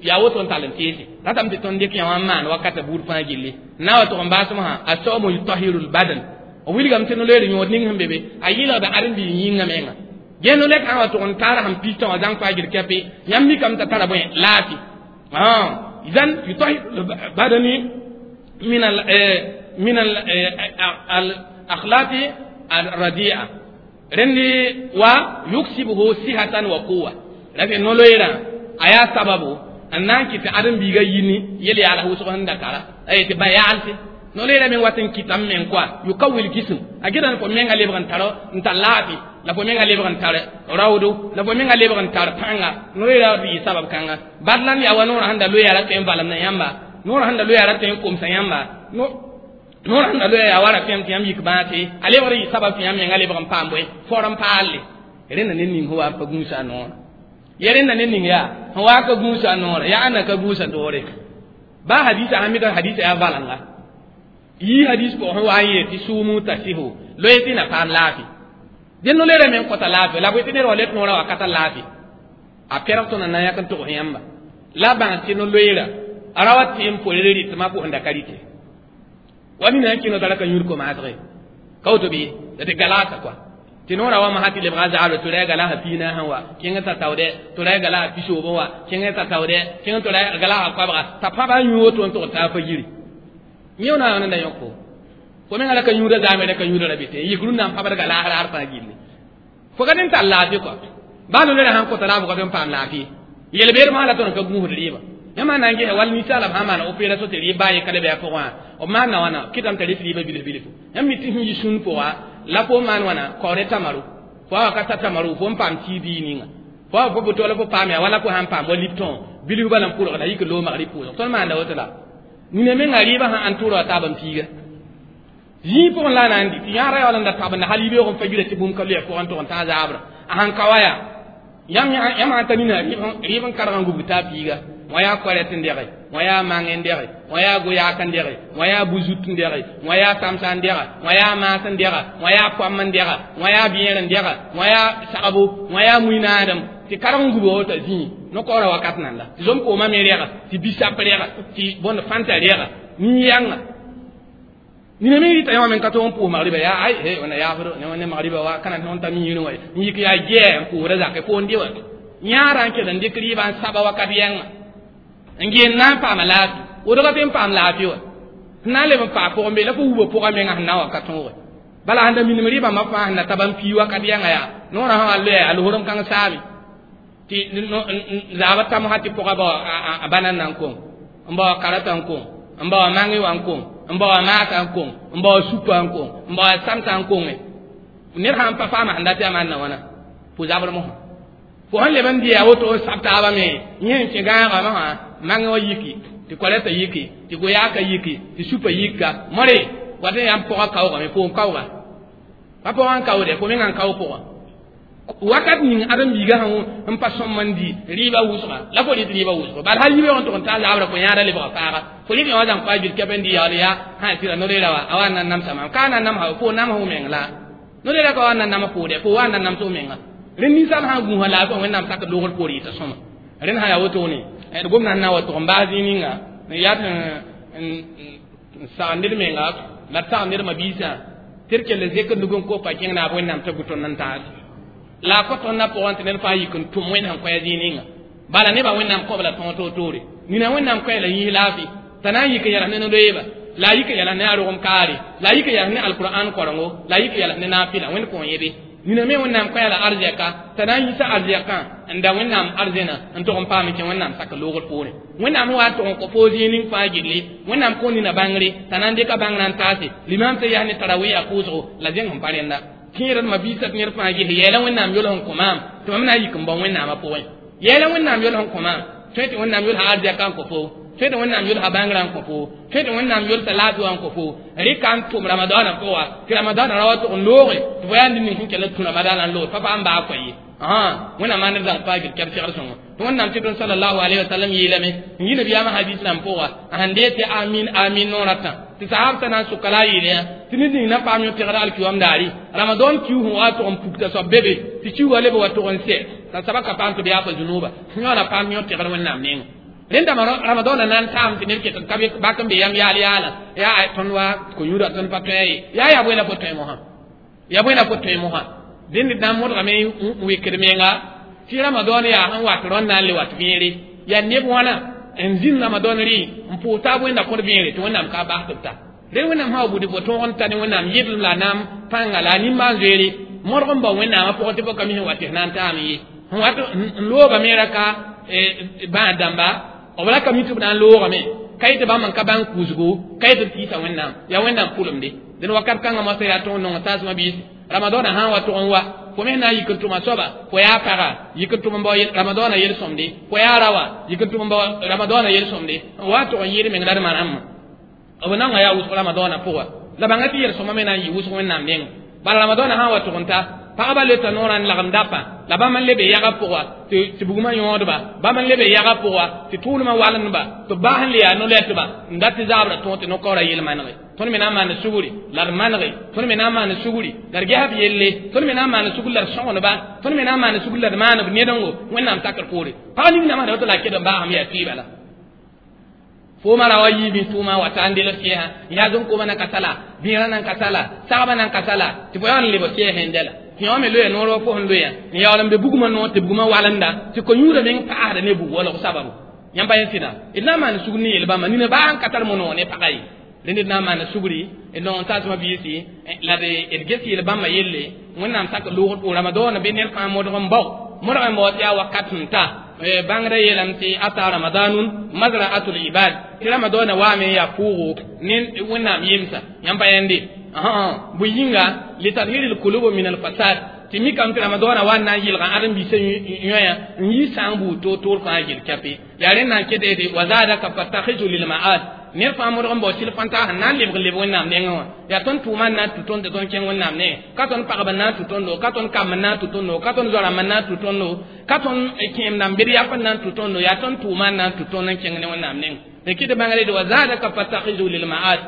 Yaa woto n tall n teese ratame tɩ tõnd dɩk yã wã n maan wakata buud fãa gilli na wa tʋg n baasem sã a saomo yutahiru lbadan b wilgame tɩ no-loeer yõod ning sẽn be be a yɩlgda ãdem-biig yĩngã menga gẽ no-lɛk sã wa tʋg n taara sẽn pistã wã zãng faa gil kɛpe yãmb mikame t'a tara bõe laafɩ idan yutahiru lbadani min al akhlaqi al radi'a rẽndi wa yuksibuhu sihatan wa quwa la fɩ no-loeerã a yaa sababu n na n kɩt tɩ ãdem-biigã yini yel yaala wʋsg sẽn da tara a yetɩ ba yaalse no-loeerã meng wat n kɩtame meng koa yukawil jism a gɩda fo menga lebg n tar n tar laafɩ la fo menga lebg n tar raoodo la fo menga lebg n tar pãnga no-loeerã rɩ sabab kãnga bad la n yaa wa noorã sẽn da loe yaa ra tõe n valemda yãmba noorã sẽn da loe yaa ra tõe n komsa yãmba noorã sẽn da loe yaa wa ra tõem tɩ yãmb yik bãase a lebg yɩ sabab tɩ yãmb menga lebg n paam bõe for n paalle rẽnda ne ning sẽn wa n pa gũusa a noorã ya rẽnda ne ning yaa sẽn wa ka gũusa a noorã yaa ãnna ka gũusa doore baa hadisa sãn mika hadisa yaa valanga yii hadis pʋgẽ sẽn wa n yeel tɩ sʋʋmũ tasihu loe tɩ na paam laafɩ dẽ no-loeerã meng kõta laafɩ la bõe tɩ ned wa let noorã wakata laafɩ a pɛrg tõnd na n yãk n tʋgs yãmba la bãng tɩ no-loeera a ra wa tɩ n pore rɩtmã pʋsẽnda ka rɩte wa nina n kẽno tara ka yũud komaasge ka woto bɩ la tɩ galaasa kɔa tɩ noorã wa masã tɩ lebga zaabra tɩ ra galaasã piinaasẽ wa kẽng t'a taoodɛ tɩ ra galaasã pisoobẽ wa kẽng t'a taoodɛ kẽng tɩ ra galaasã koabga t'a pãba n yũ woto n tʋg taa pa yiri yẽ na n da yõk fo fo menga ra ka yũuda zaame ra ka yũuda ra be tɩ yik rũnnã n pãbd galaas raar fãa gilli fo ka n tar laafɩ kɔa baa no-loeerã sãn kõta laafɩ tɩ n paam laafɩ yel-beed masã la tõnd ka gũusd rɩɩbã yãmb na n gesa wall ninsaalame sã n maan opération tɩ rɩɩb baa ye ka le bɩ a pʋgẽ wã b maanda wãna kɩtame t'a rɩt rɩɩbã bilf bilfu yãmb mi tɩ sẽn yi sũn pʋga la fo maan wãna kaoore tamaru fo wa ka ta tamaru fo n paam tii bii ninga fo wa fo bʋ la fo paam yaa wala fo sãn paam wa liptõ bilf bala n pʋlg la yik loomg rɩ pʋʋsg tõnd maanda woto la nina menga rɩɩbã sãn ãn tʋʋra wa taab n piiga zĩig pʋgẽ la a na n dɩ tɩ yãara yaool n da tabenda hal yibeoog n pa yira tɩ bũmb ka loe pʋgẽ tʋg n tã zaabra a sãn ka wa yaa yãmb sãn ta nina rɩɩb n karg n gubg t'a piiga wã yaa koɛrɛt n dɛge wã yaa mang n dɛge wã yaa goyaak n dɛge wã yaa bu-zut n dɛge wã yaa samsa n dɛga wã yaa maas n dɛga wã yaa koam n dɛga wã yaa bẽer n dɛga wã yaa sagbo wã yaa mui-naadem tɩ karg n gubg wota zĩig no-kaoorã wakat nanda tɩ zom-koomã me rɛga tɩ bisap rɛga tɩ bõnd fãnta rɛga nin-yãnga nina me rɩta yãwã meng ka tog n pʋʋs magriba yaa ay he wẽnna yaafdo ne magriba wa ka na tõnd ta miirẽ wa n yik yaa gɛɛ n pʋʋsda zakɛ foon dɩ wa yãara n kell n dɩk rɩɩbã n saba wakat yãnga n geel na n paama laafɩ wodga tɩ n paam laafɩ wa sẽn na n leb n paa pʋgẽ be la fo wuba pʋgã menga sẽn na n wa ka tõoge bala sẽn da minim rɩɩbã ma fãa sẽn na tab n pii wakat yãnga yaa noorã sã wa loɛ a losrem kãng saame tɩ zaabã tamsã tɩ pʋga bao a bãnan na n kong n bao karata n kong n bao mange wã n kong n bao maasa n kong n bao supa n kong n bao samsa n konge ned sãn pa paama sẽn dat yaa maan na wãna fo zabr mosã fo sẽn leb n dɩ yaa woto n sab taabã me yẽ n kẽ gãagã masã mange wã yiki tɩ koɛlɛtã yiki tɩ goyaaka yiki tɩ supã yika more wat n yaa n pʋgã kaoogame fo n kaooga pa pʋgã n kaoode fo mengã n kao pʋgã wakat ning ãdem-biigã sẽn n pa sõm n dɩ rɩɩbã wʋsga la fo rɩt rɩɩbã wʋsgo bal hal yibeoog n tʋg n taa zabrã fo yãada lebga faaga fo rɩt yã wã zãng pa gil kɛp n dɩ yaool yaa sã sɩra no-loeera wa a wa n na n namsa maam ka na n namsa fo nams f meng la no-loeera ka wa n na n nams foode fo wa n na n nams f menga rẽnd ninsaal sã n gũusa laafɩ wã wẽnnaam sak loogr poor yɩta sõma rẽnd sã yaa wotone d gomdã sẽn na n wa tʋg n baas zĩig ninga n yaa tɩ n sagd ned menga la d sagd ned mabiisã tɩ d kell n zek n nug n kopa kẽng naab wẽnnaam t'a gu tõnd n taas la a kõ tõnd na pʋgẽ tɩ ned fãa yik n tʋm wẽnd sẽn kõ zĩig ninga bala nebã wẽnnaam kõb la tõog toor-toore nina wẽnnaam koɛɛ la yĩs laafɩ t'a na n yik n yɛls ne no-loeeba la a yik n yɛls ne a rogem kaare la a yik n yɛls ne alkur'an korengo la a yik n yɛls ne naafɩla wẽnd kõn yebe nina me wẽnnaam koɛɛ la arzɛka t'a na n yisa arzɛkã n da wẽnnaam arzẽna n tʋg n paam n kẽ wẽnnaam sak loogr poorẽ wẽnnaam wa tʋg n kõ foo zĩig ning fãa gilli wẽnnaam kõ nina bãngre t'a na n dɩka bãngrã n taase limaam tɩ yaa ne tarawiya pʋʋsgo la zẽng sẽn pa rẽnda kẽer d mabiisã tɩ ned fãa ges yɛɛla wẽnnaam yol sẽn kõ maam tɩ mam na n yik n bao wẽnnaamã pʋgẽ yɛɛla wẽnnaam yol sẽn kõ maam tõe tɩ wẽnnaam yolsa arzɛka n kõ fo tõe tɩ wẽnnaam yolsa bãngrã n kõ fo tõe tɩ wẽnnaam yolsa laafɩ wã n kõ fo rɩka n tʋm ramadaanã pʋga tɩ ramadaanã ra wa tʋg n looge tɩ fo yaa ned ning sẽn kell n tũ ramadaanã n loog pa pa n baa koa ye wẽnnaam maan d zãng faa gil kɛb segd sõngo tɩ wẽnnaam tɩ tõnd salallahu alayhi wa sallam yeelame n yi nabiyaamã hadis rãmb pʋga a sẽn dee tɩ amin amin noorã tã Tɩ sahab sã na n soka la a yeele yã tɩ ned ning na paam yõ-tẽgr alkiyom daare Ramadan kiu sẽn wa tʋg n pukta soab be be tɩ kiuugã leb wa tʋg n sɛ t'a soabã ka paam tɩ b yaafa zũnuuba yõ la paam yõ-tẽgr Wẽnnaam nengẽ rẽndame Ramadan na n taam tɩ ned ket n ka bak n be yam yaal yaala yaa tõnd wa ko-yũuda tõnd pa tõe ye yaa yaa bõe la fo tõe mosã ya bõe la fo tõe mosã dẽnd d na n modgame n wekd menga tɩ Ramadan yaa sẽn wat rõnd na n le wat vẽere yaa neb wãna n zĩnd Ramadan rɩ n pʋʋs taab Wẽnna kõd vẽere tɩ Wẽnnaam ka bas tɩ b ta rẽ Wẽnnaam sã wa bʋd fo tõog n ta ne Wẽnnaam yɩdlem la a naam pãnga la a nimbãan-zoeere modg n bao Wẽnnaamã pʋgẽ tɩ fo ka mi sẽn wa tɩ f na n taam ye sẽn wat n loogame ra ka bãad dãmba b ra ka mi tɩ b na n loogame ka yetɩ bãmb n ka bãng kʋʋsgo ka yetɩ b tiisa Wẽnnaam yaa Wẽnnaam pʋlemde dẽn wakat kãngã moasã yaa tõog n nong taasmã biis Ramadɔɔna sã n wa tʋg n wa fo me na n yik n tʋma soaba fo yaa paga yik n tʋm n bao Ramadɔɔna yel-sõmde fo yaa rawa yik n tʋm n bao Ramadɔɔna yel-sõmde n wa tʋg n yɩɩd meng la d manamã b naongã yaa wʋsg Ramadɔɔna pʋga la bãnga tɩ yel-sõma me na n yɩ wʋsg Wẽnnaam nengẽ bala Ramadɔɔna sã n wa tʋg n ta pagba leta noorã n lagem dapa la bãmb n lebe yaga pʋga tɩ bugmã yõodba bãmb n lebe yaga pʋga tɩ tʋʋlmã walendba tɩ bas n le yaa no-lɛtba n dat tɩ zaabra tõog tɩ no-kaoora yel-manege tõnd me na n maan sugri la d manege tõnd me na n maan sugri la d gesb yelle tõnd me na n maan sugri la d sõgenba tõnd me na n maan sugri la d maanb nedengo Wẽnnaam takr poore pag ning namsda woto la a ked n baasame yaa tɩɩba la fooma ra wa yiibẽ tʋʋmã wa ta n delg sɛɛsã yaa zõn-koomã nan ka sala bẽerã nan ka sala sagbã nan ka sala tɩ fo yaa n lebg sɛɛsẽ n dɛla tɩ yõ me loya noor wa fo sẽn loya n yaool n be bugmã noor tɩ bugmã walenda tɩ ko-yũudã meng paasda ne bug walg sababu yãmb pa yẽ sɩda d na n maan sugr ne yel-bãmba nina baa n ka tar monoog ne pagã ye rẽnd d na n maan sugri d nong n taasmã biisi la d ges yel-bãmbã yelle Wẽnnaam sak loogd Ramadɔɔna bɩ ned fãa modg n bao modg n bao tɩ yaa wakat sẽn ta bãngrã yeelame tɩ ata Ramadanun mazra'atul ibad tɩ Ramadɔɔna waame n yaa pʋʋgo ne Wẽnnaam yemsa yãmb pa yẽnde bõe yĩnga litadhir lkulub min alfasad tɩ mikame tɩ Ramadɔɔna wa n na n yɩlga ãdem-biisã yõyã n yi sãng buud toor-toor fãa yel kɛpe yaa rẽnd na n ket wa zadaka fatakhizu lilma'ad ned fãa modg n bao sɩl fãnta sẽn na n lebg n leb Wẽnnaam nengẽ wã yaa tõnd tʋʋma n na n tũ tõnd tɩ tõnd kẽng Wẽnnaam nengẽ ka tõnd pagb n na n tũ tõndo ka tõnd kamb n na n tũ tõndo ka tõnd zoa-rãmb n na n tũ tõndo ka tõnd kẽem rãmb bed yap n na n tũ tõndo yaa tõnd tʋʋma n na n tũ tõnd n kẽng ne Wẽnnaam nengẽ d kɩt bãngre wa zadaka fatakhizu lilma'ad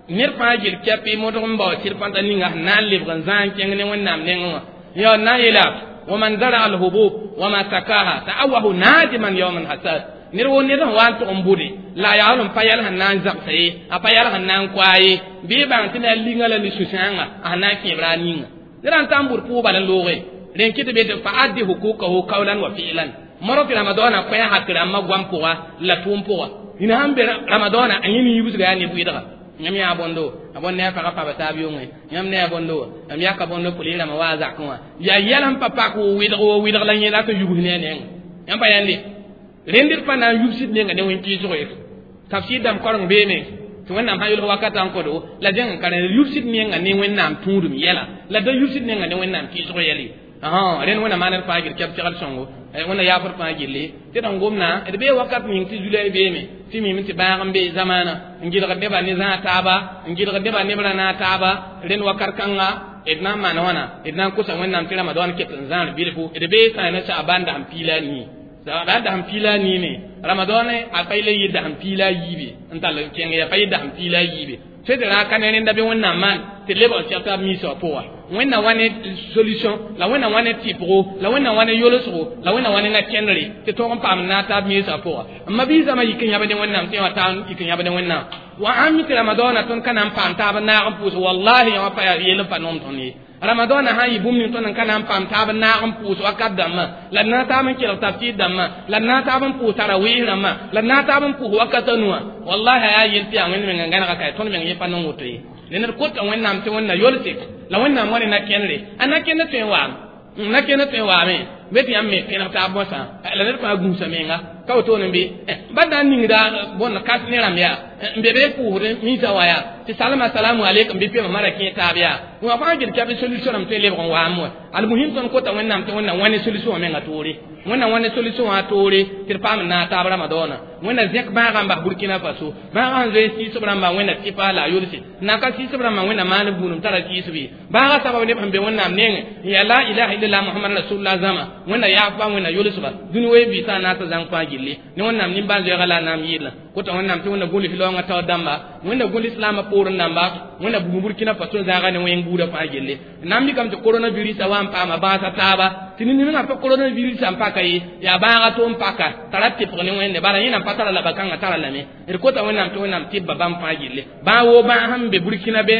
ned fãa yel kɛpɩ modg n bao sɩl fãnta ninga sẽn na n lebg n zãag n kẽng ne Wẽnnaam nengẽ wã ya na n yeela waman zara alhubub wama sakaha ta'awahu nadiman yawma alhasad ned wo ned sẽn wa n tʋg n bʋde la a yaool n pa yɛl sẽn na n zãbsa ye a pa yɛl sẽn na n koa ye bɩ bãng tɩ na linga la ne sũ-sãanga a sẽn na n kẽebra a ninga ned n ta n bʋd pʋʋg bal n looge rẽn kɩ tɩ be tɩ fa addi hukukahu kawlan wa fi'lan modg tɩ Ramadɔɔna kõ hak rãmbã goam pʋga la tʋʋm pʋga nina sãn be Ramadɔɔna a yẽ ne yibsga yaa neb wɩdga yãmb yaa bõndo a bõnd ne a pagã paba taab yʋngẽ yãmb ne a bõndo yãmb yaka bõndo pʋlɩ-rãmbã wa a zakẽ wã yaa yɛl sẽn pa pak wo wɩdg wo wɩdg la yẽ la tɩ yubs ne a nengẽ yãmb pa yãnde rẽnd d pa na n yubsd menga ne wẽn-kɩɩsgo ye tafsir dãmb koreng beeme tɩ Wẽnnaam sã yʋlg wakatã n kõdo la zẽng n ka rẽ yubsd menga ne Wẽnnaam tũudum yɛla la da yubsd menga ne Wẽnnaam kɩɩsgo yɛl ye rẽnd Wẽnnaam maan d fãa gil kɛb segl sõngo Wẽnna yaafd fãa gilli tɩ d n gomna d bee wakat ning tɩ zulay beeme tɩ mime tɩ bãag n be zamaana n gɩlgd nebã ne zãag taaba n gɩlgd nebã neb ra naag taaba rẽnd wakat kãnga d na n maan wãna d na n kosa Wẽnnaam tɩ Ramadɔɔn ket n zãar bilfu d bee sã ne Sa'ban dasem piila nii Sa'ban dasem piila nii me Ramadɔɔn a pa yel yɩ dasem piila yiibe n tall n kẽng ya pa yɩ dasem piila yiibe tɩ d ra ka ne rẽnda bɩ Wẽnnaam maan tɩ lebg n seg taab miisã wã pʋga Wẽnna wa ne solution la Wẽnna wa ne tɩpgo la Wẽnna wa ne yolsgo la Wẽnna wa ne na-kẽndre tɩ tõog n paam n naag taab miisã pʋga n ma-biisã yik n yãbd ne Wẽnnaam tɩ wã taa yik n yãbd ne Wẽnnaam wa ãmb mi tɩ Ramadɔɔna tõnd ka na n paam taab n naag n pʋʋs wallahi yã wã pa yaa yel n pa noom tõnd ye Ramadɔɔna sã n yɩ bũmb ning tõnd n ka na n paam taab n naag n pʋʋs wakat dãmbã la d na taab n kelg tafsir dãmbã la d na taab n pʋʋs tarawiis rãmbã la d na taab n pʋʋs wakat a nuwã wallahi a yaa yel tɩ yaa Wẽnd meng n gãnega ka tõnd meng yẽ pa nong woto ye rẽnd d kota Wẽnnaam tɩ Wẽnna yolse la Wẽnnaam wa ne na-kẽndre a na-kẽnd tõe n waame na-kẽnd tõe n waame be tɩ yãmb me pẽneg taab mosã la ned fãa gũusa menga ka wotone be ba na n ningda bõnd kas ne rãmb yaa n be be pʋʋsd miisã wã yaa tɩ salma salamu aleykum bɩ pema mara kẽ taab yaa wã fãa gil kɛb solution rãmb tõe n lebg n waam wã almuhim tõnd kota Wẽnnaam tɩ Wẽnna wã ne solution wã menga toore Wẽnna wã ne solution wã toore tɩ d paam n naag taab Ramadɔɔna Wẽnna zẽk bãagã n bas Burkina Faso bãagã sẽn zoe sɩɩsb rãmbã Wẽnna tɩpa la a yolse n na ka sɩɩsb rãmbã Wẽnna maan buudum tara sɩɩsb ye bãagã sabab neb sẽn be Wẽnnaam nengẽ n yaa la ilaha illallah Muhammad rasulullah zãma Wẽnna yaafba Wẽnna yolsba dũni wee biisã n na n t'a zãng fãa gilli ne Wẽnnaam nimbãan-zoeega la a naam yɩɩlã Kota wẽnnaam tɩ wẽnna gũls laoongã taoor dãmba, wẽnna gũl islaamã poorẽ dãmba, wẽnna buud Burkina Faso zãaga ne wẽng buudã fãa gelle. Na n mikame tɩ coronavirusã wa n paama bãasa taaba tɩ ned ninga pa coronavirusã n paka ye, yaa bãaga to n paka t'a ra tɩpg ne Wẽnde. Bala yẽ nan pa tara la ba-kãngã tara lame. D kota Wẽnnaam tɩ Wẽnnaam tɩbba bãmb fãa gelle, bãa woo bãag sẽn be Burkina be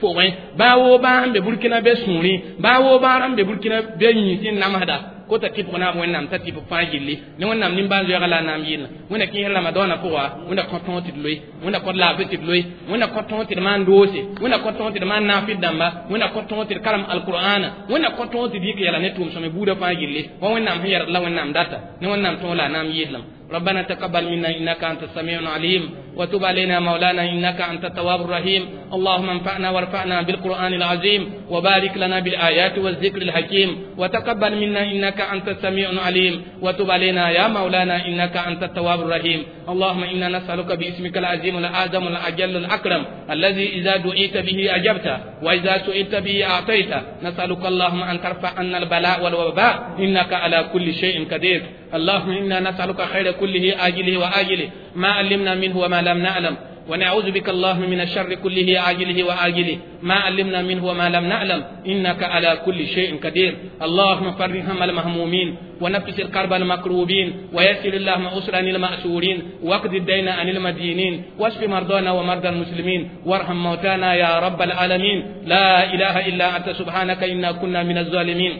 pʋgẽ, bãa woo bãag sẽn be Burkina be sũurẽ, bãa woo bãag sẽn be Burkina be yĩns n namsda. Kota tɩpg naab Wẽnnaam t'a tɩp fãa gilli ne Wẽnnaam nimbãan-zoeega la a naam yɩlna. Wẽnna kẽes Ramadaanã pʋga, Wẽnna kõ tõog tɩ d loe, Wẽnna kõ laafɩ tɩ d loe, Wẽnna kõ tõog tɩ d maan doose, Wẽnna kõ tõog tɩ d maan naafɩd dãmba, Wẽnna kõ tõog tɩ d karem alqur'ana, Wẽnna kõ tõog tɩ d yik yɛla ne tʋʋm-sõme buudã fãa gilli wa Wẽnnaam sẽn yɛrd la Wẽnnaam data ne Wẽnnaam tõog la a naam yɩllem. ربنا تقبل منا إنك أنت السميع العليم، وتب علينا مولانا إنك أنت التواب الرحيم. اللهم انفعنا وارفعنا بالقرآن العظيم، وبارك لنا بالآيات والذكر الحكيم، وتقبل منا إنك أنت السميع العليم، وتب علينا يا مولانا إنك أنت التواب الرحيم. اللهم إنا نسألك باسمك العظيم الأعظم الأجل الأكرم الذي إذا دعيت به أجبت وإذا سئلت به أعطيت، نسألك اللهم أن ترفع عنا البلاء والوباء إنك على كل شيء قدير. اللهم إنا نسألك خير كله آجله وآجله ما علمنا منه وما لم نعلم، ونعوذ بك اللهم من الشر كله عاجله وآجله ما علمنا منه وما لم نعلم إنك على كل شيء قدير. اللهم فرج هم المهمومين، ونفس الكرب المكروبين، ويسر اللهم أسرا المأسورين، واقض الدين عن المدينين، واشف مرضانا ومرضى المسلمين، وارحم موتانا يا رب العالمين. لا إله إلا أنت سبحانك إنا كنا من الظالمين.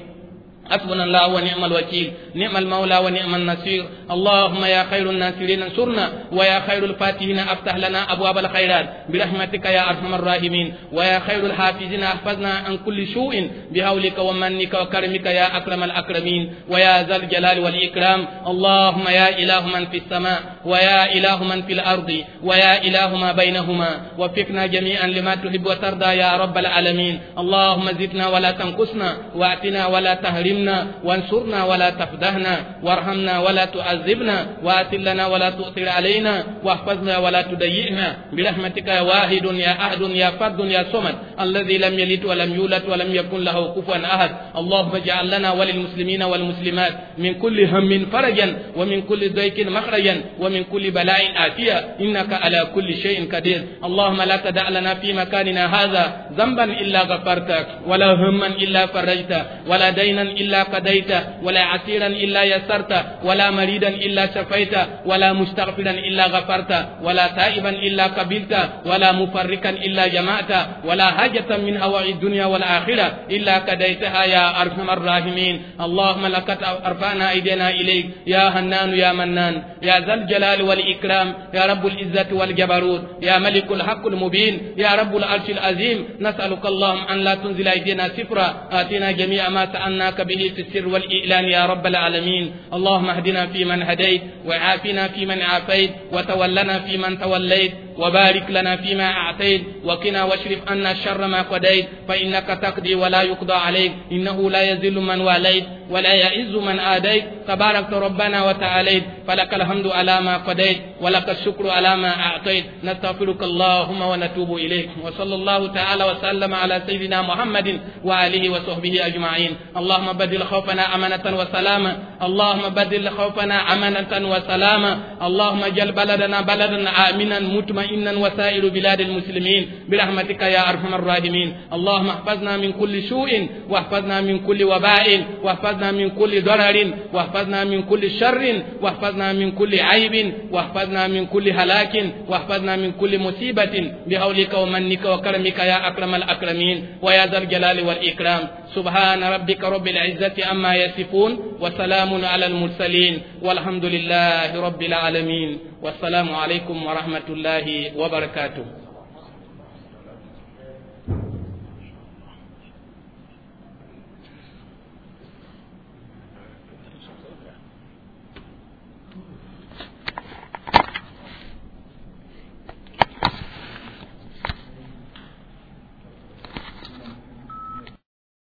حسبنا الله ونعم الوكيل، نعم المولى ونعم النصير. اللهم يا خير الناصرين انصرنا، ويا خير الفاتحين افتح لنا ابواب الخيرات برحمتك يا ارحم الراحمين، ويا خير الحافظين احفظنا عن كل سوء بحولك ومنك وكرمك يا اكرم الاكرمين، ويا ذا الجلال والاكرام. اللهم يا اله من في السماء، ويا اله من في الارض، ويا اله ما بينهما، وفقنا جميعا لما تحب وترضى يا رب العالمين. اللهم زدنا ولا تنقصنا، واتنا ولا تهرمنا، وانصرنا ولا تفدهنا، وارحمنا ولا تعذبنا، وآثر لنا ولا تؤثر علينا، واحفظنا ولا تضيئنا برحمتك يا واحد يا أحد يا فرد يا صمد الذي لم يلد ولم يولد ولم يكن له كفوا أحد. اللهم اجعل لنا وللمسلمين والمسلمات من كل هم فرجا، ومن كل ضيق مخرجا، ومن كل بلاء آتية إنك على كل شيء قدير. اللهم لا تدع لنا في مكاننا هذا ذنبا إلا غفرته، ولا هما إلا فرجته، ولا دينا إلا قضيته، ولا عسيرا إلا يسرته، ولا مريدا إلا شفيته، ولا مستغفرا إلا غفرته، ولا تائبا إلا قبلته، ولا مفرقا إلا جمعته، ولا حاجة من هوائج الدنيا والآخرة إلا قضيتها يا أرحم الراحمين. اللهم لقد أرفعنا أيدينا إليك يا هنان يا منان، يا ذا الجلال والإكرام، يا رب العزة والجبروت، يا ملك الحق المبين، يا رب العرش العظيم. نسألك اللهم أن لا تنزل أيدينا سفرا، آتنا جميع ما سألناك به في السر والإعلان يا رب العالمين. اللهم اهدنا فيمن هديت، وعافنا فيمن عافيت، وتولنا فيمن توليت، وبارك لنا فيما أعطيت، وقنا واشرف عنا شر ما قضيت، فإنك تقضي ولا يقضى عليك، إنه لا يذل من واليت ولا يعز من آديت. تباركت ربنا وتعاليت، فلك الحمد على ما قضيت، ولك الشكر على ما أعطيت. نستغفرك اللهم ونتوب إليك. وصلى الله تعالى وسلم على سيدنا محمد وآله وصحبه أجمعين. اللهم بدل خوفنا أمانة وسلاما، اللهم بدل خوفنا أمانة وسلاما. اللهم اجعل بلدنا بلدا آمنا مطمئنا وسائر بلاد المسلمين برحمتك يا أرحم الراحمين. اللهم احفظنا من كل سوء، واحفظنا من كل وباء، واحفظنا من كل ضرر، واحفظنا من كل شر، واحفظنا من كل عيب، واحفظنا من كل هلاك، واحفظنا من كل مصيبة بحولك ومنك وكرمك يا أكرم الأكرمين ويا ذا الجلال والإكرام. سبحان ربك رب العزة عما يصفون، وسلام على المرسلين، والحمد لله رب العالمين. والسلام عليكم ورحمة الله وبركاته.